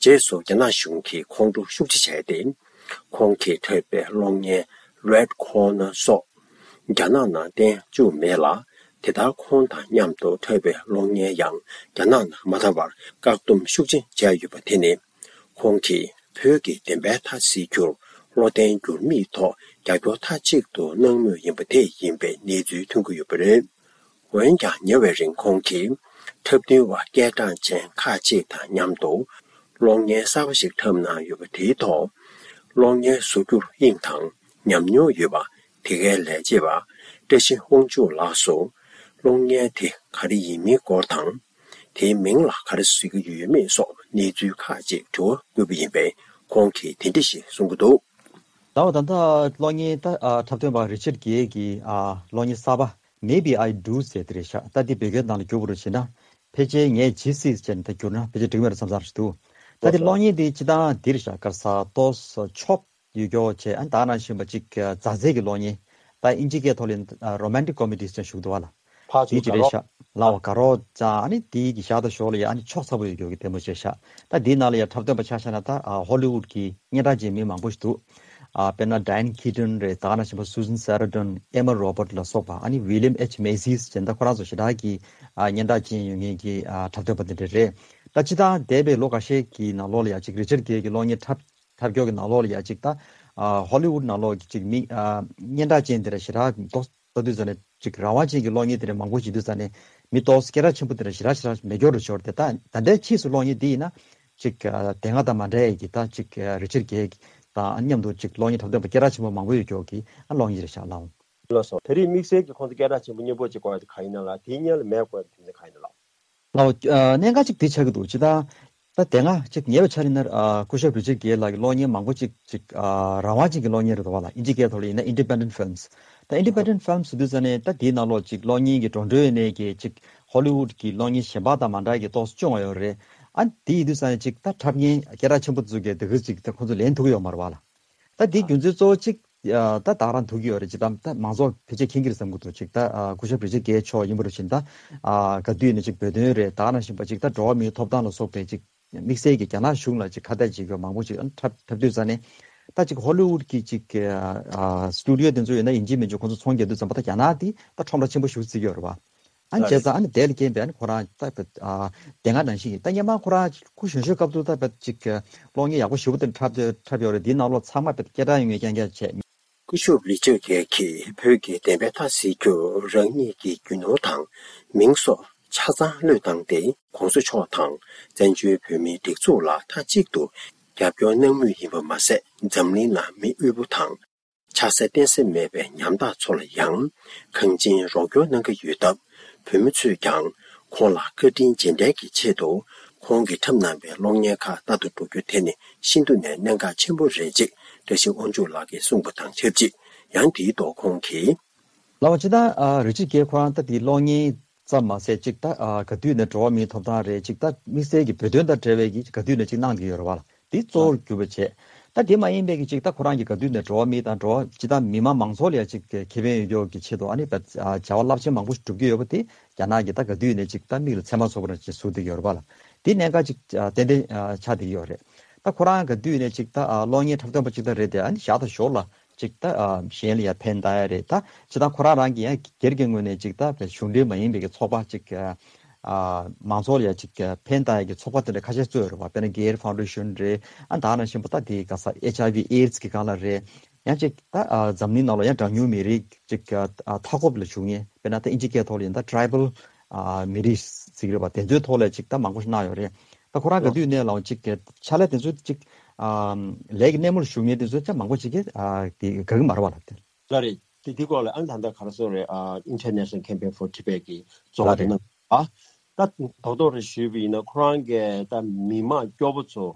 རྗེས་སུ་རྒྱ་ནག་གཞུང་གིས་ཁོང་ཁྲོ་ཤུགས་ཆེ་བྱས་ཏེ། ཁོང་གིས་འཁྲབ་པའི་གློག་བརྙན་Red Corner སོགས་རྒྱ་ནག་ནང་བསྟན་བཅུག་མེད་ལ། དེ་ལྟར་ཁོང་དང་མཉམ་དུ་འཁྲབ་པའི་གློག་བརྙན་ཡང་རྒྱ་ནག་ནང་མ་དར་བར་བཀག་སྡོམ་ཤུགས་ཆེ་བྱས་ཡོད་པ་དེ་ནི། ཁོང་གིས་བོད་ཀྱི་བདེན་པའི་མཐའ་གསལ་རྒྱུར་བློ་བརྟན་འགྱུར་མེད་ཐོག་རྒྱབ་སྐྱོར་མཐའ་གཅིག་ཏུ་གནང་མུས་ཡིན་པ་དེ་ཡིན་པའི་གནས་ཚུལ་ཐོན་གྱི་ཡོད་པ་རེད། འོན་ཀྱང་ཉེ་བའི་རིང་ཁོང་གིས་འཁྲབ་སྟོན་པ་སྐད་གྲགས་ཅན་ཁག་ཅིག་དང་མཉམ་དུ་གློག་བརྙན་གསར་པ་ཞིག་འཁྲབ་གནང་ཡོད་པ་དེའི་ཐོག་གློག་བརྙན་བཟོ་རྒྱུར་དབྱིངས་དང་ཉམས་མྱོང་ཡོད་པ། དེ་གའི་ལས་བྱེད་པ་བཀྲ་ཤིས་དབང་ཕྱུག་ལགས་སུ། གློག་བརྙན་དེ་ག་རེ་ཡིན་མིན་སྐོར་དང་། དེའི་མིང་ལ་ག་རེ་ཟེར་གྱི་ཡོད་མེད་སོགས་གནས་ཚུལ་ཁག་ཅིག་དྲི་བ་བཀོད་པ་ཡིན་པས། ཁོང་གིས་དེ་འདྲ་ཞིག་གསུང་གི་འདུག། ཟླ་བ་ད་ལྟ་གློག་བརྙན་ད་ཨ་འཁྲབ་སྟོན་པ་རི་ཅར་གྷེ་ཡི་ཨ་གློག་བརྙན་གསར་པ་Maybe I Do ཟེར་དེ་རེད་ཤག། ད་འདི་བོད་སྐད་ནང་ལ་བསྒྱུར་བ་རུ་བྱས་ན། ཕལ་ཆེར་ངས་ཇི་སྲིད་ཅེས་ནས་ད་བསྒྱུར་ན་ཕལ་ཆེར་འགྲིག་མེད་རེད་བསམ་བསམ་ཞིག་འདུག། ད་འདི་གློག་བརྙན་འདི་སྤྱི་བཏང་འདིར་ཤག་ག་རེ་ཟ་ཏོག་ཙམ་ཆོབ་ཡོད་རྒྱུ་བྱས། ཨ་ནི་ད་ག་ནང་བཞིན་པ་ཅིག་མཛའ་བརྩེ་གི་གློག་བརྙན། ད་དབྱིན་ཇིའི་སྐད་ཐོག་ལ་ཡིན་ན་རོ་མན་ཊིག་ཀོ་མེ་ཌི་ཟེར་ཞུ་གི་འདུག་བ་ལ། ཕར་དེའི་ཚུར་ཅི་རེད་དགའ་ཤག་ལའོ་དགའ་རོགས་ཙང་ཨ་ནི་དེའི་གི་ཞག་དང་ཞོགས་ལ་ཡ་ཨ་ནི་ཕྱོགས་ཚ་པོ་ཡོད་རྒྱུ་གི་ལྟད་མོ་བྱས་ཤག། ད་དེའི་ནང་ལ་ཡ་འཁྲབ་སྟོན་པ་ཆ་བཞག་ན་ད་ཨ་ཧོ་ལི་ཝུད་ཀྱི་སྙན་གྲགས་ཅན་མི་མང་པོ་ཞིག་འདུག། ཨ་དཔེར་ན་Diane Keaton རེད། ད་ག་ནང་བཞིན་པ་Susan Sarandon, Emma Robert ལ་སོགས་པ། ཨ་ནི་William H Macyཟེར་ད་ཁོ་རང་ཚོ་ཞེ་དྲག་གི་ཨ་སྙན་གྲགས་ཅན་ཡོད་མཁན་གྱི་ཨ་འཁྲབ་སྟོན་པ་དེ་འདྲ་རེད། ད་སྤྱི་བཏང་འདས་པའི་ལོ་འགའ་ཤས་ཀྱི་ནང་ལོགས་ལ་ཡ་ཅིག་རི་ཅར་གྷེ་གི་གློག་བརྙན་འཁྲབ་འཁྲབ་སྐྱོར་གྱི་ནང་ལོགས་ལ་ཡ་ཅིག་ད་ཨ་ཧོ་ལི་ཝུད་ནང་ལོགས་ཀྱི་ཅིག་མི་ཨ་སྙན་གྲགས་ཅན་དེ་འདྲ་ཞེ་དྲག་མདོག་ལྟ་དུས་ཙ་ནས་ཅིག་རང་དབང་ཅན་གྱི་གློག་བརྙན་དེ་འདྲ་མང་པོ་བྱེད་དུས་ཙ་ནས་མི་ཏོག་སྐད་གྲགས་ཆེན་པོ་དེ་འདྲ་ཞེ་དྲག་ཞེ་དྲག་མེད་སྐྱོ་རུ་ཤོར་ཏེ། ད་ད་ལྟའི་ཕྱིས་སུ་གློག་བརྙན་འདི་ཡིན་ན་ཅིག་ཨ་དེ་སྔ་དང་མ་འདྲ་ཡས་ཀྱི་ད་ཅིག་ཨ་རི་ཅར་གྷེ་དང་མཉམ་དུ་ཅིག་གློག་བརྙན་འཁྲབ་སྟོན་པ་སྐད་གྲགས་ཆེན་པོ་མང་པོ་ཡོད་སྐྱོ་གི་ཨ་གློག་བརྙན་རེད་ཤག་ལགས། ལགས་སོ། ད་རེས་དམིགས་བསལ་གྱི་ཁོང་ཚོ་སྐད་གྲགས་ཆེན་པོ་སྙན་པོ་ཅིག་དགོས་ཡ་དེ་ག་ཡིན་ན་ལ། དེའི་སྔོན་ལ་མེད་དགོས་ཡ་དེ་དོན་ཚན་ག་ཡིན་ན་ལགས། ལའོ། ཨ་གནད་འགག་ཅིག་དེ་ཆགས་ཀྱི་འདུག། ཅི་ལྟར་ད་དེ་སྔ་ཅིག་ཉེ་བའི་ཆར་ཡིན་ན་ཨ་སྐུ་ཞབས་རི་ཅར་གྷེ་ལགས་ཀྱི་གློག་བརྙན་མང་པོ་ཅིག་ཅིག་ཨ་རང་དབང་ཅན་གྱི་གློག་བརྙན་རེད་འདུག་བ་ལ། དབྱིན་ཇིའི་སྐད་ཐོག་ལ་ཡིན་ན་Independent Films། ད་Independent Films་ཟེར་དུས་ཙ་ནས་ད་དེའི་ནང་ལོགས་ཅིག་གློག་བརྙན་གྱི་འགྲོ་གྲོན་ཡོད་ནས་ཀྱི་ཅིག་ཧོ་ལི་ཝུད་ཀྱི་གློག་བརྙན་གཞན་པ་དང་མ་འདྲ་གི་ཏོག་ཙམ་སྐྱོ་བ་ཡོད་རེད། ཨ་དེ་ཡིན་དུས་ཙ་ནས་ཅིག་ད་འཁྲབ་མཁན་སྐད་གྲགས་ཆེན་པོ་ཚོ་གིས་དེ་གི་ཅིག་ད་ཁོང་ཚོ་ལེན་ཐུབ་ཀྱི་ཡོད་མ་རེད་བ་ལ། ད་དེའི་རྒྱུ་མཚན་གཙོ་བོ་གཅིག་ཨ་ད་ད་རང་ཐུག་གི་ཡོད་རེད། ཅིག་ད་ད་མང་ཚོགས་ཕལ་ཆེར་མཁྱེན་གྱི་རེད་བསམ་གྱི་འདུག། ཅིག་ད་ཨ་སྐུ་ཞབས་རི་ཅར་གྷེ་མཆོག་ཡིན་པ་རུ་ཕྱིན། ད་ཨ་ག་དུས་ནས་ཅིག་བོད་དོན་རེད། ད་ག་ནང་བཞིན་པ་ཅིག་ད་འགྲོ་བ་མིའི་ཐོབ་ཐང་ལ་སོགས་པའི་ཅིག་དམིགས་བསལ་གྱི་རྒྱ་ནག་གཞུང་ལ་ཅིག་ཁ་གཏད་བྱེད་ཀྱི་ཡོད་མང་པོ་ཅིག་ཨ་འཁྲབ་འཁྲབ་དུས་ཙ་ནས། ད་ཅིག་ཧོ་ལི་ཝུད་ཀྱི་ཅིག་ཨ་སི་ཊུ་ཌི་ཡོ་དེ་ཚོ་ཡོད་ན་ཡིན་གཅིག་མིན་གཅིག་ཁོང་ཚོ་ཚོང་རྒྱག་དུས་ཙམ་པ་ད་རྒྱ་ནག་དེ་ད་ཁྲོམ་ར་ཆེན་པོ་ཞིག་བརྩི་གི་ཡོད་རེད་བ། ཨ་ནི་བྱས་ཙང་ཨ་ནི་དེ་ལ་རྐྱེན་པས་ཨ་ནི་ཁོ་རང་ད་ཨ་དེ་སྔ་ནང་བཞིན་ཡིན། ད་སྔོན་མ་ཁོ་རང་སྐུ་གཞོན་ཤོས་སྐབས་དུ་ད་དཔེ་ཅིག་གློག་བརྙན་ཡག་པོ་ཞེ་པོ་དེ་འཁྲབ་འཁྲབ་ཡོད་རེད། དེའི་ནང་ལོགས་ཚང་མ་དཔེ་སྐད་གྲགས་ཡོད་མཁན་རྐྱང་རྐྱང་བྱས། སྐུ་ཞབས་རི་ཅར་གྷེ་གིས་བོད་ཀྱི་བདེན་པའི་མཐའ་གསལ་རྒྱུར་རང་ཉིད་ཀྱི་རྒྱུ་ནོར་དང་མིང་སོགས་ཆ་ཚང་བློས་བཏང་སྟེ། ྋགོང་ས་མཆོག་དང་བཙན་བྱོལ་བོད་མིའི་སྒྲིག་འཛུགས་ལ་མཐའ་གཅིག་ཏུ་རྒྱབ་སྐྱོར་གནང་མུས་ཡིན་པ་མ་ཟད། འཛམ་གླིང་ནང་མི་དབུལ་པོ་དང་ཆགས་སྲེད་བརྟེན་ས་མེད་པའི་ཉམ་ཐག་ཚོ་ལ་ཡང་གང་ཅིའི་རོགས་སྐྱོར་གནང་གི་ཡོད་སྟབས། བོད་མི་ཚོས་ཀྱང་ཁོང་ལ་བཀའ་དྲིན་རྗེས་དྲན་གྱི་ཆེད་དུ། ཁོང་གིས་འཁྲབ་གནང་བའི་གློག་བརྙན་ཁག་ལྟ་དུ་འགྲོ་རྒྱུ་དེ་ནི་ཤིན་ཏུ་ནས་གནད་འགག་ཆེན་པོ་རེད་ཅེས་བཀྲ་ཤིས་དབང་ཕྱུག་ལགས་ཀྱིས་གསུངས་པ་དང་ཆབས་ཅིག། ཡང་དེའི་ཐོག་ཁོང་གིས། ལགས་སོ། ཅིག་ད་ཨ་རི་ཆིག་གེ་ཁོ་རང་ད་དེ་གློག་བརྙན་ཙམ་མ་ཟད་ཅིག་ད་ཨ་ག་དུས་ནས་འགྲོ་བ་མིའི་ཐོབ་ཐང་རེད། ཅིག་ད་དམིགས་བསལ་གྱི་བོད་དོན་དང་འབྲེལ་བའི་གི་ག་དུས་ནས་ཅིག་གནང་བསྡད་ཡོད་རེད་བ་ལ། དེ་གཙོ་བོར་གྱུར་པ་བྱས། ད་དེ་མ་ཡིན་པའི་གི་ཅིག་ད་ཁོ་རང་གི་ག་དུས་ནས་འགྲོ་བ་མི་དང་འགྲོ་བ་ཅིག་ད་མི་མང་མང་ཚོགས་ལ་ཡ་ཅིག་ཁེ་ཕན་ཡོད་རྒྱུ་གི་ཆེད་དུ་ཨ་ནི་བྱ་བ་རླབས་ཆེན་མང་པོ་ཞིག་སྒྲུབ་ཀྱི་ཡོད་པ་དེ་རྒྱ་ནག་གི་ད་ག་དུས་ནས་ཅིག་ད་མིག་ལ་ཚེར་མ་ཚོར་བ་ནང་བཞིན་བཟོ་བསྡད་ཀྱི་ཡོད་རེད་བ་ལ། དེ་གནད་འགག་ཅིག་ཏན་ཏན་ཆགས་བསྡད་ཀྱི་ཡོད་རེད། ད་ཁོ་རང་ག་དུས་ནས་ཅིག་ད་གློག་བརྙན་འཁྲབ་སྟོན་པ་ཅིག་ད་རེད་དེ། ཨ་ནི་ཞར་དང་ཞོར་ལ་ཅིག་ད་ཨ་གཞན་ལ་ཡང་ཕན་བཏགས་ཡ་རེད། ད་ཇི་ལྟར་ཁོ་རང་རང་གི་ཡང་སྒེར་གྱི་ངོས་ནས་ཅིག་ད་གཞུང་འབྲེལ་མ་ཡིན་པའི་གི་ཚོགས་པ་ཅིག་ཨ་མང་ཚོགས་ལ་ཡང་ཅིག་ཕན་བཏགས་ཡ་གི་ཚོགས་པ་དེ་འདྲ་ཁ་ཤས་གཙོས་ཡོད་རེད་བ། དཔེར་ན་Gates Foundation རེད། ཨ་ད་ནང་བཞིན་པ་ད་དེ་ག་ས་ཨེཆ་ཨའི་ཝི་ཨེ་ཌི་སི་གི་སྒང་ལ་རེད། ཡང་ཅིག་ད་ཨ་འཛམ་གླིང་ནང་ལ་ཡང་གྲངས་ཉུང་མི་རིགས་ཅིག་ཨ་མཐའ་འཁོབ་ལ་བཞུགས་མཁན། དཔེར་ན་ད་ཨིན་ཇི་སྐད་ཐོག་ལ་ཡིན་ད་Tribal ཨ་མི་རིགས་ཟེར་གྱི་རེད་བ། དེ་ཚོའི་ཐོག་ལ་ཅིག་ད་མང་པོ་ཞིག་གནང་ཡོད་རེད། ད་ཁོ་རང་ག་དུས་ནས་ལའང་ཅིག་གི་ཕྱག་ལས་དེ་ཚོ་ཅིག་ཨ་ལས་ཀྱི་སྣེ་མོར་ཞུགས་མཁན་དེ་ཚོ་ཅང་མང་པོ་ཅིག་གིས་ཨ་དེ་དགའ་གི་མ་རེད་བ་ལ། དེ་ལ་རེད། དེ་དེ་སྐོར་ལ་ཨ་ནི་ད་ལྟ་ག་རེ་ཟེར་རེད། ཨ་International Campaign for Tibet གི་གཙོ་བོ་ལ་དེ་རེད། གནང་ཨ་ད་རྡོག་རྡོག་རེ་ཞུས་པ་ཡིན་ན་ཁོ་རང་གི་ད་མི་མང་སྐྱོ་པོ་ཚོ་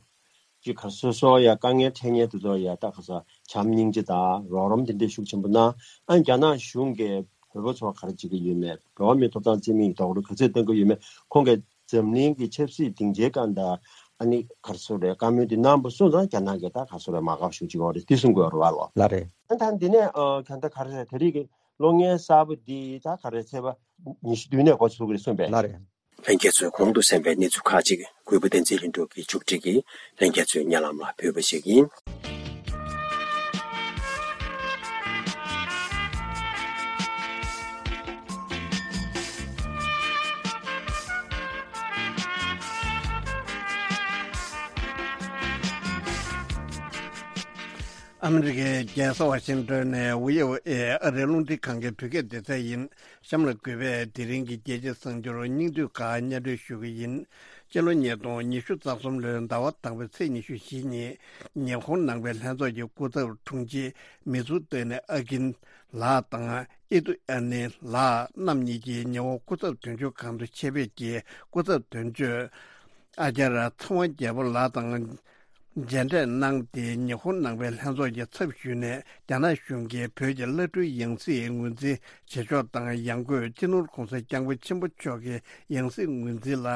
ཅིག་ག་རེ་སོ་སོ་ཡ་དཀའ་ངལ་འཕྲད་མཁན་དེ་ཚོ་ཡ་ད་ག་ས་བྱམས་སྙིང་རྗེ་དང་རོགས་རམ་དེ་འདྲ་ཤུགས་ཆེན་པོ་གནང་། ཨ་ནི་རྒྱ་ནག་གཞུང་གིས་བོད་པ་ཚོ་ག་རེ་བྱེད་ཀྱི་ཡོད་མེད། འགྲོ་བ་མིའི་ཐོབ་ཐང་རྩིས་མེད་ཀྱི་རྡོག་རོལ་ག་ཚོད་གཏོང་གི་ཡོད་མེད། ཁོང་གིས་འཛམ་གླིང་གི་ཆབ་སྲིད་སྡིངས་ཆའི་སྒང་དུ་ཨ་ནི་ག་རེ་ཟེར་རེད། བཀའ་མོལ་འདི་གནང་པ་སོང་ཙང་རྒྱ་ནག་གིས་ད་ག་རེ་ཟེར་རེད། མ་དགའ་བ་ཤུགས་ཆེ་ཡོད་རེད། འདི་གསུང་དགོས་རེད་བ་ལོ། ལགས་རེད། ཨ་ད་འདི་ནས་ཨ་ག་ད་ག་རེ་ཟེར། ད་རེས་ཀྱི་གློག་བརྙན་གསར་པ་འདི་ད་ག་རེ་ཚེས་པ་ཉི་ཤུ་བདུན་ནས་འགོ་ཚུགས་ཀྱི་རེད་གསུངས་པས། ལགས་རེད། ལྷན་རྒྱས་ཚོས་གོང་དུ་གསན་པའི་གནས་ཚུལ་ཁག་ཅིག་གུས་པ་བསྟན་འཛིན་ལྷུན་གྲུབ་ཀྱིས་མཇུག་སྒྲིལ་གྱིས་ལྷན་རྒྱས་ཚོའི་སྙན་ལམ་ལ་ཕུལ་བ་ཞིག་ཡིན། ཨ་མི་རི་ཀའི་རྒྱལ་ས་ཝ་ཤིང་ཏོན་ནས་བྷི་ཨོ་ཨེ་ཨ་རིའི་རླུང་འཕྲིན་ཁང་གི་བོད་སྐད་སྡེ་ཚན་ཡིན། གཤམ་ལ་གུས་པས་དེ་རིང་གི་རྒྱལ་སྤྱིའི་གསར་འགྱུར་སྙིང་བསྡུས་ཁག་སྙན་སྒྲོན་ཞུ་གི་ཡིན། སྤྱི་ལོ་ཉིས་སྟོང་ཉི་ཤུ་རྩ་གསུམ་ལོའི་ཟླ་བ་དང་པོའི་ཚེས་ཉི་ཤུ་བཞི་ཉིན། ཉི་ཧོང་ནང་པའི་ལྷན་ཚོགས་ཀྱི་སྐུ་ཚབ་དྲུང་ཆེ་མི་ཙུ་ཏོ་ནེ་ཨ་ཀིན་ལགས་དང་ཨི་ཏུ་ཨ་ནེ་ལགས་རྣམ་གཉིས་ཀྱིས་ཉི་ཧོང་སྐུ་ཚབ་དོན་གཅོད་ཁང་དུ་ཆེད་ཕེབས་ཀྱིས་སྐུ་ཚབ་དོན་གཅོད་ཨ་ཅར་ཚེ་དབང་རྒྱལ་པོ་ལགས་དང་མཇལ་འཕྲད་གནང་སྟེ། ཉི་ཧོང་ནང་པའི་ལྷན་ཚོགས་ཀྱི་ཚབ་ཞུས་ནས་རྒྱ་ནག་གཞུང་གིས་བོད་ཀྱི་བླ་སྤྲུལ་ཡང་སྲིད་ངོས་འཛིན་བྱེད་ཕྱོགས་དང་། ཡང་སྒོས་སྤྱི་ནོར་༸གོང་ས་༸སྐྱབས་མགོན་ཆེན་པོ་མཆོག་གི་ཡང་སྲིད་ངོས་འཛིན་ལ་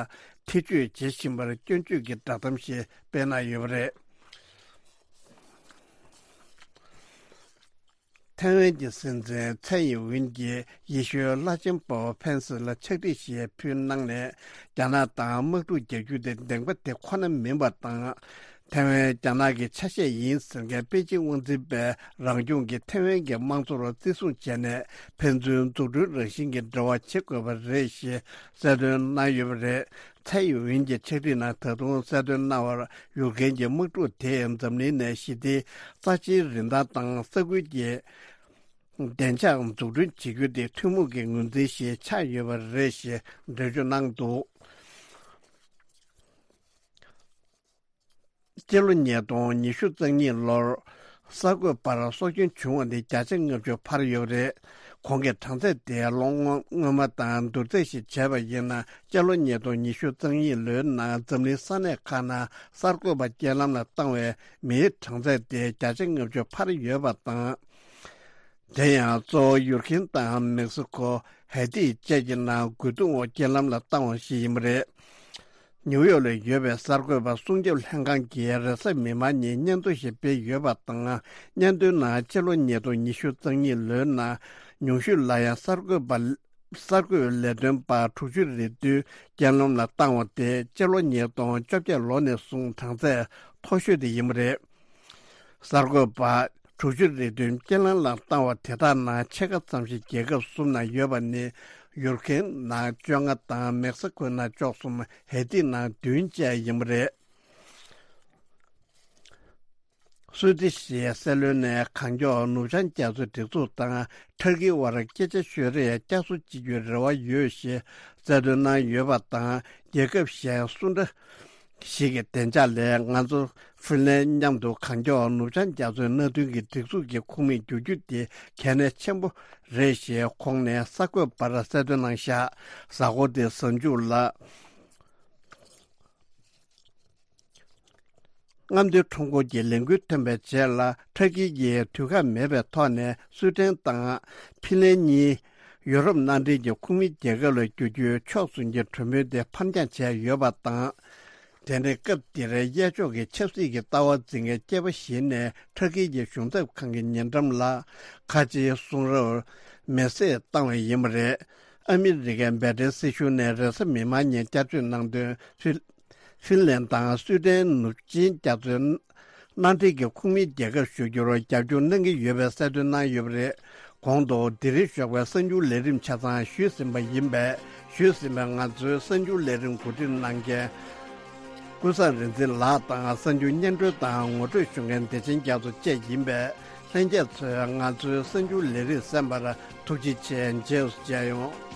ཐེ་བྱུས་བྱེད་བཞིན་པར་སྐྱོན་བརྗོད་ཀྱི་བསྒྲགས་གཏམ་ཞིག་སྤེལ་གནང་ཡོད་པ་རེད། ཐའེ་ཝན་གྱི་སྲིད་འཛིན་ཚའེ་ཡིན་ཝིན་གྱིས་ཡེ་ཤུའི་བླ་ཆེན་པོབ་ཕན་སི་ལ་ཕྱག་བྲིས་ཤིག་ཕུལ་གནང་ནས། རྒྱ་ནག་དང་དམག་འཁྲུག་རྒྱག་རྒྱུ་དེ་བདེན་པ་དེ་ཁོ་ན་མིན་པ་དང་། ཐའེ་ཝན་རྒྱ་ནག་གི་ཆ་ཤས་ཡིན་ཟེར་མཁན་པེ་ཅིང་དབང་འཛིན་པས་རང་སྐྱོང་གི་ཐའེ་ཝན་གྱི་དམངས་གཙོར་བརྩི་སྲུང་བྱས་ནས། ཕན་ཚུན་འཛུགས་སྐྲུན་རང་བཞིན་གྱི་འབྲེལ་བ་བྱེད་དགོས་པ་རེད་ཞེས་གསལ་སྟོན་གནང་ཡོད་པ་རེད། ཚའེ་ཡིན་ཝིན་གྱི་ཕྱག་བྲིས་ནང་ད་དུང་གསལ་སྟོན་གནང་བར། ཡུཀ་རེན་གྱི་དམག་འཁྲུག་དེས་འཛམ་གླིང་ནས་ཞི་བདེའི་རྩ་ཆེའི་རིན་ཐང་དང་ས་ཁུལ་གྱི་བདེ་འཇགས་འཛུགས་སྐྲུན་བྱེད་རྒྱུ་དེ་ཐུན་མོང་གི་ངོས་འཛིན་ཞིག་ཆགས་ཡོད་པ་རེད་ཞེས་འགྲེལ་བརྗོད་གནང་འདུག་སྤྱི་ལོ་ཉིས་སྟོང་ཉི་ཤུ་རྩ་གཉིས་ལོར་གསར་འགོད་པར་སྲོག་སྐྱོན་བྱུང་བ་ནི་བརྒྱ་ཆ་ལྔ་བཅུ་འཕར་ཡོད་པ་རེད། ཁོང་གི་གྲངས་ཚད་དེ་ལོ་སྔོན་མ་དང་བསྡུར་ཚད་ཞིག་བྱས་པ་ཡིན་ན། སྤྱི་ལོ་ཉིས་སྟོང་ཉི་ཤུ་རྩ་གཉིས་ལོའི་ནང་འཛམ་གླིང་ས་གནས་ཁག་ནང་གསར་འགོད་པ་རྐྱེན་ལམ་ལ་བཏང་བའི་མིའི་གྲངས་ཚད་དེ་བརྒྱ་ཆ་ལྔ་བཅུ་འཕར་ཡོད་པ་དང་། དེ་ཡང་གཙོ་བོ་ཡུར་ཁེན་དང་མེག་སི་ཁོ། ཧེ་ཏི་བཅས་ཀྱི་ནང་རྒོལ་རྡུང་འོག་རྐྱེན་ལམ་ལ་བཏང་བ་ཞིག་ཡིན་པ་རེད། ནིའུ་ཡོག་ལ་ཡོད་པའི་གསར་འགོད་པ་སྲུང་སྐྱོབ་ལྷན་ཁང་གིས་རེས་གཟའ་མིག་དམར་ཉིན་སྙན་ཐོ་ཞིག་སྤེལ་ཡོད་པ་དང་། སྙན་ཐོའི་ནང་སྤྱི་ལོ་ཉིས་སྟོང་ཉི་ཤུ་རྩ་གཉིས་ལོའི་ནང་ཉུང་ཤོས་ལ་ཡང་གསར་འགོད་པ། གསར་འགོད་ལས་དོན་པ་དྲུག་ཅུ་རེ་བདུན་རྐྱེན་ལམ་ལ་བཏང་བ་དེ་སྤྱི་ལོ་ཉིས་སྟོང་བཅོ་བརྒྱད་ལོ་ནས་བཟུང་གྲངས་ཚད་མཐོ་ཤོས་དེ་ཡིན་པ་རེད། གསར་འགོད་པ་དྲུག་ཅུ་རེ་བདུན་རྐྱེན་ལམ་ལ་བཏང་བ་དེ་དག་ནང་ཕྱེད་ཀ་ཙམ་ཞིག་རྒྱལ་ཁབ་གསུམ་ནང་ཡོད་པ་ནི། ཡུར་ཁེན་ནང་བཅོ་ལྔ་དང་མེག་སི་ཁོའི་ནང་བཅུ་གསུམ། ཧེ་ཏི་ནང་བདུན་བཅས་ཡིན་པ་རེད། སུད་སི་གསར་འགྱུར་ལས་ཁང་གིས་གང་མགྱོགས་ནུབ་བྱང་རྒྱ་མཚོའི་སྒྲིག་འཛུགས་དང་ཐར་ཀིའི་དབར་སྐད་ཆ་ཤོད་རེས་བསྐྱར་གསོ་བྱེད་རྒྱུའི་རེ་བ་ཡོད་ཞེས་གསལ་སྟོན་གནང་ཡོད་པ་དང་། རྒྱལ་ཁབ་གཞན་སུ་འདྲ་ཞིག་གི་བདེ་འཇགས་ལས་ང་ཚོ་ཧྥིན་ལན་མཉམ་དུ་གང་མགྱོགས་ནུབ་བྱང་རྒྱ་མཚོའི་མནའ་མཐུན་གྱི་སྒྲིག་འཛུགས་ཀྱི་ཁོངས་མི་འགྱུར་རྒྱུ་དེ་གལ་གནད་ཆེན་པོ་རེད་ཞེས་ཁོང་ནས་གསར་འགོད་པར་གསལ་སྟོན་གནང་བཞག་གཟའ་འཁོར་འདིའི་གཟའ་མཇུག་ལ། རྔམ་སྟོན་ཁྲོམ་སྐོར་གྱི་ལས་འགུལ་ཐོན་པའི་རྗེས་ལ། ཊར་ཀི་ཡིས་དུས་ཁག་མེད་པའི་ཐོག་ནས་སུའེ་ཏེན་དང་ཕིན་ལན་གཉིས་ཡུ་རོབ་མནའ་འབྲེལ་གྱི་ཁོངས་མི་རྒྱལ་ཁབ་ལ་བསྒྱུར་རྒྱུའི་ཕྱོགས་མཚུངས་ཀྱི་གྲོས་མོལ་དེ་ཕར་འགྱངས་བྱས་ཡོད་པ་དང་། དེ་ནི་སྐབས་དེར་གཡས་ཕྱོགས་ཀྱི་ཆབ་སྲིད་ཀྱི་ལྟ་བ་འཛིན་མཁན་སྐྱེས་པ་ཞིག་ནས་ཊར་ཀི་ཡི་གཞུང་ཚབ་ཁང་གི་ཉེ་འགྲམ་ལ་ཁ་ཆེའི་གསུང་རབ་མེ་བསྲེགས་བཏང་བ་ཡིན་པ་རེད། ཨ་མི་རི་ཀའི་འབད་བརྩོན་སྲིད་གཞུང་ནས་རེས་གཟའ་མིག་དམར་ཉིན་བསྐྱར་བཅོས་གནང་དོན། ཕི་ལན་དང་སུའེ་ཏེན་ནུབ་ཆིངས་བསྐྱར་བཅོས་མནའ་འབྲེལ་གྱི་ཁོངས་མི་རྒྱལ་ཁབ་ཞུ་རྒྱུར་རྒྱབ་སྐྱོར་གནང་གི་ཡོད་པའི་གསལ་སྟོན་གནང་ཡོད་པ་རེད། གོང་དུ་དེ་རིང་ཞོགས་པའི་གསར་འགྱུར་ལས་རིམ་ཆ་ཚང་ཞུས་ཟིན་པ་ཡིན་པས། ཞུས་ཟིན་པའི་ང་ཚོའི་གསར་འགྱུར་ལས་རིམ་གོ་སྒྲིག་གནང་མཁན་ཀུན་བཟང་རིག་འཛིན་ལགས་དང་། གསར་འགྱུར་སྙན་སྒྲོན་དང་ངོ་སྤྲོད་ཞུ་མཁན་བདེ་ཆེན་རྒྱ་མཚོ་བཅས་ཡིན་པས། ལྷན་རྒྱས་ཚོས་ང་ཚོའི་གསར་འགྱུར་ལས་རིམ་གསན་པར་ཐུགས་རྗེ་ཆེ། རྗེས་སུ་མཇལ་ཡོང་།